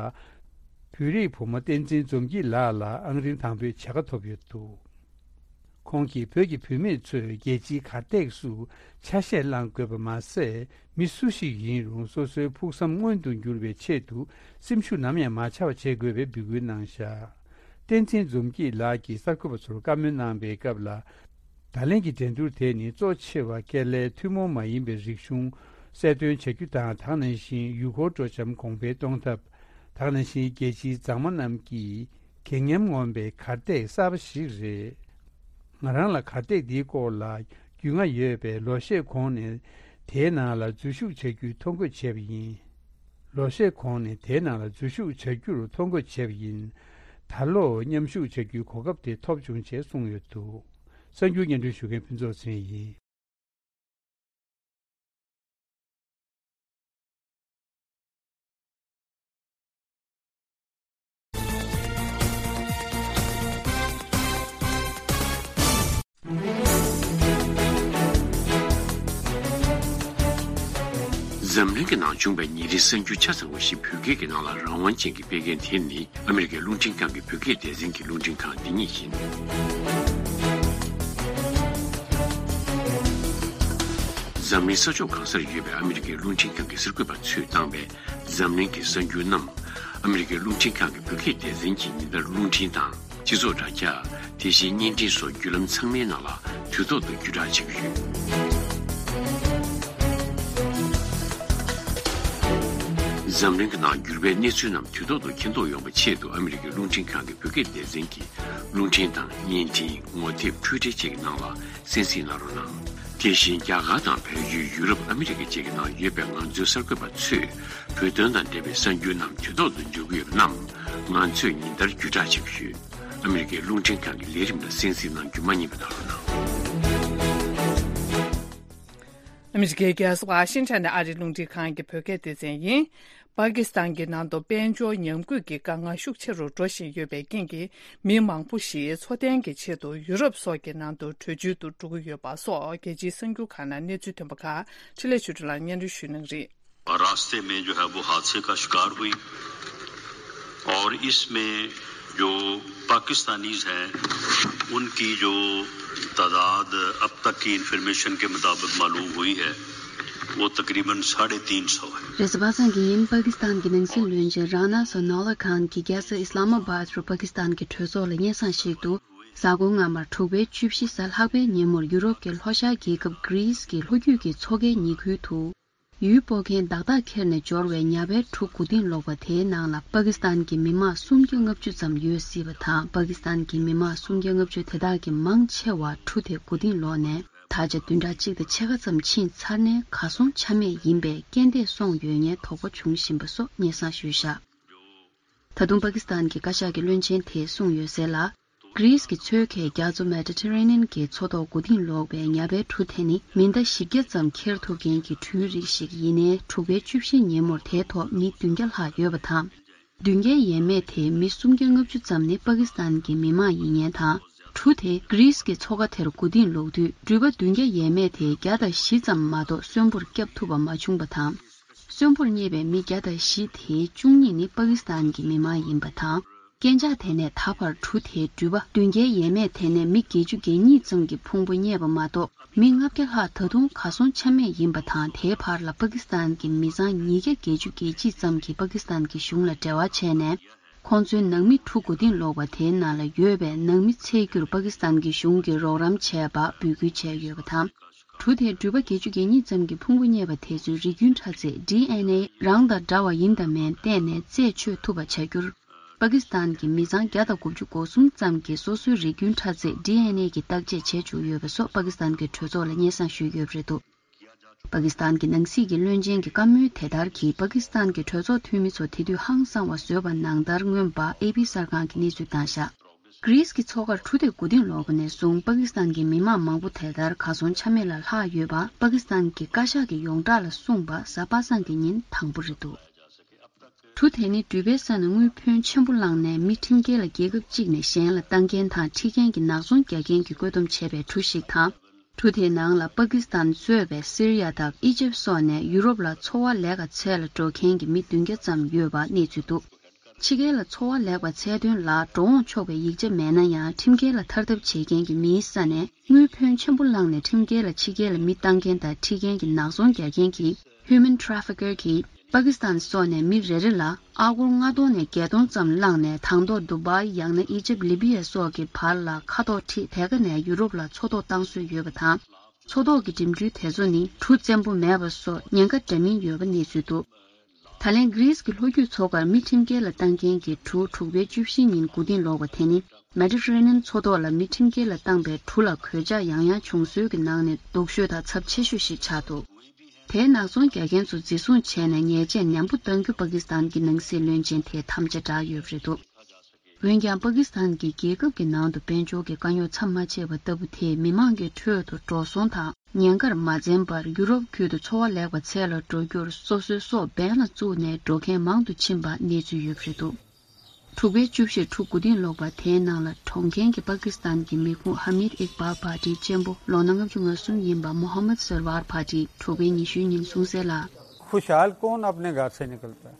བོད་རིགས་བུ་མོ་བསྟན་འཛིན་འཛོམས་སྐྱིད་ལགས་ལ་ཨང་རིམ་དང་པོའི་བྱ་དགའ་ཐོབ་ཡོད་འདུག་ཁོང་གིས་བོད་ཀྱི་བུད་མེད་ཚོས་རྒྱལ་སྤྱིའི་གར་སྟེགས་སུ་ཆ་ཤས་བླང་དགོས་པ་མ་ཟད། མི་སུ་ཞིག་ཡིན་རུང་སོ་སོའི་ཕུགས་བསམ་མངོན་དུ་འགྱུར་བའི་ཆེད་དུ་སེམས་ཤུགས་ནམ་ཡང་མ་ཆག་པ་བྱེད་དགོས་པའི་འབོད་སྐུལ་གནང་བཞག་བསྟན་འཛིན་འཛོམས་སྐྱིད་ལགས་ཀྱིས་གསར་འགོད་པ་ཚོར་བཀའ་མོལ་གནང་པའི་སྐབས་ལ། ད་ལན་གྱི་འགྲན་བསྡུར་དེ་ནི་གཙོ་ཆེ་བ་ཀེ་ལའི་ཐུན་མོང་མ་ཡིན་པའི་རིག་གཞུང་གསལ་སྟོན་བྱ་རྒྱུ་དང་། དེ་ནང་བཞིན་ཡུལ་སྐོར་སྤྲོ་འཆམ་གོང་འཕེལ་གཏོང་ཐབས། དེ་ནང་བཞིན་རྒྱལ་སྤྱིའི་མཛངས་མ་རྣམས་ཀྱིས་སྒེག་ཉམས་ངོམ་པའི་གར་སྟེགས་གསར་པ་ཞིག་རེད། ང་རང་ལ་གར་སྟེགས་འདིའི་སྐོར་ལ་རྒྱུས་མངའ་ཡོད་པས། ལོ་ཤས་གོང་ནས་དེའི་ནང་ལ་འཛུལ་ཞུགས་བྱ་རྒྱུའི་ཐོ་འགོད་བྱས་པ་ཡིན། ལོ་ཤས་གོང་ནས་དེའི་ནང་ལ་འཛུལ་ཞུགས་བྱ་རྒྱུར་ཐོ་འགོད་བྱས་པ་ཡིན། ད་ལོ་མཉམ་ཞུགས་བྱ་རྒྱུའི་གོ་སྐབས་དེ་ཐོབ་བྱུང་ཞེས་གསུངས་ཡོད་འདུག། གསར་འགྱུར་སྙན་སྒྲོན་ཞུ་མཁན་ཕུན་ཚོགས་ཚེ་རིང་ཡིན། འཛམ་གླིང་གི་ནང་བྱུང་བའི་ཉིན་རེའི་གསར་འགྱུར་ཆ་ཚང་བ་ཞིག་བོད་སྐད་ཀྱི་ནང་ལ་རང་དབང་ཅན་གྱིས་སྤེལ་མཁན་དེ་ནི། ཨ་མི་རི་ཀའི་རླུང་འཕྲིན་ཁང་གི་བོད་སྐད་སྡེ་ཚན་གྱི་རླུང་འཕྲིན་ཁང་འདི་ཉིད་ཡིན། འཛམ་གླིང་ས་ཕྱོགས་གང་སར་ཡོད་པའི་ཨ་མི་རི་ཀའི་རླུང་འཕྲིན་ཁང་གི་གསར་འགོད་པ་ཚོས་བཏང་བའི་འཛམ་གླིང་གི་གསར་འགྱུར་རྣམས། ཨ་མི་རི་ཀའི་རླུང་འཕྲིན་ཁང་གི་བོད་སྐད་སྡེ་ཚན་གྱིས་ཉིན་ལྟར་རླུང་འཕྲིན་དང་། སྤྱི་ཚོགས་དྲ་རྒྱ། དེ་བཞིན་བརྙན་འཕྲིན་སོགས་བརྒྱུད་ལམ་ཚང་མའི་ནང་ལ་དུས་ཐོག་ཏུ་བརྒྱུད་བསྒྲགས་བྱེད་ཀྱི་ཡོད། འཛམ་གླིང་གི་ནང་འགྱུར་བའི་གནས་ཚུལ་རྣམས་དུས་ཐོག་ཏུ་མཁྱེན་རྟོགས་ཡོང་བའི་ཆེད་དུ། ཨ་མི་རི་ཀའི་རླུང་འཕྲིན་ཁང་གི་བོད་སྐད་སྡེ་ཚན་གྱིས་རླུང་འཕྲིན་དང་། བརྙན་འཕྲིན། ངོ་དེབ། འཕྲུལ་འཕྲིན་བཅས་ཀྱི་ནང་ལ་གསན་གཟིགས་གནང་རོགས་གནང་། དེ་བཞིན་རྒྱ་གར་དང་བལ་ཡུལ། ཡུ་རོབ། ཨ་མི་རི་ཀ་བཅས་ཀྱི་ནང་ཡོད་པའི་ང་ཚོའི་གསར་འགོད་པ་ཚོས་བོད་དོན་དང་འབྲེལ་བའི་གསར་འགྱུར་རྣམས་དུས་ཐོག་ཏུ་འབྱོར་གྱི་ཡོད་པ་རྣམས། ང་ཚོས་ཉིན་ལྟར་བརྒྱུད་བསྒྲགས་བྱེད་ཀྱི་ཡོད། ཨ་མི་རི་ཀའི་རླུང་འཕྲིན་ཁང་གི་ལས་རིམ་ལ་གསན་གཟིགས་གནང་རྒྱུ་མ་བསྙེལ་བ་གནང་རོགས་གནང་། ཨ་མི་རི་ཀའི་རྒྱལ་ས་ཝ་ཤིང་ཊོན་ནས་ཨ་རིའི་རླུང་འཕྲིན་ཁང་གི་བོད་སྐད་སྡེ་ཚན་ཡིན། པ་ཀི་སི་ཐན་གྱི་ནང་དུ་དཔལ་འབྱོར་ཉམས་རྒུད་ཀྱི་དཀའ་ངལ་ཤུགས་ཆེ་རུ་འགྲོ་བཞིན་ཡོད་པའི་རྐྱེན་གྱིས། མི་མང་པོ་ཞིག་འཚོ་རྟེན་གྱི་ཆེད་དུ་ཡུ་རོབ་སོགས་ཀྱི་ནང་དུ་བྲོས་བྱོལ་དུ་འགྲོ་གི་ཡོད་པ་སོགས། རྒྱལ་སྤྱིའི་གསར་འགྱུར་ཁག་ནང་གནས་ཚུལ་ཐོན་པ་ཁག་འཕྲིན་ལས་ཆོས་སྒྲོན་ལགས་སྙན་སྒྲོན་ཞུ་གནང་གི་རེད། रास्ते में जो है वो हादसे का शिकार हुई और इसमें जो पाकिस्तानीज हैं उनकी जो तादाद अब तक की इंफॉर्मेशन के मुताबिक मालूम हुई है वो तकरीबन साढ़े तीन सौ है। རེས་གཟའ་པ་སངས་ཀྱི་ཉིན་པ་ཀི་སི་ཐན་གྱི་ནང་སྲིད་བློན་ཆེན་ར་ན་སོ་ན་ལ་ཁཱན་གྱིས་རྒྱལ་ས་ཨིས་ལ་མ་བཱད་རུ་པ་ཀི་སི་ཐན་གྱི་གྲོས་ཚོགས་ལ་སྙན་སེང་ཞིག་ཏུ། གཟའ་འཁོར་སྔ་མར་དྲུག་པའི་བཅུ་བཞི་གཟའ་ལྷག་པའི་ཉིན་མོར་ཡུ་རོབ་ཀྱི་ལྷོ་ཤར་རྒྱལ་ཁབ་གྷི་རིས་ཀྱི་ལྷོ་རྒྱུད་ཀྱི་མཚོ་ཁའི་ཉེ་ཁུལ་དུ། ཡུལ་སྤོ་མཁན་བདག་རྟགས་འཁྱེར་ནས་འབྱོར་བའི་ཉ་བའི་གྲུ་མགོ་རྟིང་སློག་པ་དེའི་ནང་ལ་པ་ཀི་སི་ཐན་གྱི་མི་དམངས་སུམ་བརྒྱ་ལྔ་བཅུ་ཙམ་ཡོད་སྲིད་པ་དང་། པ་ཀི་སི་ཐན་གྱི་མི་དམངས་སུམ་བརྒྱ་ལྔ་བཅུ་དེ་དག་གི་མང་ཆེ་བ་གྲུ་དེ་མགོ་རྟིང་སློག་ནས། ད་ཆ་བདུན་ཕྲག་གཅིག་དང་ཕྱེད་ཀ་ཙམ་ཕྱིན་ཚར་ནས་གར་སོང་ཆ་མེད་ཡིན་པའི་རྐྱེན་འདས་སོང་ཡོད་ཉེན་དོགས་པ་བྱུང་བཞིན་པ་སོགས་སྙན་སེང་ཞུས་བཞག། ད་དུང་པ་ཀི་སི་ཐན་གྱི་བཀའ་ཤག་གི་བློན་ཆེན་དེས་གསུངས་ཡོད་གསལ་ལ། གྷི་རིས་ཀྱི་མཚོའི་ཁའི་རྒྱ་མཚོ་མེ་ཌི་ཊེ་རེ་ནི་ཡན་གྱི་མཚོ་ཐོག་མགོ་རྟིང་སློག་པའི་ཉ་བའི་གྲུ་དེ་ནི་མི་ཟླ་བཞི་བརྒྱ་ཙམ་འཁྱེར་ཐུབ་མཁན་གྱི་གྲུའི་རིགས་ཤིག་ཡིན་ནའི། དྲུག་པའི་བཅུ་བཞི་ཉིན་མོར་དེའི་ཐོག་མི་བདུན་བརྒྱ་ལྷག་ཡོད་པ་དང་། བདུན་བརྒྱའི་ཡས་མས་དེའི་མི་སུམ་བརྒྱ་ལྔ་བཅུ་ཙམ་ནི་པ་ཀི་སི་ཐན་གྱི་མི་མང་ཡིན་མཁན་དང་། གྲུ་དེ་གྷི་རིས་ཀྱི་མཚོ་ཁ་དེར་མགོ་རྟིང་སློག་དུས། འགྲུལ་པ་བདུན་བརྒྱ་ཡས་མས་དེའི་བརྒྱ་དང་བཞི་ཙམ་མ་གཏོགས་གསོན་པོར་བསྐྱབ་ཐུབ་པ་མ་བྱུང་བ་དང་། གསོན་པོར་རྙེད་པའི་མི་བརྒྱ་དང་བཞི་དེའི་བཅུ་གཉིས་ནི་པ་ཀི་སི་ཐན་གྱི་མི་མང་ཡིན་པ་དང་། རྐྱེན་ཆག་དེ་ནས་ད་བར་གྲུ་དེའི་འགྲུལ་པ་བདུན་བརྒྱའི་ཡས་མས་དེ་ནས་མི་བརྒྱད་ཅུ་གྱ་གཉིས་ཙམ་གྱི་ཕུང་པོ་རྙེད་པ་མ་གཏོགས། མི་ལྔ་བརྒྱ་ལྷག་ད་དུང་གར་སོང་ཆ་མེད་ཡིན་པ་དང་། དེའི་བར་ལ་པ་ཀི་སི་ཐན་གྱི་མི་ཚང་ཉིས་བརྒྱ་བརྒྱད་ཅུ་གྱ་གཅིག་ཙམ་གྱིས་པ་ཀི་སི་ཐན་གྱི་གཞུང་ལ་འབྲེལ་བ་བྱས་ནས། ཁོང་ཚོའི་ནང་མི་གྲུ་མགོ་རྟིང་སློག་པ་དེའི་ནང་ལ་ཡོད་པའི་ནང་མི་འཚོལ་རྒྱུར་པ་ཀི་སི་ཐན་གྱི་གཞུང་གིས་རོགས་རམ་བྱས་པ་འབོད་སྐུལ་བྱས་ཡོད་པ་དང་། གྲུ་དེའི་འགྲུལ་པ་བརྒྱད་ཅུ་གྱ་གཉིས་ཙམ་གྱི་ཕུང་པོ་རྙེད་པ་དེ་ཚོའི་རིགས་རྒྱུན་ཕྲ་ཚད་ཌི་ཨེན་ཨེ་རང་དང་འདྲ་བ་ཡིན་དང་མིན་བལྟས་ནས་རྩད་ཆོད་ཐུབ་པ་བྱ་རྒྱུར། པ་ཀི་སི་ཐན་གྱི་མི་ཚང་བརྒྱ་དང་དགུ་བཅུ་གོ་གསུམ་ཙམ་གྱིས་སོ་སོའི་རིགས་རྒྱུན་ཕྲ་ཚད་ཌི་ཨེན་ཨེ་གྱི་བརྟག་དཔྱད་བྱེད་བཅུག་ཡོད་པ་སོགས་པ་ཀི་སི་ཐན་གྱི་གྲོས་ཚོགས་ལ་སྙན་སེང་ཞུས་ཡོད་པ་རེད་འདུག། པ་ཀི་སི་ཐན་གྱི་ནང་སྲིད་ཀྱི་བློན་ཆེན་གྱི་བཀའ་མོལ་དེ་ལྟར་གྱིས་པ་ཀི་སི་ཐན་གྱི་གྲོས་ཚོགས་འཐུས་མི་ཚོ་དེ་དུས་ཧང་སང་བ་བཟོས་པ་ནང་ལྟར་མངོན་པ་ཨེ་པི་གསར་ཁང་གིས་གནས་ཚུལ་བཏང་བཞག། གྷི་རིས་ཀྱི་མཚོ་ཁར་གྲུ་དེ་མགོ་རྟིང་སློག་པ་ནས་བཟུང་པ་ཀི་སི་ཐན་གྱི་མི་མང་མང་པོ་དེ་ལྟར་གར་སོང་ཆ་མེད་ལ་ལྷག་ཡོད་པ་པ་ཀི་སི་ཐན་གྱི་བཀའ་ཤག་གིས་ཡོངས་གྲགས་ལ་གསུངས་པ་གཟའ་པ་སངས་ཀྱི་ཉིན་དང་པོ་རེད་འདུག། གྲུ་དེ་ནི་འགྲུལ་པའི་ས་ནས་དངུལ་ཕོན་ཆེན་པོ་བླངས་ནས་མི་ཁྲིམས་འགལ་ལ་རྒྱལ་ཁབ་གཅིག་ནས་གཞན་ལ་བཏང་མཁན་དང་ཁྲིད་མཁན་གྱི་ནག་ཚོང་རྒྱག་མཁན་གྱི་བཀོད་འདོམས་བྱས་པའི་གྲུ་ཞིག་དང་། གྲུ་དེའི་ནང་ལ་པ་ཀི་སི་ཐན་གཙོས་པའི་སི་རི་ཡ་དང་ཨི་ཇེབ་སོགས་ནས་ཡུ་རོབ་ལ་འཚོ་བ་ལས་ཀ་འཚོལ་ལ་འགྲོ་མཁན་གྱི་མི་བདུན་བརྒྱ་ཙམ་ཡོད་པ་གནས་ཚུལ་འདུག། ཕྱི་རྒྱལ་ལ་འཚོ་བ་ལས་ཀ་འཚོལ་དོན་ལ་འགྲོ་འོང་ཆོག་པའི་ཡིག་ཆ་མེད་ན་ཡང་། ཁྲིམས་འགལ་ལ་ཐར་ཐབས་བྱེད་མཁན་གྱི་མིའི་ས་ནས་དངུལ་ཕོན་ཆེན་པོ་བླངས་ནས་ཁྲིམས་འགལ་ལ་ཕྱི་རྒྱལ་ལ་མི་བཏང་མཁན་དང་ཁྲིད་མཁན་གྱི་ནག་ཚོང་རྒྱག་མཁན་གྱི་ཧིའུ་མན་ཊ་རེ་ཕི་ཀར་གྱིས་ པ་ཀི་སི་ཐན་སོགས་ནས་མི་རེ་རེ་ལ་ཨ་སྒོར་ལྔ་སྟོང་ནས་བརྒྱད་སྟོང་ཙམ་བླངས་ནས་དང་ཐོག་དུ་བའི་ཡང་ན་ཨི་ཇིབ་ལི་བི་ཡ་སོགས་ཀྱི་བར་ལ་མཁའ་ཐོག་ཁྲིད་དེ་ག་ནས་ཡུ་རོབ་ལ་མཚོ་ཐོག་བཏང་སྲོལ་ཡོད་པ་དང་། མཚོ་ཐོག་གི་འགྲིམ་འགྲུལ་དེ་ཚོ་ནི་གྲུ་བཙན་པོ་མེད་པ་སོགས་ཉེན་ཁ་འདྲ་མིན་ཡོད་པ་གནས་ཚུལ་འདུག་ད་ལན་གྷི་རིས་ཀྱི་ལྷོ་རྒྱུད་མཚོ་ཁར་མི་ཁྲིམས་འགལ་ལ་བཏང་མཁན་གྱི་གྲུ་དྲུག་པའི་བཅུ་བཞི་ཉིན་མགོ་རྟིང་སློག་པ་དེ་ནི། མེ་ཌི་ཊ་རེ་ནི་ཡན་མཚོ་ཐོག་ལ་མི་ཁྲིམས་འགལ་ལ་བཏང་པའི་གྲུ་ལ་གོད་ཆག་ཡང་ཡང་བྱུང་སྲོལ་གྱི་ནང་ནས་སྡུག་ཤོས་དང་ཚབས་ཆེ་ཤོས་ཤིག་ཆགས་འདུག་དེའི་ནག་ཚོང་རྒྱག་མཁན་ཚོ་འཛིན་བཟུང་བྱས་ནས་ཉེས་ཆད་ནན་པོ་གཏང་རྒྱུ་པ་ཀི་སི་ཐན་གྱི་ནང་སྲིད་བློན་ཆེན་དེས་དམ་བཅའ་བསྒྲགས་ཡོད་པ་རེད་འདུག་འོན་ཀྱང་པ་ཀི་སི་ཐན་གྱིས་རྒྱལ་ཁབ་ཀྱི་ནང་དུ་དཔལ་འབྱོར་གྱི་དཀའ་རྙོག་མཚམས་མ་ཆད་པ་ལྟ་བུ་དེས་མི་མང་གི་ཁྲོད་དུ་འགྲོ་སོང་དང་ཉེན་ཁར་མ་འཛེམས་པར་ཡུ་རོབ་ཁུལ་དུ་འཚོ་བ་ལེགས་པ་འཚོལ་ལ་འགྲོ་རྒྱུར་སོ་སོའི་སྲོག་འབེན་ལ་བཙུགས་ནས་འགྲོ་མཁན་མང་དུ་ཕྱིན་པ་གནས་ཚུལ་ཡོད་པ་རེད་འདུག་དྲུག་པའི་བཅུ་བཞིར་གྲུ་མགོ་རྟིང་སློག་པ་དེའི་ནང་ལ་གྲོངས་མཁན་གྱི་པ་ཀི་སི་ཐན་གྱི་མི་ཁུངས་ཧ་མིད་ཨིག་བཱལ་བྷ་ཊི་གཅེན་པོ་ལོ་ན་ལྔ་བཅུ་ང་གསུམ་ཡིན་པ་མོ་ཧ་མད་སར་ཝར་བྷ་ཊིས་དྲུག་པའི་ཉི་ཤུའི་ཉིན་གསུངས་གསལ་ལ། खुशहाल कौन अपने घर से निकलता है?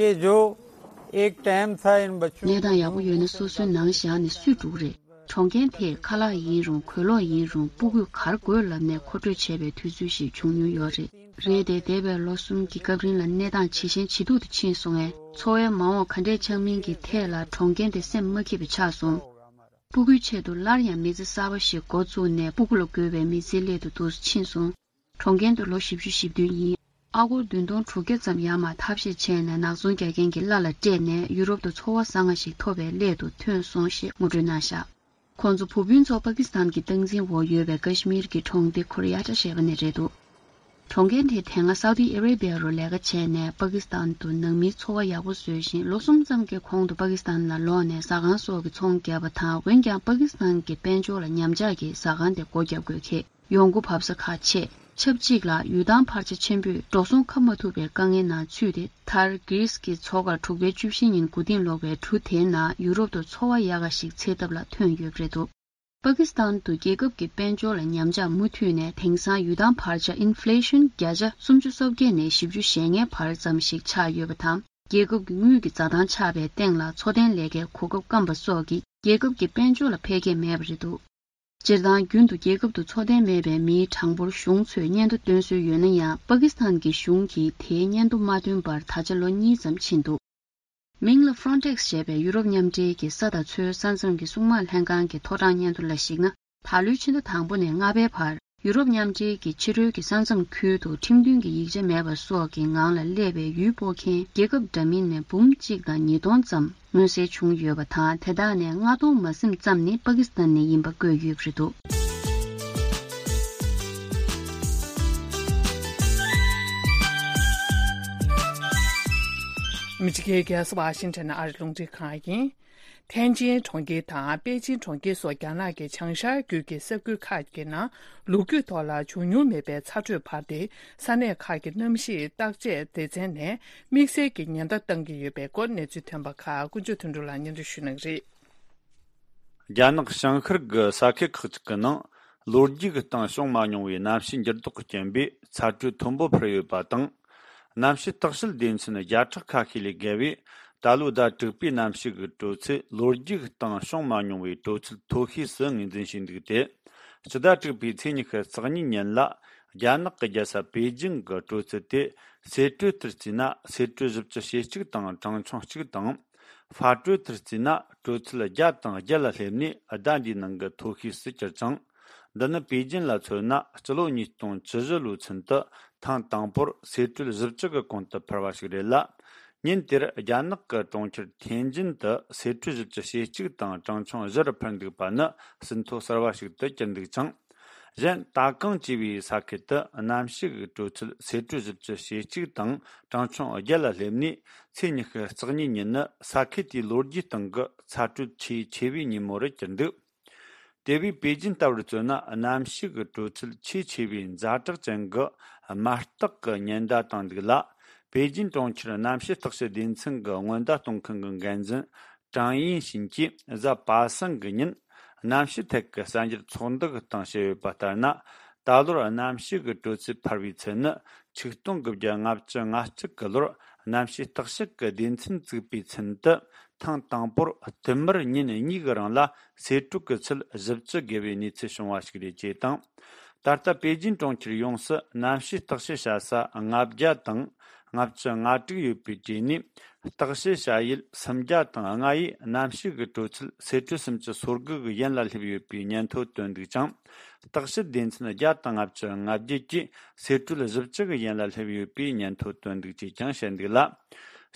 ये जो एक टाइम था इन बच्चों གནས་སྟངས་ཡག་པོ་ཡོད་ན་སོ་སོའི་ནང་བཞག་ནས་སུས་སྒྲུག་རེད། གྲོངས་མཁན་དེས་ཁ་ལག་ཡིན་རུང་གོས་ལོག་ཡིན་རུང་སྤུ་གུས་ག་རེ་དགོས་ལབ་ནས་མཁོ་སྤྲོད་བྱས་པའི་དུས་ཚོད་ཞིག་བྱུང་མྱོང་ཡོད་རེད། རེད་དེ་འདས་པའི་ལོ་གསུམ་གྱི་སྐབས་རིང་ལ་གནས་སྟངས་ཇེ་ཞན་ཇེ་སྡུག་ཏུ་ཕྱིན་སོང་ངས་འཚོ་བའི་མ་འོངས་ག་འདྲས་ཆགས་མིན་གྱི་ཐད་ལ་གྲོངས་མཁན་དེ་སེམས་མ་འཁྱིད་པ་ཆགས་སོང་། སྤུ་གུའི་ཆེད་དུ་སླར་ཡང་མི་ཚེ་གསར་པ་ཞིག་འགོ་བཙུགས་ནས་སྤུ་གུ་ལ་དགོས་པའི་མི་ཚེའི་སླད་དུ་འདུག་སེ་ཕྱིན་སོང་། གྲོངས་མཁན་དེ་ལོ་བཞི་བཅུ་ཞེ་བདུན་ཡིན། ཨ་སྒོར་བདུན་སྟོང་དྲུག་བརྒྱ་ཙམ་ཡར་མར་ཐབས་ཤེས་བྱས་ནས་ནག་ཚོང་རྒྱག་མཁན་གྱི་བླ་ལ་སྤྲད་ནས་ཡུ་རོབ་ཏུ་འཚོ་བ་བཟང་ང་ཞིག་ཐོབ་པའི་སླད་དུ་ཐོན་སོང་ཞེས་ངོ་སྤྲོད་གནང་བཞག་ཁོང་ཚོ་བུ་སྤུན་ཚོ་པ་ཀི་སི་ཐན་གྱི་སྟངས་འཛིན་འོག་ཡོད་པའི་ཀ་ཤི་མིར་གྱི་གྲོང་སྡེ་ཁུར་ཡ་ཏྲ་ཞེས་པ་ནས་རེད་འདུག་གྲོངས་མཁན་དེ་དེ་སྔ་སའུ་ཏི་ཨ་རེ་བྷི་ཡ་རུ་ལས་ཀ་བྱས་ནས་པ་ཀི་སི་ཐན་དུ་ནང་མིའི་འཚོ་བ་ཡག་པོ་བཟོས་ཤིང་ལོ་གསུམ་ཙམ་གྱི་གོང་དུ་པ་ཀི་སི་ཐན་ལ་ལོག་ནས་ཟ་ཁང་སོགས་ཀྱི་ཚོང་བརྒྱབ་པ་དང་། འོན་ཀྱང་པ་ཀི་སི་ཐན་གྱི་དཔལ་འབྱོར་ལ་ཉམས་ཆག་གིས་ཟ་ཁང་དེ་སྒོ་བརྒྱབ་དགོས་ཁེལ། ཡོང་སྒོ་བབས་ས་ཁག་ཆེ། ཆབས་ཅིག་ལ་ཡུལ་ཐང་འཕར་ཆ་ཆེན་པོས་འགྲོ་སོང་ཁ་མ་ཐུབ་པའི་དཀའ་ངལ་ནང་ཚུད་དེ། མཐར་གྷི་རིས་ཀྱི་མཚོ་ཁར་དྲུག་པའི་བཅུ་བཞི་ཉིན་མགོ་རྟིང་སློག་པའི་གྲུ་དེའི་ནང་ཡུ་རོབ་ཏུ་འཚོ་བ་ཡག་ག་ཞིག་འཚོལ་ཐབས་ལ་ཐོན་ཡོད་པ་རེད་འདུག་པ་ཀི་སི་ཐན་དུ་རྒྱལ་ཁབ་ཀྱི་དཔལ་འབྱོར་ལ་ཉམས་ཆག་མུ་མཐུད་ནས་དེང་སང་ཡུལ་ཐང་འཕར་ཆ་ཨིན་ཕི་ལེ་ཤན་བརྒྱ་ཆ་སུམ་ཅུ་སོ་བརྒྱད་ནས་བཞི་བཅུ་ཞེ་ལྔའི་བར་ཙམ་ཞིག་ཆགས་ཡོད་པ་དང་། རྒྱལ་ཁབ་ཀྱི་དངུལ་གྱི་འཛའ་ཐང་ཆག་པའི་སྟེང་ལ་འཚོ་རྟེན་ལས་ཀའི་གོ་སྐབས་སྐམ་པ་སོགས་ཀྱིས་རྒྱལ་ཁབ་ཀྱི་དཔལ་འབྱོར་ལ་འཕེལ་རྒྱས་མེད་པ་རེད་འདུག་སྤྱིར་བཏང་རྒྱུན་དུ་རྒྱལ་ཁབ་ཏུ་འཚོ་རྟེན་མེད་པའི་མིའི་གྲངས་འབོར་གཞུང་ཚོས་སྙན་ཐོ་བཏོན་སྲོལ་ཡོད་ན་ཡང་། པ་ཀི་སི་ཐན་གྱི་གཞུང་གིས་དེའི་སྙན་ཐོ་མ་བཏོན་པར་ད་ཆ་ལོ་གཉིས་ཙམ་ཕྱིན་འདུག་མིང་ལ་Frontex་ཞེས་པའི་ཡུ་རོབ་མཉམ་འབྲེལ་གྱི་ས་དང་མཚོའི་ས་མཚམས་ཀྱི་སྲུང་དམག་ལྷན་ཁང་གི་ཐོ་དྲངས་སྙན་ཐོ་ལ་གཞིགས་ན། ད་ལོའི་ཕྱི་ཟླ་དང་པོ་ནས་ལྔ་པའི་བར། ཡུ་རོབ་མཉམ་འབྲེལ་གྱི་ཕྱི་རོལ་གྱི་ས་མཚམས་ཁུལ་དུ་ཁྲིམས་མཐུན་གྱི་ཡིག་ཆ་མེད་པ་སོགས་ཀྱི་ངང་ལ་སླེབས་པའི་ཡུལ་སྤོ་མཁན་རྒྱལ་ཁབ་འདྲ་མིན་ནས་འབུམ་གཅིག་དང་ཉིས་སྟོང་ཙམ་མངོན་གསལ་བྱུང་ཡོད་པ་དང་། དེ་དག་ནས་ལྔ་སྟོང་མ་ཟིན་ཙམ་ནི་པ་ཀི་སི་ཐན་ནས་ཡིན་པ་བཀོད་ཡོད་པ་རེད་འདུག་མི་ཆེ་གེ་རྒྱལ་ས་ཝ་ཤིང་ཊོན་ཨ་རི་རླུང་འཕྲིན་ཁང་ཡིན། ཐེན་ཅིན་གྲོང་ཁྱེར་དང་པེ་ཅིན་གྲོང་ཁྱེར་སོགས་རྒྱ་ནག་གི་བྱང་ཤར་རྒྱུད་ཀྱི་ས་ཁུལ་ཁག་གི་ནང་ལོ་རྒྱུས་ཐོག་ལ་བྱུང་མྱོང་མེད་པའི་ཚ་དྲོད་འཕར་ཏེ། ས་གནས་ཁག་གི་གནམ་གཤིས་བརྟག་དཔྱད་སྡེ་ཚན་ནས་དམིགས་བསལ་གྱི་ཉེན་བརྡ་བཏང་གི་ཡོད་པའི་སྐོར་གནས་ཚུལ་ཐོན་པ་ཁག་ཀུན་སྤྱོད་དོན་གྲུབ་ལགས་སྙན་སྒྲོན་ཞུ་གནང་གི་རེད། རྒྱ་ནག་བྱང་ཤར་གྱི་ས་ཁུལ་ཁག་ཅིག་གི་ནང་ལོ་རྒྱུས་ཀྱི་སྟེང་བྱུང་མ་མྱོང་བའི་གནམ་གཤིས་འགྱུར་ལྡོག་གི་རྐྱེན་པས། ཚ་དྲོད་མཐོན་པོ་འཕར་ཡོད་པ་དང་། གནམ་གཤིས་བརྟག་དཔྱད་སྡེ་ཚན་བརྒྱ་ཕྲག་ཁ་ཤས་ལས་བརྒལ་བས། ད་ལོའི་ཟླ་དྲུག་པའི་གནམ་གཤིས་ཀྱི་དྲོད་ཚད་ལོ་རྒྱུས་ཀྱི་སྟེང་བྱུང་མ་མྱོང་བའི་དྲོད་ཚད་མཐོ་ཤོས་སུ་ངོས་འཛིན་བྱས་འདུག་སྟེ། སྤྱི་ཟླ་དྲུག་པའི་ཚེས་ཉི་ཤུ་རྩ་གཉིས་ཉིན་ལ། རྒྱ་ནག་གི་རྒྱལ་ས་པེ་ཅིང་གི་དྲོད་ཚད་དེ་སེ་ཀྲོས་ལྟར་བརྩིས་ན་སེ་ཀྲོས་བཞི་བཅུ་ཞེ་གཅིག་དང་གྲངས་ཆུང་གཅིག་དང་། ཧྥ་ཀྲོས་ལྟར་བརྩིས་ན་དྲོད་ཚད་བརྒྱ་དང་བརྒྱད་ལ་སླེབས་ནས་ཟླ་འདིའི་ནང་གི་མཐོ་ཤོས་སུ་གྱུར་ཅིང་། འདི་ནི་པེ་ཅིན་ལ་མཚོན་ན་སྤྱི་ལོ་ཉིས་སྟོང་བཅུ་བཞི་ལོའི་ཚུན་དུ་ཐེངས་དང་པོར་སེ་ཀྲོས་བཞི་བཅུ་གི་གོང་དུ་འཕར་བ་ཞིག་རེད་ལ། ཉིན་དེར་རྒྱ་ནག་གི་གྲོང་ཁྱེར་ཐེན་ཅིན་དུ་སེ་ཀྲོས་བཞི་བཅུ་ཞེ་གཅིག་དང་གྲངས་ཆུང་བཞི་རུ་འཕར་འདུག་པ་ནི་ཟིན་ཐོ་གསར་བ་ཞིག་ཏུ་གྱུར་འདུག་ཅིང་། གཞན་ཏ་ཀང་ཅེས་པའི་ས་ཁུལ་དུ་གནམ་གཤིས་ཀྱི་དྲོད་ཚད་སེ་ཀྲོས་བཞི་བཅུ་ཞེ་གཅིག་དང་གྲངས་ཆུང་བརྒྱད་ལ་སླེབས་ནས། ཚེས་ཉི་ཤུ་རྩ་གཉིས་ཉིན་ནི་ས་ཁུལ་དེའི་ལོ་རྒྱུས་སྟེང་གི་ཚ་དྲོད་ཆེས་ཆེ་བའི་ཉིན་མོ་རུ་གྱུར་འདུག་དེ་བས་པེ་ཅིན་ལྟ་བུར་མཚོན་ན། གནམ་གཤིས་ཀྱི་དྲོད་ཚད་ཆེས་ཆེ་བའི་ཛ་དྲག་ཅན་གྱི་དམར་རྟགས་ཀྱི་ཉེན་བརྡ་བཏང་འདུག་ལ། པེ་ཅིན་གྲོང་ཁྱེར་གནམ་གཤིས་བརྟག་དཔྱད་སྡེ་ཚན་གྱི་སྔོན་བརྡ་གཏོང་མཁན་གྱི་འགན་འཛིན་ཀྲང་ཡིན་ཤིན་གྱིས་གཟའ་པ་སངས་ཀྱི་ཉིན། གནམ་གཤིས་ཐད་ཀྱི་གསར་འགྱུར་ཚོགས་འདུ་གི་སྟེང་བཤད་ཡོད་པ་ལྟར་ན། ད་ལོར་གནམ་གཤིས་ཀྱི་དྲོད་ཚད་འཕར་བའི་ཚད་ནི་ཆིག་སྟོང་དགུ་བརྒྱ་ལྔ་བཅུ་ང་གཅིག་གི་ལོར་གནམ་གཤིས་བརྟག་དཔྱད་ཀྱི་སྡེ་ཚན་བཙུགས་པའི་ཚུན་དུ། ཐེངས་དང་པོར་བསྟུད་མར་ཉིན་གཉིས་ཀྱི་རིང་ལ་སེ་ཀྲོས་ཀྱི་ཚད་བཞི་བཅུ་བརྒལ་བའི་གནས་ཚུལ་བྱུང་བ་ཞིག་རེད་ཅེས་དང་། ད་ལྟ་པེ་ཅིན་གྲོང་ཁྱེར་ཡོངས་སུ་གནམ་གཤིས་བརྟག་དཔྱད་བྱ་ས་ལྔ་བརྒྱ་དང་ལྔ་བཅུ་ང་དྲུག་ཡོད་པའི་གྲས་ནས། བརྟག་དཔྱད་བྱ་ཡུལ་སུམ་བརྒྱ་དང་ལྔ་ཡིས་གནམ་གཤིས་ཀྱི་དྲོད་ཚད་སེ་ཊོས་སུམ་ཅུ་སོ་དགུ་གི་ཡན་ལ་སླེབས་ཡོད་པའི་སྙན་ཐོ་བཏོན་འདུག་ཅིང་། བརྟག་དཔྱད་སྡེ་ཚན་བརྒྱ་དང་ལྔ་བཅུ་ང་བརྒྱད་ཀྱིས་སེ་ཊོས་བཞི་བཅུ་གི་ཡན་ལ་སླེབས་ཡོད་པའི་སྙན་ཐོ་བཏོན་འདུག་ཅེས་ཀྱང་བཤད་འདུག་ལ།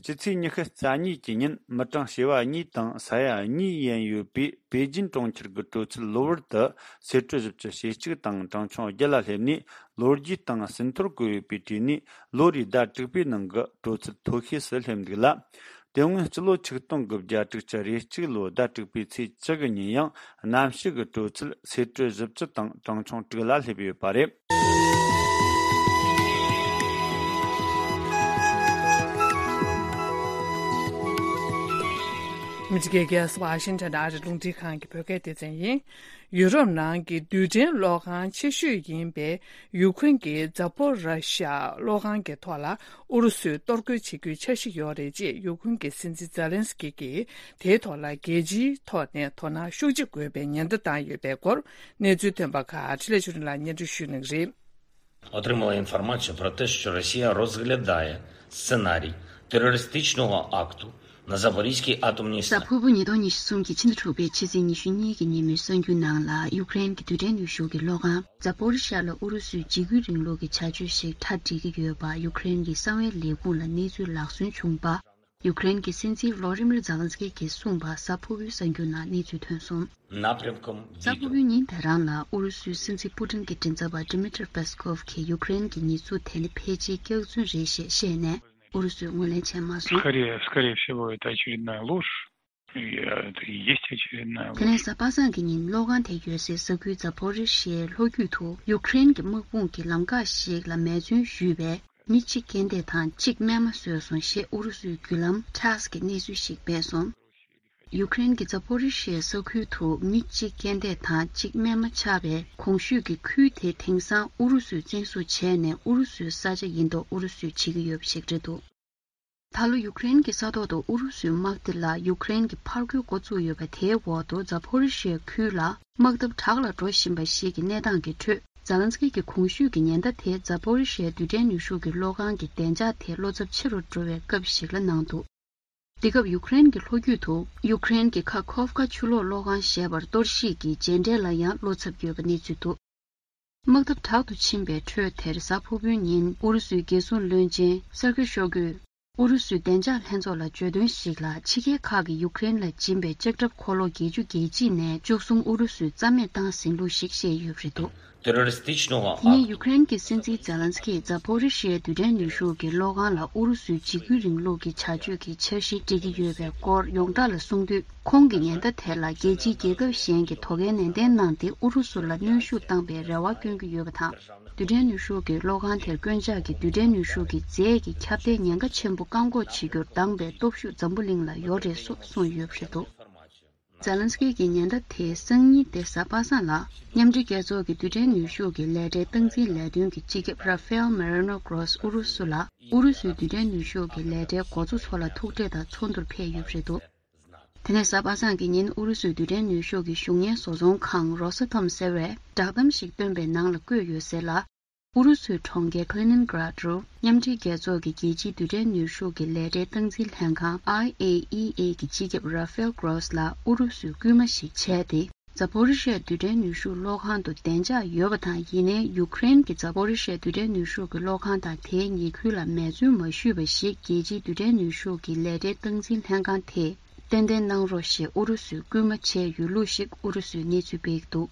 སྤྱི་ཚེས་ཉི་ཤུ་རྩ་གཉིས་ཀྱི་ཉིན་མི་གྲངས་བྱེ་བ་གཉིས་དང་ས་ཡ་གཉིས་ཡན་ཡོད་པའི་པེ་ཅིན་གྲོང་ཁྱེར་གྱི་དྲོད་ཚད་གློ་བུར་དུ་སེ་ཊོས་བཞི་བཅུ་ཞེ་གཅིག་དང་གྲངས་ཆུང་བརྒྱད་ལ་སླེབས་ནས། ལོ་རྒྱུས་སྟེང་ཟིན་ཐོར་བཀོད་ཡོད་པའི་གྲས་ནས་ལོ་རེའི་ཟླ་དྲུག་པའི་ནང་གི་དྲོད་ཚད་མཐོ་ཤོས་སུ་སླེབས་འདུག་ལ། དེ་སྔོན་སྤྱི་ལོ་ཆིག་སྟོང་དགུ་བརྒྱ་དྲུག་ཅུ་རེ་གཅིག་ལོའི་ཟླ་དྲུག་པའི་ཚེས་བཅུ་གི་ཉིན་ཡང་གནམ་གཤིས་ཀྱི་དྲོད་ཚད་སེ་ཊོས་བཞི་བཅུ་དང་གྲངས་ཆུང་དྲུག་ལ་སླེབས་ཡོད་པ་རེད། མི་རྒྱ་རྒྱལ་ས་ཝ་ཤིང་ཊོན་ཨ་རི་རླུང་འཕྲིན་ཁང་གི་བོད་སྐད་སྡེ་ཚན་ཡིན། ཡུ་རོབ་ནང་གི་རྡུལ་ཕྲན་གློག་ཁང་ཆེ་ཤོས་ཡིན་པའི་ཡུ་ཁུན་གྱི་ཛ་པོ་ར་ཤ་གློག་ཁང་གི་ཐོག་ལ་ཨུ་རུ་སུས་གཏོར་རྒོལ་བྱེད་རྒྱུའི་འཆར་གཞི་ཡོད་རེད་ཅེས་ཡུ་ཁུན་གྱི་སྲིད་འཛིན་ཛེ་ལན་སི་ཀི་གིས་དེའི་ཐོག་ལ་རྒྱལ་སྤྱིའི་ཐོག་ནས་དོ་སྣང་ཤུགས་ཆེ་དགོས་པའི་ཉེན་བརྡ་བཏང་ཡོད་པའི་སྐོར། གནས་ཚུལ་ཐོན་པ་ཁག་འཕྲིན་ལས་ཆོས་སྒྲོན་ལགས་སྙན་སྒྲོན་ཞུ་གནང་གི་རེད། Отримала информацию про те, що Росія розглядає сценарій терористичного акту на Запорізькій атомній ས་ཕུར་བུ་ཉིས་སྟོང་ཉི་ཤུ་གསུམ་གྱི་ཕྱི་ཟླ་དྲུག་པའི་ཕྱི་ཚེས་ཉི་ཤུ་གཉིས་ཀྱི་ཉིན་མོའི་གསར་འགྱུར་ནང་ལ། ཡུཀ་རེན་གྱི་རྡུལ་ཕྲན་ནུས་ཤུགས་ཀྱི་གློག་ཁང་ཛ་པོ་རི་ཤ་ལ་ཨུ་རུ་སུའི་འཇིགས་སྐུལ་རིང་ལུགས་ཀྱི་བྱ་སྤྱོད་ཞིག་གྲ་སྒྲིག་གི་ཡོད་པ་ཡུཀ་རེན་གྱི་གསང་བའི་ལས་ཁུངས་ལ་གནས་ཚུལ་ལག་སོན་བྱུང་བ། ཡུཀ་རེན་གྱི་སྲིད་འཛིན་ཝོ་ལོ་ཌི་མིར་ཛེ་ལན་སི་ཀི་གིས་གསུངས་པ་གཟའ་ཕུར་བུའི་གསར་འགྱུར་ནང་གནས་ཚུལ་ཐོན་སོང་། Напрямком གཟའ་ཕུར་བུའི་ཉིན་དེ་རང་ལ་ཨུ་རུ་སུའི་སྲིད་འཛིན་པུ་ཏིན་གྱི་མགྲིན་ཚབ་པ་ཌི་མི་ཏྲི་པེ་སི་ཀོབ་ཀྱིས་ཡུཀ་རེན་གྱི་ཉེས་འཛུགས་དེ་ནི་ཕལ་ཆེར་སྐྱག་རྫུན་རེད་ཞེས་བཤད་ནས་ཨུ་རུ་སུས་ངོས་ལེན་བྱས་མ་སོང་། Скорее, скорее всего, это очередная ложь. И это и есть очередная ལོ། དེ་ནས་གཟའ་པ་སངས་ཀྱི་ཉིན་གློག་ཁང་དེ་ཡོད་སའི་ས་ཁུལ་ཛ་པོ་རི་ཤའི་ལྷོ་རྒྱུད་དུ་ཡུཀ་རེན་གྱི་དམག་དཔུང་གི་ལམ་ཁ་ཞིག་ལ་མེ་མཚོན་གཞུས་པས་མི་གཅིག་རྐྱེན་འདས་དང་གཅིག་རྨས་མ་བཟོས་སོང་ཞེས་ཨུ་རུ་སུའི་བརྒྱུད་ལམ་ཊཱ་སི་གིས་གནས་ཚུལ་ཞིག་སྤེལ་སོང་། ཡུཀ་རེན་གྱི་ཛ་པོ་རི་ཤའི་ས་ཁུལ་དུ་མི་གཅིག་རྐྱེན་འདས་དང་གཅིག་རྨས་མ་ཆགས་པའི་གོང་ཞུས་ཀྱི་ཁུལ་དེ་དེང་སང་ཨུ་རུ་སུས་བཙན་བཟུང་བྱས་ནས་ཨུ་རུ་སུའི་ས་ཆ་ཡིན་མདོག་ཨུ་རུ་སུས་བྱེད་ཀྱི་ཡོད་པ་ཞིག་རེད་འདུག་ད་ལོ་ཡུཀ་རེན་གྱི་ས་ཐོག་ཏུ་ཨུ་རུ་སུའི་དམག་སྡེ་ལ་ཡུཀ་རེན་གྱི་ཕར་རྒོལ་འགོ་བཙུགས་ཡོད་པ་དེའི་འོག་ཏུ་ཛ་ཕོ་རི་ཤའི་ཁུལ་ལ་དམག་འཐབ་དྲག་ལ་འགྲོ་བཞིན་པ་ཞིག་གི་གནས་སྟངས་ཀྱི་ཁྲོད། ཛེ་ལན་སི་ཀི་གིས་གོང་ཞུས་ཀྱི་ཉེན་བརྡ་དེ་ཛ་ཕོ་རི་ཤའི་རྡུལ་ཕྲན་ནུས་ཤུགས་ཀྱི་གློག་ཁང་གི་བདེ་འཇགས་དེ་བློ་འཚབ་ཆེ་རུ་འགྲོ་བའི་སྐབས་ཤིག་ལ་གནང་འདུག་དེ་སྐབས་ཡུཀ་རེན་གྱི་ལྷོ་རྒྱུད་དུ་ཡུཀ་རེན་གྱི་ཁ་ཁོབ་ཀ་ཆུ་གློག་གློག་ཁང་ཞེས་པར་གཏོར་བཤིག་གིས་རྗེས་འབྲས་ལ་ཡང་བློ་འཚབ་ཡོད་པ་གནས་ཚུལ་འདུག་དམག་འཐབ་དྲག་ཏུ་ཕྱིན་པའི་ཁྲོད་དེར་གཟའ་ཕུར་བུའི་ཉིན་ཨུ་རུ་སུའི་རྒྱལ་སྲུང་བློན་ཆེན་སེར་ཁི་ཤོ་གུས་ཨུ་རུ་སུའི་བདེ་འཇགས་ལྷན་ཚོགས་ལ་བརྗོད་དོན་ཞིག་ལ་ཕྱི་རྒྱལ་ཁག་གིས་ཡུཀ་རེན་ལ་སྦྱིན་པའི་ལྕགས་ཁྲབ་འཁོར་ལོ་བརྒྱད་ཅུ་གྱ་གཅིག་ནས་བཅུ་གསུམ་ཨུ་རུ་སུས་རྩ་མེད་བཏང་ཟིན་ལུགས་ཤིག་བཤད་ཡོད་པ་རེད་འདུག་དེ་ནས་ཡུཀ་རེན་གྱི་སྲིད་འཛིན་ཛེ་ལན་སི་ཀིས་ཛ་ཕོ་རི་ཤི་ཡའི་རྡུལ་ཕྲན་ནུས་ཤུགས་ཀྱི་གློག་ཁང་ལ་ཨུ་རུ་སུའི་འཇིགས་སྐུལ་རིང་ལུགས་ཀྱི་བྱ་སྤྱོད་ཀྱི་འཆར་གཞི་སྒྲིག་གི་ཡོད་པའི་སྐོར་ཡོངས་བསྒྲགས་ལ་གསུངས་དུས། ཁོང་གི་ཉེན་བརྡ་དེ་ལ་རྒྱལ་སྤྱིའི་རྒྱལ་ཁབ་གཞན་གྱིས་དོ་གལ་ནན་ཏན་གནང་སྟེ་ཨུ་རུ་སུ་ལ་གནོན་ཤུགས་བཏང་པའི་རེ་བ་བསྐྱོན་གྱི་ཡོད་པ་དང་། རྡུལ་ཕྲན་ནུས་ཤུགས་ཀྱི་གློག་ཁང་དེར་བསྐྱོན་འཇགས་ཀྱི་རྡུལ་ཕྲན་ནུས་ཤུགས་ཀྱི་རྫས་ཀྱི་ཁྱབ་གདལ་ཉེན་ཁ་ཆེན་པོ་བཀག་འགོག་བྱེད་རྒྱུར་འདང་པའི་སྟོབས་ཤུགས་འཛམ་བུ་གླིང་ལ་ཡོད་རེད་སོགས་གསུངས་ཡོད་པ་རེད་འདུག་ཛེ་ལན་སི་ཀི་གི་ཉེན་བརྡ་དེ་སང་ཉིན་ཏེ་གཟའ་པ་སངས་ལ་མཉམ་འབྲེལ་རྒྱལ་ཚོགས་ཀྱི་རྡུལ་ཕྲན་ནུས་ཤུགས་ཀྱི་ལས་གྲྭའི་སྟངས་འཛིན་ལས་དོན་གྱི་སྤྱི་ཁྱབ་ར་ཧྥེལ་མེ་རེ་ནོ་གྷ་རོ་སི་ཨུ་རུ་སུ་ལ་ཨུ་རུ་སུའི་རྡུལ་ཕྲན་ནུས་ཤུགས་ཀྱི་ལས་གྲྭའི་འགོ་གཙོ་ཚོ་ལ་ཐུག་འཕྲད་དང་ཚོགས་འདུར་ཕེབས་ཡོད་པ་རེད་འདུག་དེ་ནས་གཟའ་པ་སངས་ཀྱི་ཉིན་ཨུ་རུ་སུའི་རྡུལ་ཕྲན་ནུས་ཤུགས་ཀྱི་གཞུང་གཉེར་བཟོ་ཚོང་ཁང་རོ་སི་ཐོམ་ཟེར་བས་བསྒྲགས་གཏམ་ཞིག་བཏོན་པའི་ནང་ལ་བཀོད་ཡོད་ཟེར་ལ། ཨུ་རུ་སུའི་གྲོང་ཁྱེར་ཁ་ལི་ནིན་གྷ་ར་ཌི་རུ་མཉམ་འབྲེལ་རྒྱལ་ཚོགས་ཀྱི་རྒྱལ་སྤྱིའི་རྡུལ་ཕྲན་ནུས་ཤུགས་ཀྱི་ལས་གྲྭའི་སྟངས་འཛིན་ལྷན་ཁང་ཨའི་ཨེ་ཨི་ཨེ་གི་སྤྱི་ཁྱབ་ར་ཧྥེལ་གྷ་རོ་སི་ལ་ཨུ་རུ་སུས་སྐུལ་མ་ཞིག་བྱས་ཏེ། ཛ་པོ་རི་ཤ་རྡུལ་ཕྲན་ནུས་ཤུགས་གློག་ཁང་དུ་བདེ་འཇགས་ཡོད་པ་དང་ཡིན་ནའི་ཡུཀ་རེན་གྱི་ཛ་པོ་རི་ཤ་རྡུལ་ཕྲན་ནུས་ཤུགས་ཀྱི་གློག་ཁང་དང་དེའི་ཉེ་ཁུལ་ལ་མེ་མཚོན་མ་གཞུས་པ་ཞིག་རྒྱལ་སྤྱིའི་རྡུལ་ཕྲན་ནུས་ཤུགས་ཀྱི་ལས་གྲྭའི་སྟངས་འཛིན་ལྷན་ཁང་དེས་ཏན་ཏན་གནང་རོགས་ཞེས་ཨུ་རུ་སུས་སྐུལ་མ་བྱས་ཡོད་ལུགས་ཤིག་ཨུ་རུ་སུས་གནས་ཚུལ་སྤེལ་གྱི་འདུག་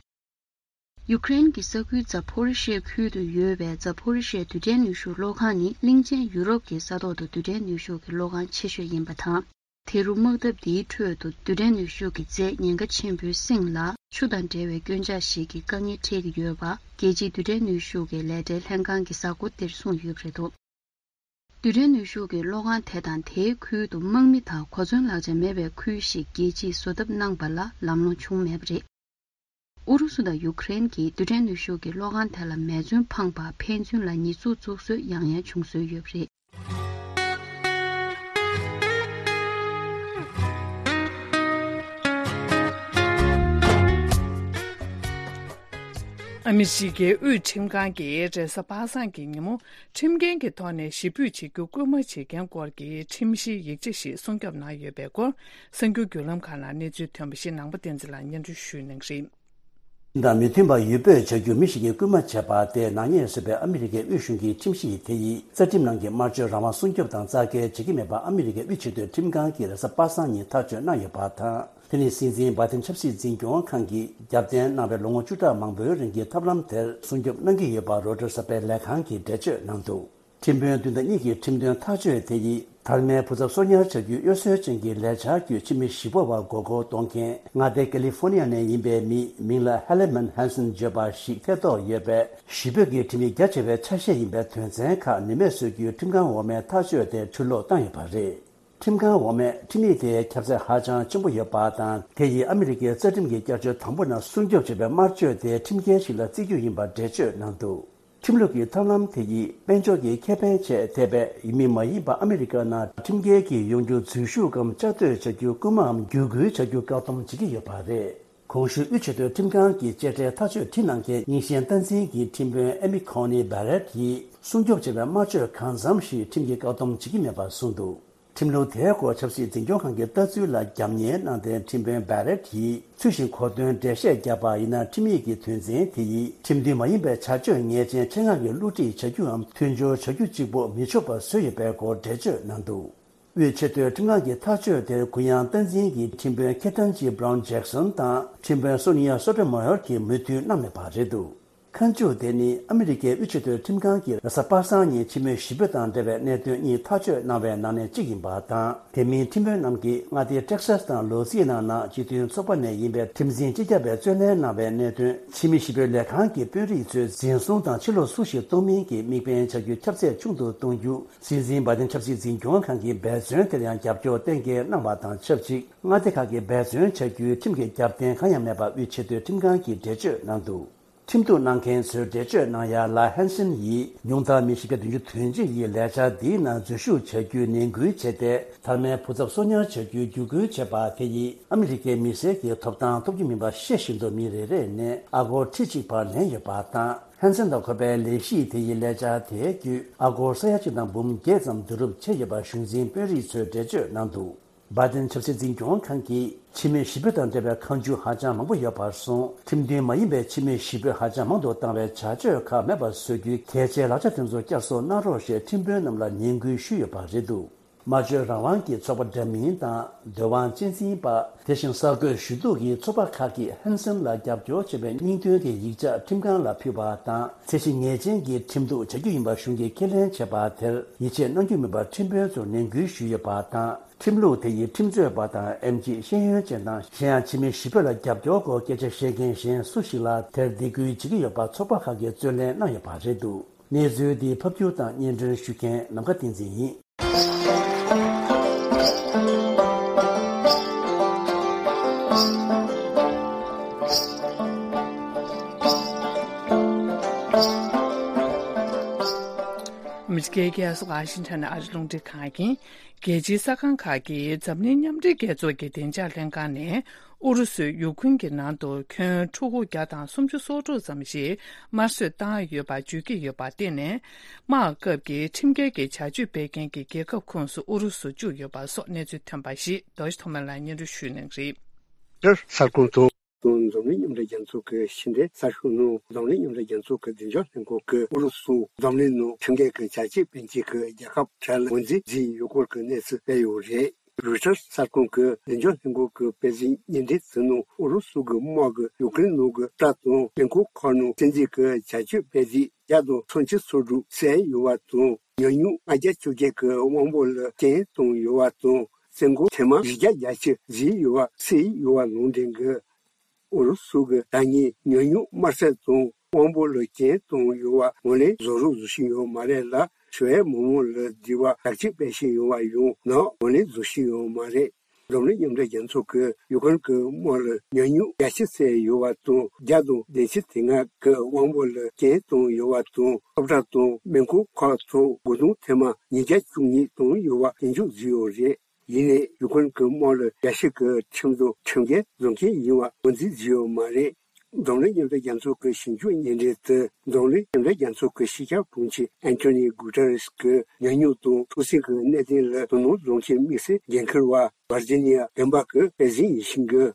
ཡུཀ་རེན་གྱི་ས་ཁུལ་ཛ་ཕོ་རི་ཤེ་ཁུལ་དུ་ཡོད་པའི་ཛ་ཕོ་རི་ཤེ་རྡུལ་ཕྲན་ནུས་ཤུགས་གློག་ཁང་ནི་གླིང་ཆེན་ཡུ་རོབ་ཀྱི་ས་ཐོག་ཏུ་རྡུལ་ཕྲན་ནུས་ཤུགས་ཀྱི་གློག་ཁང་ཆེ་ཤོས་ཡིན་པ་དང་། དེ་རུ་དམག་འཐབ་འདིའི་ཁྲོད་དུ་རྡུལ་ཕྲན་ནུས་ཤུགས་ཀྱི་རྫས་ཉེན་ཁ་ཆེན་པོའི་སིང་ལ་ཆུ་དང་འབྲེལ་བའི་སྐྱོན་ཆག་ཞིག་གི་དཀའ་ངལ་འཕྲད་ཀྱི་ཡོད་པ་རྒྱལ་སྤྱིའི་རྡུལ་ཕྲན་ནུས་ཤུགས་ཀྱི་ལས་གྲྭའི་ལྷན་ཁང་གི་གསར་འགོད་འདིར་གསུངས་ཡོད་པ་རེད་འདུག་རྡུལ་ཕྲན་ནུས་ཤུགས་ཀྱི་གློག་ཁང་དེ་དང་དེའི་ཁུལ་དུ་དམག་མི་དང་གོ་མཚོན་ལག་ཆ་མེད་པའི་ཁུལ་ཞིག་རྒྱལ་སྤྱིས་བཟོ་ཐབས་གནང་པ་ལ་ལམ་ལྷོང་བྱུང་མེད་པ་རེད། ཨུ་རུ་སུ་དང་ཡུཀ་རེན་གྱིས་རྡུལ་ཕྲན་ནུས་ཤུགས་ཀྱི་གློག་ཁང་དེ་ལ་མེ་མཚོན་འཕངས་པར་ཕན་ཚུན་ལ་ཉེས་འཛུགས་བཙུགས་སྲོལ་ཡང་ཡང་བྱུང་སྲོལ་ཡོད་པ་རེད། ཨ་མི་རི་ཀའི་དབུས་ཁྲིམས་ཁང་གིས་རེས་གཟའ་པ་སངས་ཀྱི་ཉིན་མོ། ཁྲིམས་འགལ་གྱི་ཐོག་ནས་ཞི་འབོད་བྱེད་རྒྱུ་སྐུལ་མ་བྱེད་མཁན་སྐོར་གྱི་ཁྲིམས་གཞིའི་ཡིག་ཆ་ཞིག་སྲུང་སྐྱོབ་གནང་ཡོད་པའི་སྐོར། གསར་འགྱུར་བརྒྱུད་ལམ་ཁག་ནང་གནས་ཚུལ་ཐོན་པ་ཞིག་ནང་པ་བསྟན་འཛིན་ལགས་སྙན་སྒྲོན་ཞུ་གནང་གི་རེད། དང་མི་མཐུན་པ་ཡུལ་སྤོས་བྱ་རྒྱུ་མི་ཞིག་གིས་སྐུལ་མ་བྱས་པ་དེ་ནག་ཉེས་བཟོས་པའི་ཨ་མི་རི་ཀའི་དབུས་གཞུང་གི་ཁྲིམས་གཞི་ཡི་དེ་ཡིས་རྩ་ཁྲིམས་ནང་གི་སྨྲ་བརྗོད་རང་དབང་སྲུང་སྐྱོབ་དང་རྩ་འགེལ་བྱེད་ཀྱི་མེད་པ་ཨ་མི་རི་ཀའི་དབུས་ཆེས་མཐོའི་ཁྲིམས་ཁང་གིས་རེས་གཟའ་པ་སངས་ཉིན་ཐག་གཅོད་གནང་ཡོད་པ་དང་། དེ་ནི་སྲིད་འཛིན་བྷའི་ཏིན་ཆབ་སྲིད་འཛིན་སྐྱོང་ཁང་གིས་རྒྱབ་རྟེན་གནང་བའི་ལོ་ངོ་བཅུ་ཕྲག་མང་པོའི་རིང་གི་ཐབས་ལམ་དེར་སྲུང་སྐྱོབ་གནང་གི་ཡོད་པ་རོའི་ཊར་གསར་པའི་ལས་ཁང་གིས་འགྲེལ་བརྗོད་གནང་འདུག་ཁྲིམས་དཔོན་བདུན་དང་གཉིས་ཀྱི་ཁྲིམས་དོན་ཐག་གཅོད་དེ་ཡིས་དར་མའི་བུ་ཚབ་སོ་ཉར་བྱ་རྒྱུའི་གཡོ་ཟོལ་ཅན་གྱི་ལས་འཆར་བརྒྱུད་ཕྱི་མི་ཞི་བོ་བ་མགོ་སྐོར་གཏོང་མཁན་མངའ་སྡེ་ཀ་ལི་ཧྥོ་ནི་ཡ་ནས་ཡིན་པའི་མི་མིང་ལ་ཧེ་ལེ་མན་ཧན་སན་བརྗོད་པ་ཞིག་ཐེ་གཏོགས་ཡོད་པས། ཞི་བོད་ཀྱི་ཁྲིམས་ཡིག་རྒྱ་ཆེ་བའི་ཆ་ཤས་ཡིན་པའི་དོན་ཚན་ཁག་ནུས་མེད་བཟོ་རྒྱུའི་ཁྲིམས་ཁང་འོག་མའི་ཐག་གཅོད་དེ་འཕྲུལ་སློག་བཏང་ཡོད་པ་རེད། ཁྲིམས་ཁང་འོག་མས་ཁྲིམས་ཡིག་དེའི་ཁྱབ་ཚད་ཧ་ཅང་ཆེན་པོ་ཡོད་པ་དང་། དེ་ཡིས་ཨ་མི་རི་ཀའི་རྩ་ཁྲིམས་ཀྱི་བསྐྱར་བཅོས་དང་པོ་ནང་སྲུང་སྐྱོབ་བྱས་པའི་སྨྲ་བརྗོད་དེ་ཁྲིམས་འགལ་ཞིག་ལ་བརྩི་རྒྱུ་ཡིན་པར་འགྲེལ་བརྗོད་གནང་འདུག་ཁྲིམས་ལུགས་ཀྱི་ཐབས་ལམ་དེ་ཡིས་དཔལ་འབྱོར་གྱི་ཁེ་ཕན་ཆེད་ཐེ་བའི་ཡུལ་མི་མ་ཡིན་པ་ཨ་མི་རི་ཀ་ནང་ཁྲིམས་འགལ་གྱིས་ཡོང་རྒྱུ་འཛུལ་ཞུགས་གམ་བཅའ་སྡོད་བྱ་རྒྱུ་སྐུལ་མའམ་བརྒྱུད་སྐུལ་བྱ་རྒྱུ་བཀག་སྡོམ་བྱེད་ཀྱི་ཡོད་པ་རེད། གོང་ཞུས་དབུས་ཆེས་མཐོའི་ཁྲིམས་ཁང་གི་བཅད་ཁྲའི་ཐག་གཅོད་བྲིས་གནང་མཁན་རྙིང་ཞེན་སྟངས་འཛིན་གྱི་ཁྲིམས་དཔོན་ཨེ་མི་ཁོ་ནི་བྷེ་རེད་ཡིས། སྲུང་སྐྱོབ་བྱེད་པའི་སྨྲ་བརྗོད་གང་འཚམ་ཞིག་ཁྲིམས་ཀྱིས་བཀག་སྡོམ་བྱེད་ཀྱི་མེད་པར་གསུངས་འདུག་ཁྲིམས་ལུགས་དེའི་སྐོར་ཆབ་སྲིད་འཛིན་སྐྱོང་ཁང་གི་ལྟ་ཚུལ་ལ་རྒྱབ་གཉེར་གནང་མཁན་ཁྲིམས་དཔོན་བྷེ་རེད་ཀྱིས། ཚུལ་བཞིན་གོ་སྟོན་འགྲེལ་བཤད་བརྒྱབ་པ་ཡིན་ན། ཁྲིམས་ཡིག་གི་དོན་ཚན་དེ་ཡིས་ཁྲིམས་མཐུན་མ་ཡིན་པའི་བྱ་སྤྱོད་ངེས་ཅན་ཆེད་མངགས་ཀྱིས་བསླུ་བྲིད་བྱ་རྒྱུའམ་མཐུན་སྦྱོར་བྱ་རྒྱུ་གཅིག་པོ་མི་ཆོག་པ་བཟོས་ཡོད་པའི་སྐོར་འགྲེལ་བརྗོད་གནང་འདུག་དབུས་ཆེས་མཐོའི་ཁྲིམས་ཁང་གི་ཐག་གཅོད་དེར་གུ་ཡངས་སྟངས་འཛིན་གྱི་ཁྲིམས་དཔོན་ཁེ་ཐན་ཇི་བྷ་རའུན་ཇེག་སོན་དང་ཁྲིམས་དཔོན་སོ་ནི་ཡ་སོ་ཊོ་མོ་ཡོར་གྱིས་མོས་མཐུན་གནང་མེད་པ་རེད་འདུག་ཁ་མཆུ་དེ་ནི་ཨ་མི་རི་ཀའི་དབུས་ཆེས་མཐོའི་ཁྲིམས་ཁང་གིས་རེས་གཟའ་པ་སངས་ཉིན་ཕྱི་མོའི་ཞི་རྒོལ་དང་འབྲེལ་བའི་གནད་དོན་གཉིས་ཐག་གཅོད་གནང་བའི་ནང་ནས་གཅིག་ཡིན་པ་དང་། དེ་མིན་ཁྲིམས་དཔོན་རྣམས་ཀྱིས་མངའ་སྡེ་ཊེག་སཱས་དང་ལོ་སི་ཡ་ན་ནང་སྤྱི་མཐུན་ཚོགས་པ་ནས་ཡིན་པའི་ཁྲིམས་འཛིན་སྤྱི་ཁྱབ་པས་རྩོད་ལེན་གནང་བའི་གནད་དོན་ཕྱི་མི་ཞི་རྒོལ་ལས་ཁང་གི་དཔོན་རིགས་ཚོས་འཛིན་བཟུང་དང་ཕྱིར་ལོག་སུ་ཞིག་གཏོང་མིན་གྱི་དམིགས་འབེན་བྱ་རྒྱུའི་ཁྱབ་ཚད་ཆུང་དུ་གཏོང་རྒྱུ། སྲིད་འཛིན་བྷའི་ཏིན་ཆབ་སྲིད་འཛིན་སྐྱོང་ཁང་གིས་འབད་བརྩོན་དེར་ཡང་རྒྱབ་སྐྱོར་གཏན་འཁེལ་གནང་བ་དང་ཆབས་ཅིག་མངའ་སྡེ་ཁག་གིས་འབད་བརྩོན་བྱ་རྒྱུའི་ཁྲིམས་ཀྱི་རྒྱབ་རྟེན་གང་ཡང་མེད་པ་དབུས་ཆེས་མཐོའི་ཁྲིམས་ཁང་གིས་འགྲེལ་བརྗོད་གནང་འདུག་ཁྲིམས་གཏུག་གནང་མཁན་ཚོས་འགྲེལ་བརྗོད་གནང་ཡ་ལ། ཧན་སན་ཡིས་ཉུང་མཐར་མི་བཞི་བརྒྱ་བདུན་ཅུ་དོན་གཅིག་ཡིས་ལས་འཆར་འདིའི་ནང་འཛུལ་ཞུགས་བྱ་རྒྱུའི་ནན་སྐུལ་བྱས་ཏེ། དར་མའི་བུ་ཚབ་སོ་ཉར་བྱ་རྒྱུའི་བརྒྱུད་སྐུལ་བྱས་པ་དེ་ཡིས་ཨ་མི་རི་ཀའི་མི་སེར་གྱི་ཐོབ་ཐང་ཐོབ་རྒྱུ་མིན་པ་ཤེས་བཞིན་དུ་མི་རེ་རེ་ནས་ཨ་སྒོར་ཁྲི་གཅིག་བར་ལེན་ཡོད་པ་དང་། ཧན་སན་དང་ཁོ་པའི་ལས་གཞི་དེ་ཡི་ལས་འཆར་དེའི་བརྒྱུད་ཨ་སྒོར་ས་ཡ་གཅིག་དང་འབུམ་བརྒྱད་ཙམ་བསྡུ་རུབ་བྱས་ཡོད་པ་གཞུང་འཛིན་དཔོན་རིགས་ཚོས་འགྲེལ་བརྗོད་གནང་འདུག་བྷའི་ཏིན་ཆབ་སྲིད་འཛིན་སྐྱོང་ཁང་གིས་ཕྱི་མི་ཞི་རྒོལ་དང་འབྲེལ་བའི་ཁ་མཆུ་ཧ་ཅང་མང་པོ་ཡོད་པར་སོང་། ཁྲིམས་མཐུན་མ་ཡིན་པའི་ཕྱི་མི་ཞི་རྒོལ་ཧ་ཅང་མང་དུ་བཏང་བའི་བྱ་སྤྱོད་ཁག་མེད་པར་བཟོ་རྒྱུའི་གལ་ཆེའི་ལག་ཆ་དེ་ཚོ་བསྐྱར་གསོ་གནང་རོགས་ཞེས་ཁྲིམས་དཔོན་རྣམས་ལ་ནན་སྐུལ་ཞུས་ཡོད་པ་རེད་འདུག་སྨྲ་བརྗོད་རང་དབང་གི་ཚོགས་པ་འདྲ་མིན་དང་། འདོད་དབང་གཅེས་འཛིན་པ། དེ་བཞིན་གསར་འགོད་ཞུ་གཏུག་གི་ཚོགས་པ་ཁག་གིས་ཧན་སན་ལ་རྒྱབ་སྐྱོར་བྱས་པའི་སྙིང་དོན་གྱི་ཡིག་ཆ་ཁྲིམས་ཁང་ལ་ཕུལ་བ་དང་། ཚད་གཞི་ངེས་ཅན་གྱི་ཁྲིམས་གཏུག་བྱ་རྒྱུ་ཡིན་པ་གཞུང་གིས་ཁས་ལེན་བྱས་པ་དེར་ཡིད་ཆེས་གནང་རྒྱུ་མིན་པར་ཁྲིམས་དཔོན་ཚོར་ནན་སྐུལ་ཞུས་ཡོད་པ་དང་། ཁྲིམས་ལུགས་དེ་ཡིས་ཁྲིམས་རྩོད་པ་དང་ཨེམ་ཆི་ཤེས་ཡོན་ཅན་དང་། གཞན་ཡང་ཕྱི་མི་ཞི་རྒོལ་ལ་རྒྱབ་སྐྱོར་སྐོར་སྐད་ཆ་བཤད་མཁན་གཞན་སུ་ཞིག་ལ་དེར་སྡིགས་སྐུལ་བྱེད་ཀྱི་ཡོད་པ་ཚོགས་པ་ཁག་གིས་རྩོད་ལེན་གནང་ཡོད་པ་རེད་འདུག་གནས་ཚུལ་འདི་ཕབ་སྒྱུར་དང་སྙན་སྒྲོན་ཞུ་མཁན་ནམ་མཁའ་བསྟན་འཛིན་ཡིན། ཨ་མི་རི་ཀའི་རྒྱལ་ས་ཝ་ཤིང་ཊོན་ཨ་རི་རླུང་འཕྲིན་ཁང་ཡིན། རྒྱལ་སྤྱིའི་གསར་ཁང་ཁག་གིས་འཛམ་གླིང་མཉམ་འབྲེལ་རྒྱལ་ཚོགས་ཀྱི་བདེ་འཇགས་ལྷན་ཁང་ནས། ཨུ་རུ་སུས་ཡུ་ཁུན་གྱི་ནང་དུ་ཁྱོན་ཕྲུ་གུ་བརྒྱ་དང་སུམ་ཅུ་སོ་དྲུག་ཙམ་ཞིག་དམར་གསོད་བཏང་ཡོད་པ་བརྗོད་ཀྱི་ཡོད་པར་བརྟེན་ནས། དམག་སྐབས་ཀྱི་ཁྲིམས་འགལ་གྱི་བྱ་སྤྱོད་སྤེལ་མཁན་གྱི་རྒྱལ་ཁབ་ཁོངས་སུ་ཨུ་རུ་སུ་བཅུག་ཡོད་པ་སོགས་གནས་ཚུལ་ཐོན་པ་ཞིག་རྡོ་རྗེ་ཐོགས་མེད་ལགས་སྙན་སྒྲོན་ཞུ་གནང་གི་རེད། རོའི་ཊར་གསར་ཁང་དང་། འཛམ་གླིང་མཉམ་འབྲེལ་རྒྱལ་ཚོགས་ཀྱི་ཕྱི་འབྲེལ་གསར་ཤོག་ནང་འཛམ་གླིང་མཉམ་འབྲེལ་རྒྱལ་ཚོགས་ཀྱི་བདེ་འཇགས་ལྷན་ཁང་གིས་ཨུ་རུ་སུ་འཛམ་གླིང་ནང་ཁྲིམས་འགལ་གྱི་བྱ་སྤྱོད་སྤེལ་མཁན་གྱི་རྒྱལ་ཁབ་གྲས་ལ་ངོས་འཛིན་བྱས་ཡོད་སྐོར་གྱི་གནས་ཚུལ་སྤེལ་ཡོད་རེད། རོའི་ཊར་གསར་ཁང་གིས་བདེ་འཇགས་ལྷན་ཁང་གི་སྤེལ་གཟིགས་བརྙན་འཕྲིན་ཚོའི་ནང་ཨུ་རུ་སུ་གི་དམག་གིས་ཡུ་ཀེ་རེན་ནང་གི་ཏྲ་དང་མེ་འཁོར་ཁག་ནང་བཙན་འཛུལ་གྱི་བྱ་སྤྱོད་སྤེལ་རྗེས་བརྒྱ་དང་སུམ་ཅུ་སོ་དྲུག་བསད་ཡོད་པ་དང་། ཉེས་མྱོང་ལྔ་བརྒྱ་བཅོ་བརྒྱད་ཀྱི་དབང་པོ་ལ་རྐྱེན་བཏང་ཡོད་པ་དང་། བཙོན་ཁང་ཐེངས་མ་བཞི་བརྒྱ་བརྒྱད་ཅུ་བརྒྱུད་ཡོད་པ་གསལ་ཡོད་པ་ནང་འདྲེན་གྱིས། ཨུ་རུ་སུ་གིས་ད་ངས་ཉེས་མྱོང་དམར་གསོད་དང་དབང་པོ་ལ་རྐྱེན་བཏང་ཡོད་པ་ངོས་ལེན་བཟོ་རོགས་བཟོ་བཞིན་ཡོད་མ་རེད་ལ། ཞི་བའི་མི་མང་ལ་འདི་བ་དྲག་སྐྱེད་སྤེལ་བཞིན་ཡོད་པ་ཡང་ནང་ངོས་ལེན་བཟོ་བཞིན་ཡོད་མ་རེད། འཛམ་གླིང་མཉམ་འབྲེལ་རྒྱལ་ཚོགས་ཀྱིས་ཡུ་ཀེ་རེན་གྱི་དམག་ལ་ཉེས་མྱོང་བརྒྱད་ཅུ་བསད་ཡོད་པ་དང་། བརྒྱ་དང་བདུན་ཅུ་དེ་ལྔ་གི་དབང་པོ་ལ་རྐྱེན་བཏང་ཡོད་པ་དང་། ཨབ་ཕྲ་དང་མེ་འཁོར་ཁག་ཐོག་དགུ་སྟོང་ཐེངས་མ་ཉིས་བརྒྱ་བཅུ་གཉིས་བཏང་ཡོད་པ་ཞིབ་འཇུག་བཟོས་ཡོད་རེད། ཡིན་ནའི་ཡུ་ཀེ་རེན་གྱི་དམག་ལ་རྒྱལ་སྤྱི་གི་ཁྲིམས་དང་ཁྲིམས་འགལ་བཟོ་མཁན་ཡིན་པ་ངོས་འཛིན་བཟོས་ཡོད་མ་རེད། འཛམ་གླིང་མཉམ་འབྲེལ་རྒྱལ་ཚོགས་ཀྱི་ཞིབ་འཇུག་ཉིན་རེའི་ཐད། འཛམ་གླིང་མཉམ་འབྲེལ་རྒྱལ་ཚོགས་ཀྱི་སྤྱི་ཁྱབ་དྲུང་ཆེ་ཨན་ཐོ་ནི་གུ་ཏེ་རེས་ཀྱིས་ཉམས་མྱོང་དང་འཁྲུག་ཟིང་གི་གནད་དོན་ལ་དོ་སྣང་བཟུང་ཆེད་དམིགས་བསལ་འགན་འཁུར་བ་ཝར་ཇི་ནི་ཡ་རྒན་པ་གི་པེ་ཟིན་ཡིན་ཤིང་གི།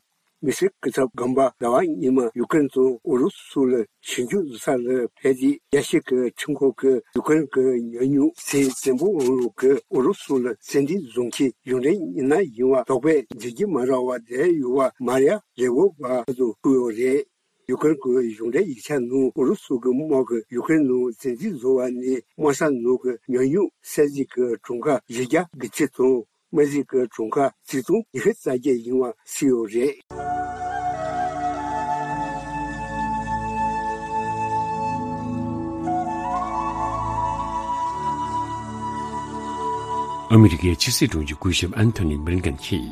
དམིགས་བསལ་སྐུ་ཚབ་རྒན་པ་ཟླ་བ་སྔོན་མ་ཡུ་ཀེ་རེན་དང་ཨུ་རུ་སུ་ལ་ཞིབ་འཇུག་བཟོ་ས་ལ་ཕེབས་ཏེ། རྒྱལ་སྤྱི་གི་ཁྲིམས་ཁང་གིས་ཡུ་ཀེ་རེན་གྱི་ཉམས་མྱོང་ཚད་བརྟན་པོ་འོང་ལུགས་ཀྱི་ཨུ་རུ་སུ་ལ་རྩིས་འགྲེམས་བཟོ་མཁན་གཞུང་འབྲེལ་མི་སྣ་ཡིན་པ་དོགས་པས་འཛིན་གྱིས་མ་རག་པར་བསྡད་ཡོད་པ་མཱ་རི་ཡ་རེ་ཝོ་བ་ཚོས་བཀོད་ཡོད་རེད། ཡུ་ཀེ་རེན་གྱི་གཞུང་འབྲེལ་ཡིག་ཆ་ནང་ཨུ་རུ་སུ་གི་དམག་གིས་ཡུ་ཀེ་རེན་ནང་རྩིས་འགྲེམས་བཟོ་བ་ནས་དམག་ས་ནང་གི་ཉམས་མྱོང་གསར་བརྗེ་གི་གྲངས་ཀ་བཞི་བརྒྱ་དགུ་བཅུ་དང་། དམག་རིགས་ཀྱི་གྲངས་ཀ་ཆིག་སྟོང་ཉི་ཤུ་རྩ་བརྒྱད་ཡིན་པ་གསལ་ཡོད་རེད། ཨ་མི་རི་ཀའི་ཕྱི་སྲིད་དྲུང་ཆེ་སྐུ་ཞབས་ཨན་ཐོ་ནི་བྷི་ལིན་ཀེན་གྱིས།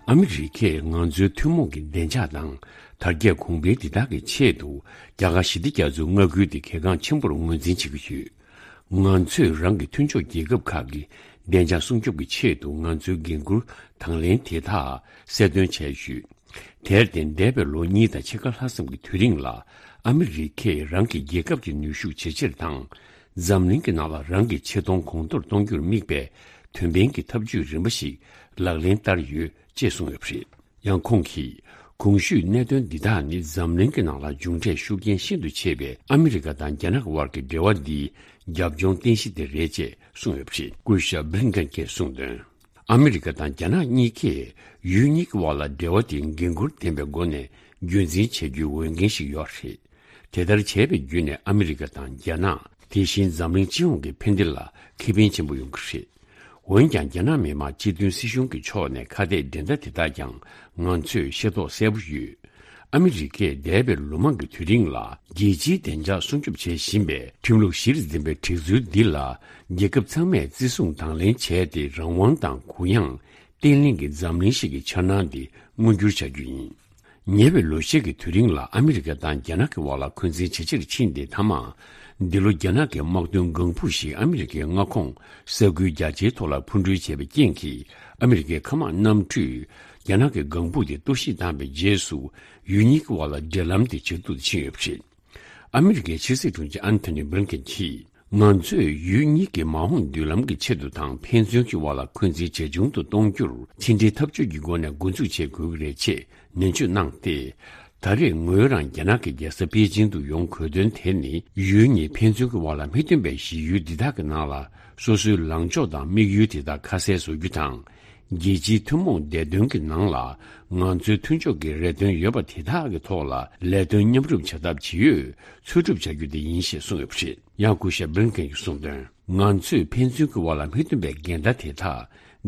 ཨ་མི་རི་ཀས་ང་ཚོའི་ཐུན་མོང་གི་བདེ་འཇགས་དང་དར་རྒྱས་གོང་འཕེལ་འདི་དག་གི་ཆེད་དུ་རྒྱ་གར་ཞི་བདེ་རྒྱ་མཚོའི་མངའ་ཁུལ་དེ་གལ་འགངས་ཆེན་པོར་ངོས་འཛིན་བྱེད་ཀྱི་ཡོད། ང་ཚོས་རང་གི་མཐུན་ཕྱོགས་རྒྱལ་ཁབ་ཁག་གི་བདེ་འཇགས་སྲུང་སྐྱོབ་ཀྱི་ཆེད་དུ་ང་ཚོའི་འགན་ཁུར་དང་ལེན་དེ་དག་གསལ་སྟོན་བྱས་ཡོད། དེར་བརྟེན། འདས་པའི་ལོ་གཉིས་དང་ཕྱེད་ཀ་ལྷག་ཙམ་གྱི་དུས་རིང་ལ་ཨ་མི་རི་ཀས་རང་གི་རྒྱལ་ཁབ་ཀྱི་ནུས་ཤུགས་ཇེ་ཆེར་དང་། འཛམ་གླིང་གི་ནང་ལ་རང་གི་ཆེ་མཐོང་གོང་མཐོར་གཏོང་རྒྱུར་དམིགས་པའི་དོན་ལྡན་གྱི་ཐབས་ཇུས་རིམ་པ་ཞིག་ལག་ལེན་བསྟར་ཡོད་ཅེས་གསུངས་ཡོད་པ་རེད། ཡང་ཁོང་གིས། གོང་ཞུས་གནད་དོན་འདི་དག་ནི་འཛམ་གླིང་གི་ནང་ལ་མཇུག་འབྲས་ཤུགས་རྐྱེན་ཤིན་ཏུ་ཆེ་བའི་ཨ་མི་རི་ཀ་དང་རྒྱ་ནག་གི་དབར་གྱི་འབྲེལ་བ་འདིའི་རྒྱབ་ལྗོངས་རྟེན་གཞི་དེ་རེད་ཅེས་གསུངས་ཡོད་པ་རེད། སྐུ་ཞབས་བྷི་ལིན་ཀེན་གྱིས་གསུངས་དོན། ཨ་མི་རི་ཀ་དང་རྒྱ་ནག་གཉིས་ཀས་ཡུལ་གཉིས་ཀྱི་དབར་ལ་འབྲེལ་བ་དེ་འགན་འཁུར་ལྡན་པའི་སྒོ་ནས་རྒྱུན་འཛིན་བྱ་རྒྱུའི་འོས་འགན་ཞིག་ཡོད་རེད། དེ་ལྟར་བྱས་པའི་བརྒྱུད་ནས་ཨ་མི་རི་ཀ་དང་རྒྱ་ནག་དེ་བཞིན་འཛམ་གླིང་སྤྱི་ཡོངས་ཀྱི་ཕན་བདེ་ལ་ཁེ་ཕན་ཆེན་པོ་ཡོང་གི་རེད། འོན་ཀྱང་། རྒྱ་ནག་མི་དམངས་སྤྱི་མཐུན་སྲིད་གཞུང་གི་ཕྱོགས་ནས་ཁ་གཏད་འགྲན་ཟླ་དེ་དག་ཀྱང་ང་ཚོས་ཤེས་རྟོགས་གསལ་པོ་ཡོད། ཨ་མི་རི་ཀས་འདས་པའི་ལོ་མང་གི་དུས་རིང་ལ་རྒྱལ་སྤྱིའི་བདེ་འཇགས་སྲུང་སྐྱོབ་བྱེད་བཞིན་པའི་ཁྲིམས་ལུགས་གཞིར་འཛིན་པའི་སྒྲིག་འཛུགས་འདི་ལ་རྒྱལ་ཁབ་ཚང་མས་བརྩི་སྲུང་དང་ལེན་བྱས་ཏེ། རང་དབང་དང་གུ་ཡངས་བརྟན་ལྷིང་གི་འཛམ་གླིང་ཞིག་གི་འཆར་སྣང་འདི་མངོན་འགྱུར་བྱ་རྒྱུ་ཡིན། ཉེ་བའི་ལོ་ཤས་ཀྱི་དུས་རིང་ལ་ཨ་མི་རི་ཀ་དང་རྒྱ་ནག་གི་དབར་ལ་འཁོན་འཛིན་ཇེ་ཆེར་ཕྱིན་ཏེ། མཐའ་མ་འདི་ལོ་རྒྱ་ནག་གི་དམག་དོན་ལྒང་ཕུག་ཞིག་ཨ་མི་རི་ཀའི་མངའ་ཁོངས་ས་ཁུལ་རྒྱ་ཆེའི་ཐོག་ལ་འཕུར་འགྲུལ་བྱས་པའི་རྐྱེན་གྱིས། ཨ་མི་རི་ཀའི་མཁའ་དམག་གནམ་གྲུས་རྒྱ་ནག་གི་ལྒང་ཕུག་དེ་གཏོར་བཤིག་བཏང་བའི་རྗེས་སུ། ཡུལ་གཉིས་ཀྱི་དབར་ལ་འབྲེལ་ལམ་དེ་ཇེ་སྡུག་ཏུ་ཕྱིན་ཡོད་པ་རེད། ཨ་མི་རི་ཀའི་ཕྱི་སྲིད་དྲུང་ཆེ་ཨན་ཐོ་ནི་བྷི་ལིན་ཀེན་གྱིས། ང་ཚོས་ཡུལ་གཉིས་ཀྱི་མ་འོངས་མདུན་ལམ་གྱི་ཆེད་དུ་དང་ཕན་ཚུན་གྱི་དབར་ལ་འཁོན་འཛིན་ཇེ་ཆུང་དུ་གཏོང་རྒྱུར་ཕྱི་འབྲེལ་འཐབ་ཇུས་ཀྱི་སྒོ་ནས་འགོ་འཛུགས་བྱེད་དགོས་ཀྱི་རེད་ཅེས་ནན་བརྗོད་གནང་སྟེ། ད་རེས་ངོས་རང་རྒྱ་ནག་གི་རྒྱལ་ས་པེ་ཅིང་དུ་ཡོང་དགོས་དོན་དེ་ནི། ཡུལ་གཉིས་ཕན་ཚུན་གྱི་དབར་ལ་མི་མཐུན་པའི་གཞི་ཡུལ་འདི་དག་གི་ནང་ལ་སོ་སོའི་ལངས་ཕྱོགས་དང་དམིགས་ཡུལ་དེ་དག་ཁ་གསལ་བཟོ་རྒྱུ་དང་། རྒྱལ་སྤྱིའི་ཐུན་མོང་བདེ་དོན་གྱི་ནང་ལ་ང་ཚོའི་མཐུན་ཕྱོགས་ཀྱི་རེ་འདུན་ཡོད་པ་དེ་དག་གི་ཐོག་ལ་ལས་དོན་མཉམ་རུབ་བྱ་ཐབས་ཇི་ཡོད་འཚོལ་སྒྲུབ་བྱ་རྒྱུ་དེ་ཡིན་ཞེས་གསུངས་ཡོད་པ་རེད། ཡང་སྐུ་ཞབས་བྷི་ལིན་ཀེན་གྱིས་གསུངས་དོན། ང་ཚོས་ཕན་ཚུན་གྱི་དབར་ལ་མི་མཐུན་པའི་འགལ་ཟླ་དེ་དག་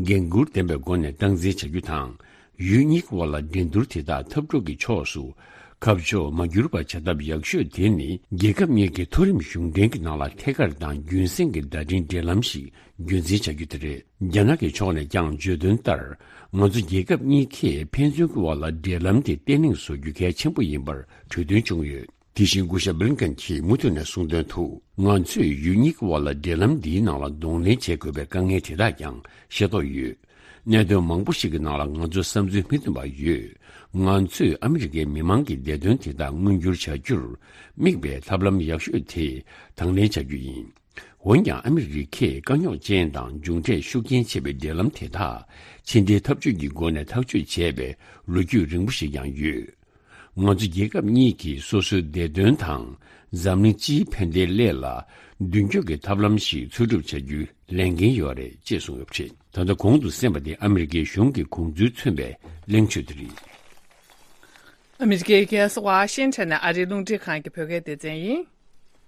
འགན་འཁུར་ལྡན་པའི་སྒོ་ནས་སྟངས་འཛིན་བྱ་རྒྱུ་དང་། ཡུལ་གཉིས་ཀྱི་དབར་ལ་འགྲན་བསྡུར་དེ་དག་འཐབ་འཁྲུག་གི་ཕྱོགས་སུ་ཁ་ཕྱོགས་མ་བསྒྱུར་བར་བྱ་ཐབས་ཡག་ཤོས་དེ་ནི། རྒྱལ་ཁབ་གཉིས་ཀྱི་མཐོ་རིམ་གཞུང་འབྲེལ་གྱི་ནང་ལ་ཐད་ཀར་དང་རྒྱུན་སྲིང་གི་བརྡ་འཕྲིན་འབྲེལ་ལམ་ཞིག་རྒྱུན་འཛིན་བྱ་རྒྱུ་དེ་རེད། རྒྱ་ནག་གི་ཕྱོགས་ནས་ཀྱང་བརྗོད་དོན་ལྟར། ང་ཚོ་རྒྱལ་ཁབ་གཉིས་ཀས་ཕན་ཚུན་གྱི་དབར་ལ་འབྲེལ་ལམ་དེ་བརྟན་ལྷིང་བཟོ་རྒྱུ་གལ་ཆེན་པོ་ཡིན་པར་གྲོས་མཐུན་བྱུང་ཡོད། དེ་བཞིན་སྐུ་ཞབས་བྷི་ལིན་ཀེན་གྱིས་མུ་མཐུད་ནས་གསུངས་དོན་དུ། ང་ཚོས་ཡུལ་གཉིས་ཀྱི་དབར་ལ་འབྲེལ་ལམ་འདིའི་ནང་ལ་གདོང་ལེན་བྱེད་དགོས་པའི་དཀའ་ངལ་དེ་དག་ཀྱང་ཤེས་རྟོགས་ཡོད། གནད་དོན་མང་པོ་ཞིག་གི་ནང་ལ་ང་ཚོའི་བསམ་ཚུལ་མི་མཐུན་པ་ཡོད། ང་ཚོས་ཨ་མི་རི་ཀའི་མི་མང་གི་བདེ་དོན་དེ་དག་མངོན་འགྱུར་བྱ་རྒྱུར་དམིགས་པའི་ཐབས་ལམ་ཡག་ཤོས་དེ་དང་ལེན་བྱ་རྒྱུ་ཡིན། འོན་ཀྱང་། ཨ་མི་རི་ཀས་དཀའ་རྙོག་ཅན་དང་མཇུག་འབྲས་ཤུགས་རྐྱེན་ཆེ་བའི་འབྲེལ་ལམ་དེ་དག་ཕྱི་འབྲེལ་འཐབ་ཇུས་ཀྱི་སྒོ་ནས་ཐག་གཅོད་བྱས་པའི་ལོ་རྒྱུས་རིང་པོ་ཞིག་ཀྱང་ཡོད། ང་ཚོ་རྒྱལ་ཁབ་གཉིས་ཀྱིས་སོ་སོའི་བདེ་དོན་དང་འཛམ་གླིང་སྤྱིའི་ཕན་བདེའི་སླད་ལ་མདུན་སྐྱོད་ཀྱི་ཐབས་ལམ་ཞིག་འཚོལ་སྒྲུབ་བྱ་རྒྱུའི་ལས་འགན་ཡོད་རེད་ཅེས་གསུངས་ཡོད་པ་རེད། ད་ལྟ་གོང་དུ་གསན་པ་དེ་ཨ་མི་རི་ཀའི་གཞུང་གི་དགོངས་ཚུལ་མཚོན་པའི་གླེང་བརྗོད་དེ་རེད། ཨ་མི་རི་ཀའི་རྒྱལ་ས་ཝ་ཤིང་ཊོན་ནས་ཨ་རིའི་རླུང་འཕྲིན་ཁང་གི་བོད་སྐད་སྡེ་ཚན་ཡིན།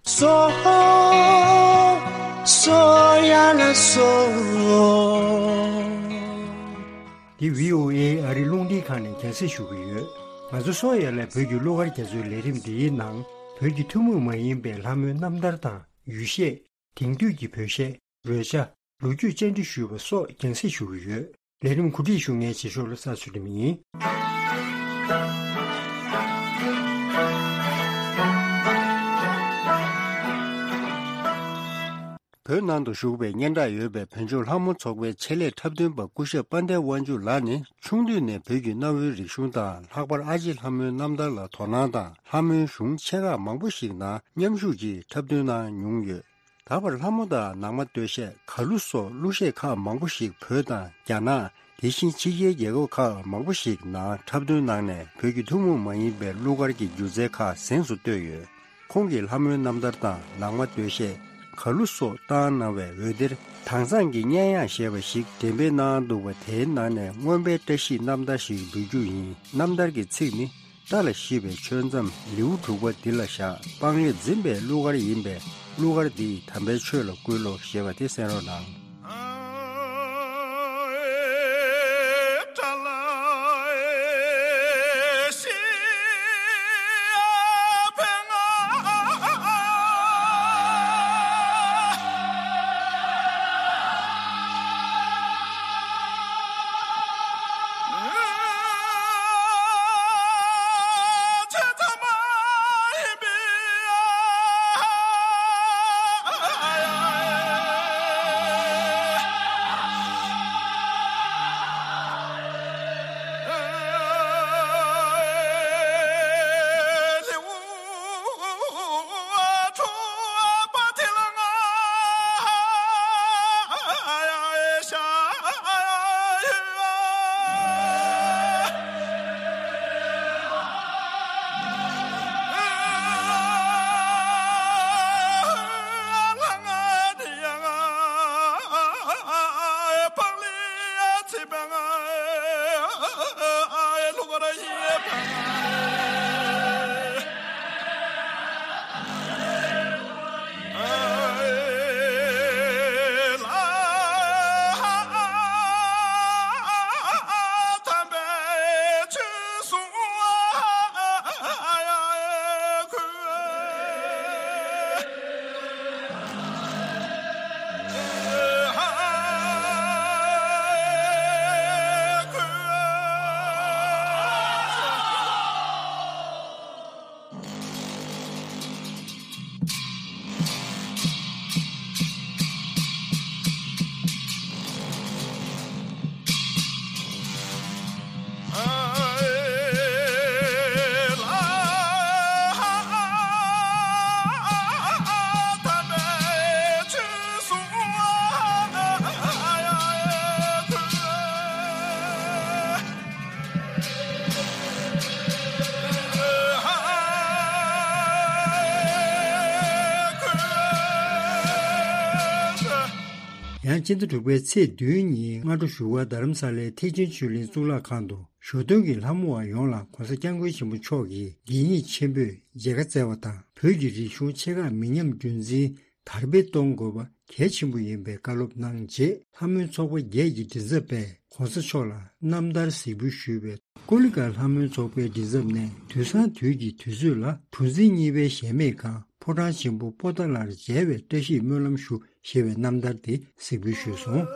སོ་སོ་ཡ་ལ་སོ། འདི་བྷི་ཨོ་ཨེ་ཨ་རིའི་རླུང་འཕྲིན་ཁང་ནས་རྒྱང་སྲིང་ཞུ་གི་ཡོད། ང་ཚོ་སོ་ཡ་ལ་བོད་ཀྱི་གླུ་གར་རྒྱ་མཚོའི་ལས་རིམ་འདིའི་ནང་བོད་ཀྱི་ཐུན་མོང་མ་ཡིན་པའི་ལྷ་མོའི་རྣམ་ཐར་དང་ཡུལ་གཞས། དེང་དུས་ཀྱི་བོད་གཞས། རོལ་ཆ། ལོ་རྒྱུས་བཅར་འདྲི་ཞུས་པ་སོགས་རྒྱང་སྲིང་ཞུ་གི་ཡོད། ལས་རིམ་གོ་སྒྲིག་ཞུ་མཁན་རྗེས་ཕྱོགས་བློ་བཟང་ཚུལ་ཁྲིམས་ཡིན། བོད་ནང་དུ་བཞུགས་པའི་སྙན་གྲགས་ཡོད་པའི་བོད་ལྗོངས་ལྷ་མོ་ཚོགས་པའི་ཆེད་ལས་འཁྲབ་སྟོན་པ་སྐུ་ཞབས་དཔལ་ལྡན་དབང་ཕྱུག་ལགས་ནི། ཆུང་དུས་ནས་བོད་ཀྱི་གནའ་བོའི་རིག་གཞུང་དང་། ལྷག་པར་ཨ་ཅེ་ལྷ་མོའི་རྣམ་ཐར་ལ་དོ་སྣང་དང་། ལྷ་མོའི་གཞུང་ཆེ་ཁག་མང་པོ་ཞིག་ནང་མཉམ་ཞུགས་ཀྱིས་འཁྲབ་སྟོན་གནང་མྱོང་ཡོད། ད་བར་ལྷ་མོ་དང་ནང་མ་སྟོད་གཞས། གར་གླུ་སོགས་གླུ་གཞས་ཁག་མང་པོ་ཞིག་བོད་དང་རྒྱ་ནག་དེ་བཞིན་ཕྱི་རྒྱལ་རྒྱལ་ཁབ་ཁག་མང་པོ་ཞིག་ནང་འཁྲབ་སྟོན་གནང་ནས། བོད་ཀྱི་ཐུན་མོང་མ་ཡིན་པའི་གླུ་གར་གྱི་སྒྱུ་རྩལ་ཁག་གཟེངས་སུ་བསྟོད་ཡོད། ཁོང་གིས་ལྷ་མོའི་རྣམ་ཐར་དང་། ནང་མ་སྟོད་གཞས། གར་གླུ་སོགས་བཏང་གནང་བའི་འོད་སྡེར་དྭངས་གཙང་གི་སྙན་དབྱངས་ཞེས་པ་ཞིག་འགྲེམས་སྤེལ་གནང་འདུག་པ། དེའི་ནང་ནས་མངོན་པའི་བཀྲ་ཤིས་རྣམ་ཐར་ཞིག་འབུལ་རྒྱུ་ཡིན། རྣམ་ཐར་གྱི་ཚིག་ནི། རྟ་ལ་གཞིས་པའི་ཆོས་མཚམས་ལེའུ་དྲུག་པ་འདི་ལ་བཞག། སྤང་ལེབ་འཛིན་པའི་གླུ་གར་ཡིན་པས། གླུ་གར་འདིས་དམ་པའི་ཆོས་ལ་བསྐུལ་ལོ་ཞེས་པ་དེ་གསན་རོགས་གནང་། ཡང་སྤྱི་ཟླ་དྲུག་པའི་ཚེས་བདུན་ཉིན་སྔ་དྲོ་བཞུགས་སྒར་རྡ་རམ་ས་ལའི་ཐེག་ཆེན་ཆོས་གླིང་གཙུག་ལག་ཁང་དུ་ཞོ་སྟོན་གྱི་ལྷ་མོ་བ་ཡོངས་ལ་༸གོང་ས་༸སྐྱབས་མགོན་ཆེན་པོ་མཆོག་གིས་དགེ་བསྙེན་ཆེན་པོས་མཇལ་ཁ་བསྩལ་བ་དང་། བོད་ཀྱི་རིག་གཞུང་ཆེ་ཁག་མི་ཉམས་རྒྱུན་འཛིན་དར་སྤེལ་གཏོང་དགོས་པ་གལ་ཆེན་པོ་ཡིན་པའི་བཀའ་སློབ་གནང་རྗེས། ལྷ་མོའི་ཚོགས་པ་བརྒྱད་ཀྱི་མགྲིན་ཚབ་པས་༸གོང་ས་མཆོག་ལ་རྣམ་ཐར་གཟིགས་འབུལ་ཞུས་པའི། ཀོ་ལི་གྷལ་ལྷ་མོའི་ཚོགས་པའི་མགྲིན་ཚབ་ནས་དུས་སང་དུས་ཀྱི་དུས་ཚོད་ལ་གྲུ་འཛིན་གཉིས་པའི་གཞལ་མེད་ཁང་ཕོ་བྲང་ཆེན་པོ་པོ་ཏཱ་ལར་མཇལ་བའི་བཀྲ་ཤིས་སྨོན་ལམ་ཞུ་ཞེས་པའི་རྣམ་ཐར་དེ་གཟིགས་འབུལ་ཞུས་སོང་།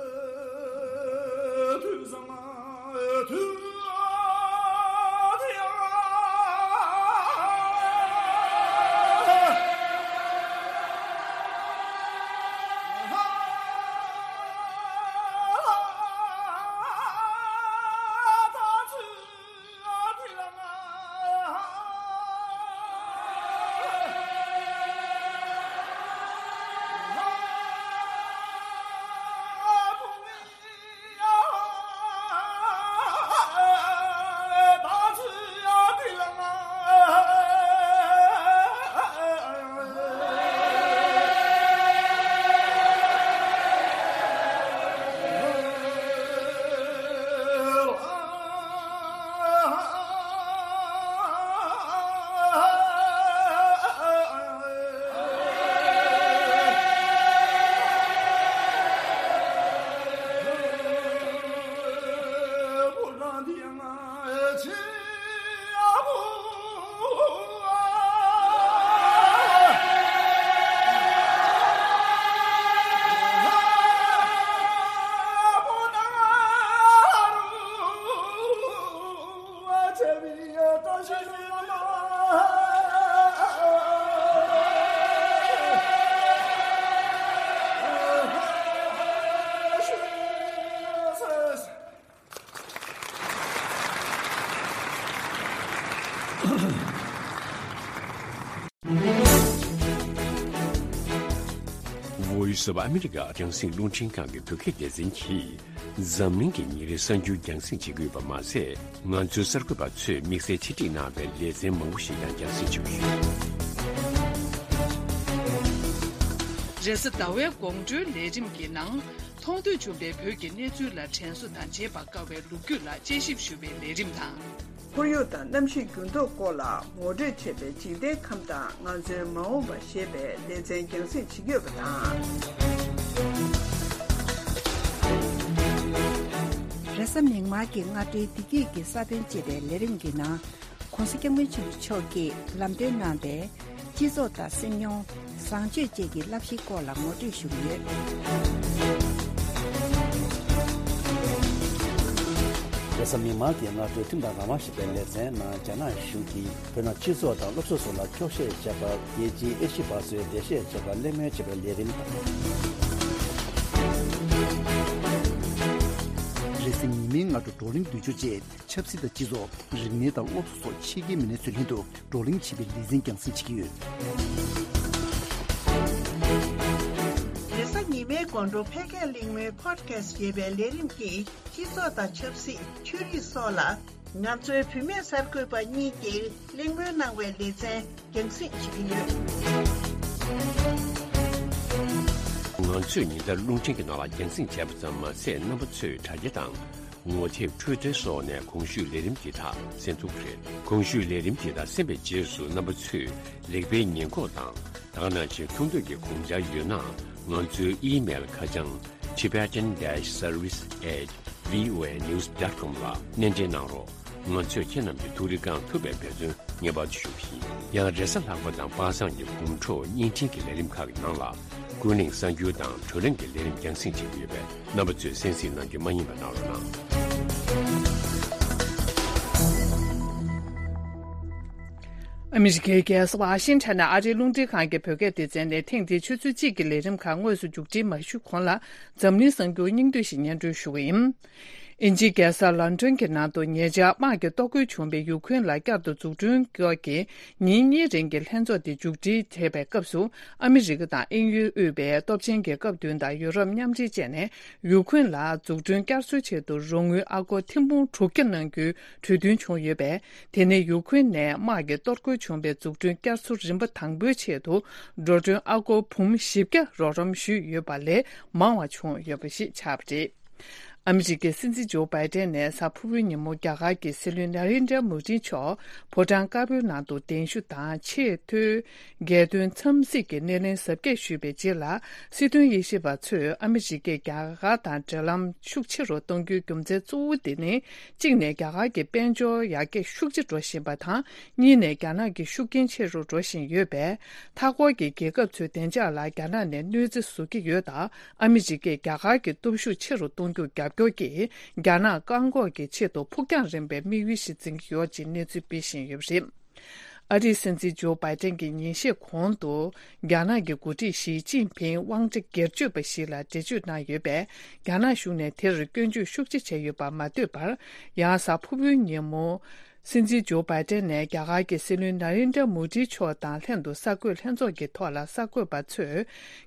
Voice of America རྒྱང་སྲིང་རླུང་འཕྲིན་ཁང་གི་བོད་སྐད་སྡེ་ཚན་གྱིས། འཛམ་གླིང་གི་ཉིན་རེའི་གསར་འགྱུར་རྒྱང་སྲིང་བྱེད་ཀྱི་ཡོད་པ་མ་ཟད། ང་ཚོའི་གསར་འགོད་པ་ཚོས་དམིགས་བསལ་ཆེད་སྒྲིག་གནང་བའི་ལེ་ཚན་མང་པོ་ཞིག་ཀྱང་རྒྱང་སྲིང་བྱེད་ཀྱི་ཡོད། རེས་གཟའ་ཟླ་བའི་དགོང་དྲོའི་ལས་རིམ་གྱི་ནང་། མཐོང་ཐོས་བྱུང་བའི་བོད་ཀྱི་གནས་ཚུལ་ལ་དྲན་གསོ་དང་བརྗེད་པར་དཀའ་བའི་ལོ་རྒྱུས་ལ་དཔྱད་ཞིབ་ཞུ་བའི་ལས་རིམ་དང་། ཁོར་ཡུག་དང་གནམ་གཤིས་འགྱུར་ལྡོག་སྐོར་ལ་ངོ་སྤྲོད་བྱས་པའི་འཇིག་རྟེན་ཁམས་དང་ང་ཚོའི་མ་འོངས་པ་ཞེས་པའི་ལེ་ཚན་རྒྱང་སྲིང་བྱེད་ཀྱི་ཡོད་པ་དང་། རེས་གཟའ་མིག་དམར་གྱི་སྔ་དྲོའི་བདེ་སྐྱིད་ཀྱི་ས་བོན་ཅེས་པའི་ལས་རིམ་གྱི་ནང་། ༸གོང་ས་༸སྐྱབས་མགོན་ཆེན་པོ་མཆོག་གིས་ལམ་སྟོན་གནང་པའི་སྤྱི་ཚོགས་དང་སེམས་མྱོང་། བཟང་སྤྱོད་བཅས་ཀྱི་བསླབ་གཞིའི་སྐོར་ལ་ངོ་སྤྲོད་ཞུ་གི་ཡོད། རེས་གཟའ་མིག་དམར་གྱི་སྔ་དྲོའི་ཐུན་དང་རང་དབང་ཞེས་པའི་ལེ་ཚན་ནང་། རྒྱ་ནག་གཞུང་གིས་བོད་ནང་སྤྱི་ཚོགས་དང་སློབ་གསོ་སོགས་ལ་འཁྱོག་བཤད་བྱས་པར། རྒྱལ་སྤྱིའི་ཨེ་ཤི་ཡ་པ་ཚོས་འགྲེལ་བཤད་བྱས་པར་གླེང་མོལ་བྱས་པའི་ལས་རིམ་དང་། རེས་གཟའ་ཉི་མའི་སྔ་དྲོ་བགྲོ་གླེང་མདུན་སྐྱོར་བཅས། ཆབ་སྲིད་དང་སྤྱི་ཚོགས། རིག་གནས་དང་སློབ་གསོ་སོགས་ཕྱི་རྒྱལ་མི་སྣ་ཚོའི་ལྷན་དུ་བགྲོ་གླེང་བྱེད་པའི་ལེ་ཚན་རྒྱང་སྲིང་བྱེད་ཀྱི་ཡོད། རེས་གཟའ་ཉི་མའི་དགོང་དྲོ་ཕལ་སྐད་གླེང་མོལ་Podcast ཞེས་པའི་ལས་རིམ་གྱིས་སྤྱི་ཚོགས་དང་ཆབ་སྲིད། ཆོས་རིག་སོགས་ལ་ང་ཚོའི་བུད་མེད་གསར་འགོད་པ་གཉིས་ཀྱིས་གླེང་མོལ་གནང་བའི་ལེ་ཚན་རྒྱང་སྲིང་བྱེད་ཀྱི་ཡོད། ང་ཚོས་ཉིན་ལྟར་རླུང་འཕྲིན་གྱི་ནང་ལ་རྒྱང་སྲིང་བྱས་པ་ཙམ་མ་ཟད། རྣམ་པ་ཚོས་དྲ་རྒྱ་དང་། ངོ་དེབ། Twitter སོགས་ནས་གོང་ཞུས་ལས་རིམ་འདི་དག་གསན་ཐུབ་ཀྱི་རེད། གོང་ཞུས་ལས་རིམ་འདི་དག་གསན་པའི་རྗེས་སུ་རྣམ་པ་ཚོས་ལེགས་སྤེལ་ཉེས་འགོག་དང་། ད་ག་ནང་བཞིན་ཐུགས་འདོད་ཀྱི་དགོངས་འཆར་ཡོད་ན། ང་ཚོའི་ཨི་མེལ་ཁ་བྱང་tibetan dash service at voa news dot com ལ་སྣེ་འདྲེན་གནང་རོགས། ང་ཚོས་ཁྱེད་རྣམས་ཀྱི་ཐུགས་རེ་བསྐང་ཐུབ་པའི་འབད་བརྩོན་ངེས་པར་དུ་ཞུ་གི་ཡིན། ཡང་། རེས་གཟའ་ལྷག་པ་དང་པ་སངས་ཀྱི་དགོང་དྲོ་བརྙན་འཕྲིན་གྱི་ལས་རིམ་ཁག་གི་ནང་ལ། ཀུན་གླེང་གསར་འགྱུར་དང་བགྲོ་གླེང་གི་ལས་རིམ་རྒྱང་སྲིང་བྱེད་ཀྱི་ཡོད་པས། རྣམ་པ་ཚོས་གསན་གཟིགས་གནང་རྒྱུ་མ་བསྙེལ་བ་གནང་རོགས་གནང་། ཨ་མི་རི་ཀའི་རྒྱལ་ས་ཝ་ཤིང་ཊོན་ནས་ཨ་རིའི་རླུང་འཕྲིན་ཁང་གི་བོད་སྐད་སྡེ་ཚན་ནས་ཐེངས་འདིའི་ཆུ་ཚོད་གཅིག་གི་ལས་རིམ་ཁག་དངོས་སུ་མཇུག་སྒྲིལ་མ་ཞུས་གོང་ལ། འཛམ་གླིང་གསར་འགྱུར་སྙིང་བསྡུས་ཤིག་སྙན་སྒྲོན་ཞུ་གི་ཡིན། དབྱིན་ཇིའི་རྒྱལ་ས་ལོན་ཌོན་གྱི་ནང་དུ་ཉེ་ཆར་དམག་གིས་གཏོར་རྒོལ་བྱུང་བའི་ཡུ་ཁུན་ལ་བསྐྱར་དུ་འཛུགས་སྐྲུན་སྐོར་གྱི་ཉིན་གཉིས་རིང་གི་ལྷན་ཚོགས་དེ་མཇུག་སྒྲིལ་བྱེད་པའི་སྐབས་སུ། ཨ་མི་རི་ཀ་དང་དབྱིན་ཡུལ་དབུས་པའི་སྟོབས་ཆེན་རྒྱལ་ཁབ་བདུན་དང་ཡུ་རོབ་མཉམ་འབྲེལ་བཅས་ནས་ཡུ་ཁུན་ལ་འཛུགས་སྐྲུན་བསྐྱར་གསོའི་ཆེད་དུ་རོགས་དངུལ་ཨ་སྒོར་ཐེར་འབུམ་དྲུག་བརྒྱ་གནང་རྒྱུའི་གྲོས་མཐུན་བྱུང་ཡོད་པས། དེ་ནི་ཡུ་ཁུན་ནས་དམག་གིས་གཏོར་རྒོལ་བྱུང་བའི་འཛུགས་སྐྲུན་བསྐྱར་གསོ་རིམ་པ་དང་པོའི་ཆེད་དུ་འགྲོ་གྲོན་ཨ་སྒོར་འབུམ་བཞི་བརྒྱ་རོགས་རམ་ཞུས་ཡོད་པ་ལས་མང་བ་བྱུང་ཡོད་པ་ཞིག་ཆགས་པ་རེད། ཨ་མི་རི་ཀའི་སྲིད་འཛིན་ཇོ་བྷའི་ཏན་ནས་གཟའ་ཕུར་བུའི་ཉིན་མོ་རྒྱ་གར་གྱི་སྲིད་བློན་ན་རེན་དྲ་མོ་དི་མཆོག་ཕོ་བྲང་དཀར་པོའི་ནང་དུ་གདན་ཞུ་དང་ཆེས་མཐོའི་རྒྱལ་དོན་འཚམས་གཟིགས་ཀྱི་སྣེ་ལེན་གཟབ་རྒྱས་ཞུས་པའི་རྗེས་ལ། སྲིད་དོན་དབྱེ་ཞིབ་པ་ཚོས་ཨ་མི་རི་ཀས་རྒྱ་གར་དང་འབྲེལ་ལམ་ཤུགས་ཆེ་རུ་གཏོང་རྒྱུའི་རྒྱུ་མཚན་གཙོ་བོ་དེ་ནི། གཅིག་ནས་རྒྱ་གར་གྱི་དཔལ་འབྱོར་ཡར་རྒྱས་ཤུགས་ཆེ་འགྲོ་བཞིན་པ་དང་། གཉིས་ནས་རྒྱ་ནག་གི་ཤུགས་རྐྱེན་ཆེ་རུ་འགྲོ་བཞིན་ཡོད་པས། མཐའ་འཁོར་གྱི་རྒྱལ་ཁབ་ཚོའི་བདེ་འཇགས་ལ་རྒྱ་ནག་ནས་གནོད་འཚེ་བཟོ་གི་ཡོད་སྟབས། ཨ་མི་རི་ཀས་རྒྱ་གར་གྱི་སྟོབས་ཤུགས་ཆེ་རུ་གཏོང་རྒྱུར་རྒྱབ་སྐྱོར་གྱིས། རྒྱ་ནག་བཀག་འགོག་གི་ཆེད་དུ་ཕུགས་རྒྱང་རིང་བའི་དམིགས་ཡུལ་ཞིག་འཛིན་གྱི་ཡོད་ཅེས་གནས་ཚུལ་སྤེལ་བཞིན་ཡོད་པ་རེད། ཨ་རིའི་སྲིད་འཛིན་ཇོ་བྷའི་ཏན་གྱིས་ཉིན་ཤས་གོང་དུ། རྒྱ་ནག་གི་འགོ་ཁྲིད་ཞི་ཅིན་ཕིང་དབང་ཆ་སྒེར་གཅོད་པ་ཞིག་ལ་འགྲེལ་བརྗོད་གནང་ཡོད་པས། རྒྱ་ནག་གཞུང་ནས་དེར་སྐྱོན་བརྗོད་ཤུགས་ཆེ་བྱས་ཡོད་པ་མ་ཐོས་པར། ཡང་གཟའ་ཕུར་བུའི་ཉིན་མོ། སྲིད་འཛིན་ཇོ་བྷའི་ཏན་ནས་རྒྱ་གར་གྱི་སྲིད་བློན་ན་རེན་དྲ་མོ་དི་མཆོག་དང་ལྷན་དུ་གསར་འགོད་ལྷན་ཚོགས་ཀྱི་ཐོག་ལ་གསར་འགོད་པ་ཚོས་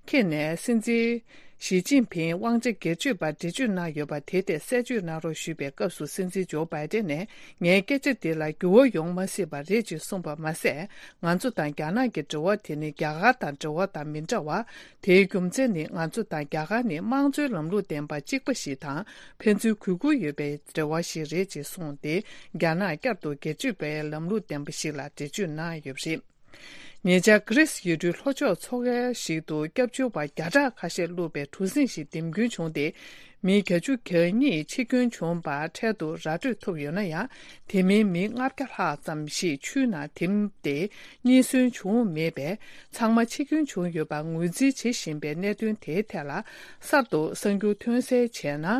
ཁྱེད་ནས་སྲིད་འཛིན་ཞི་ཅིན་ཕིང་དབང་ཆ་སྒེར་གཅོད་པར་འགྲེལ་བརྗོད་གནང་ཡོད་པ་དེ་ཐད་གསལ་བརྗོད་གནང་རོགས་ཞུས་པའི་སྐབས་སུ། སྲིད་འཛིན་ཇོ་བྷའི་ཏན་ནས་ངས་སྐད་ཆ་འདི་ལ་འགྱུར་བ་ཡོང་མ་སྲིད་པ་རེད་ཅེས་གསུངས་པ་མ་ཟད། ང་ཚོ་དང་རྒྱ་ནག་གི་འབྲེལ་བ་དེ་ནི་རྒྱ་གར་དང་འབྲེལ་བ་དང་མི་འདྲ་བར། དེའི་རྒྱུ་མཚན་ནི་ང་ཚོ་དང་རྒྱ་གར་ནི་དམངས་གཙོའི་ལམ་ལུགས་ལྡན་པ་གཅིག་པ་ཞིག་དང་། ཕན་ཚུན་གུས་བཀུར་ཡོད་པའི་འབྲེལ་བ་ཞིག་རེད་ཅེས་གསུངས་ཏེ། རྒྱ་ནག་བསྐྱར་དུ་སྒེར་གཅོད་པའི་ལམ་ལུགས་ལྡན་པ་ཞིག་ལ་འགྲེལ་བརྗོད་གནང་ཡོད་པ་རེད། ཉེ་ཆར་གྷི་རིས་ཡུལ་གྲུའི་ལྷོ་ཕྱོགས་མཚོ་ཁ་ཞིག་ཏུ་སྐྱབས་བཅོལ་བ་བརྒྱ་ཕྲག་ཁ་ཤས་བླུགས་པའི་གྲུ་གཟིངས་ཤིག་འདེམས་ཐོན་བྱུང་སྟེ། མི་བརྒྱད་ཅུ་གྱ་གཉིས་འཆི་སྐྱོན་བྱུང་བར་འཕྲལ་དུ་ར་སྤྲོད་ཐུབ་ཡོད་ན་ཡང་། དེ་མིན་མི་ལྔ་བརྒྱ་ལྷག་ཙམ་ཞིག་ཆུའི་ནང་ཐིམ་སྟེ་རྙེད་སོན་བྱུང་མེད་པས། ཚང་མ་འཆི་སྐྱོན་བྱུང་ཡོད་པར་ངོས་འཛིན་བྱེད་བཞིན་པའི་གནད་དོན་དེའི་ཐད་ལ། གསར་དུ་གསར་འགྱུར་ཐོན་གསལ་བྱས་ན།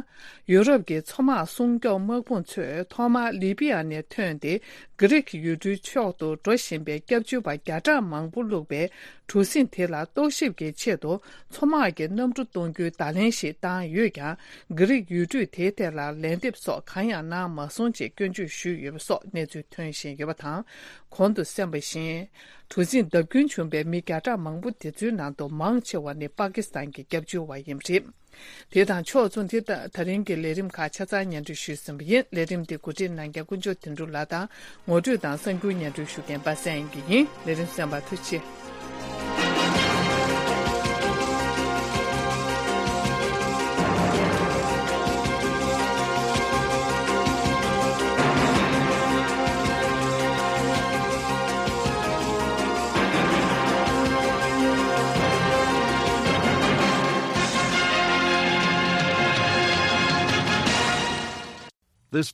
ཡུ་རོབ་ཀྱི་མཚོ་དམག་སྲུང་སྐྱོབ་དམག་དཔུང་ཚོས་ཐོག་མར་ལི་པི་ཡ་ནས་ཐོན་ཏེ། གྷི་རིག་ཡུལ་གྲུའི་ཕྱོགས་སུ་འགྲོ་བཞིན་པའི་སྐྱབས་བཅོལ་བ་བརྒྱ་ཕྲག་མང་པོ་བླུགས་པའི་ གྲུ་གཟིངས་དེ་ལ་རྟོག་ཞིབ་ཀྱི་ཆེད་དུ་མཚོ་དམག་གི་གནམ་གྲུ་གཏོང་རྒྱུའི་བརྡ་ལན་ཞིག་བཏང་ཡོད་ཀྱང་། སྒེར་ཡུལ་གྲུས་དེའི་ཐད་ལ་ལན་འདེབས་སོགས་གང་ཡང་གནང་མ་སོང་ཅེས་སྐྱོན་བརྗོད་ཞུས་ཡོད་པ་སོགས་གནས་ཚུལ་ཐོན་བཞིན་ཡོད་པ་དང་། གོང་དུ་གསན་པ་བཞིན། གྲུ་གཟིངས་བརྡབ་སྐྱོན་བྱུང་བའི་མི་བརྒྱ་ཕྲག་མང་པོ་དེ་ཚོའི་ནང་དུ་མང་ཆེ་བ་ནི་པ་ཀི་སི་ཐན་གྱི་སྐྱབས་བཅོལ་བ་ཡིན་པ་རེད། དེ་དང་ཕྱོགས་མཚུངས། དེ་ད་ད་རིང་གི་ལས་རིམ་ཁག་ཆ་ཚང་སྙན་སྒྲོན་ཞུས་ཟིན་པ་ཡིན། ལས་རིམ་འདི་གོ་སྒྲིག་གནང་མཁན་དཀོན་མཆོག་དོན་གྲུབ་ལགས་དང་། ངོ་སྤྲོད་དང་གསར་འགྱུར་སྙན་སྒྲོན་ཞུ་མཁན་པ་སངས་དབྱངས་སྐྱིད་ཡིན། ལས་རིམ་གསན་པར་ཐུགས་རྗེ་ཆེ།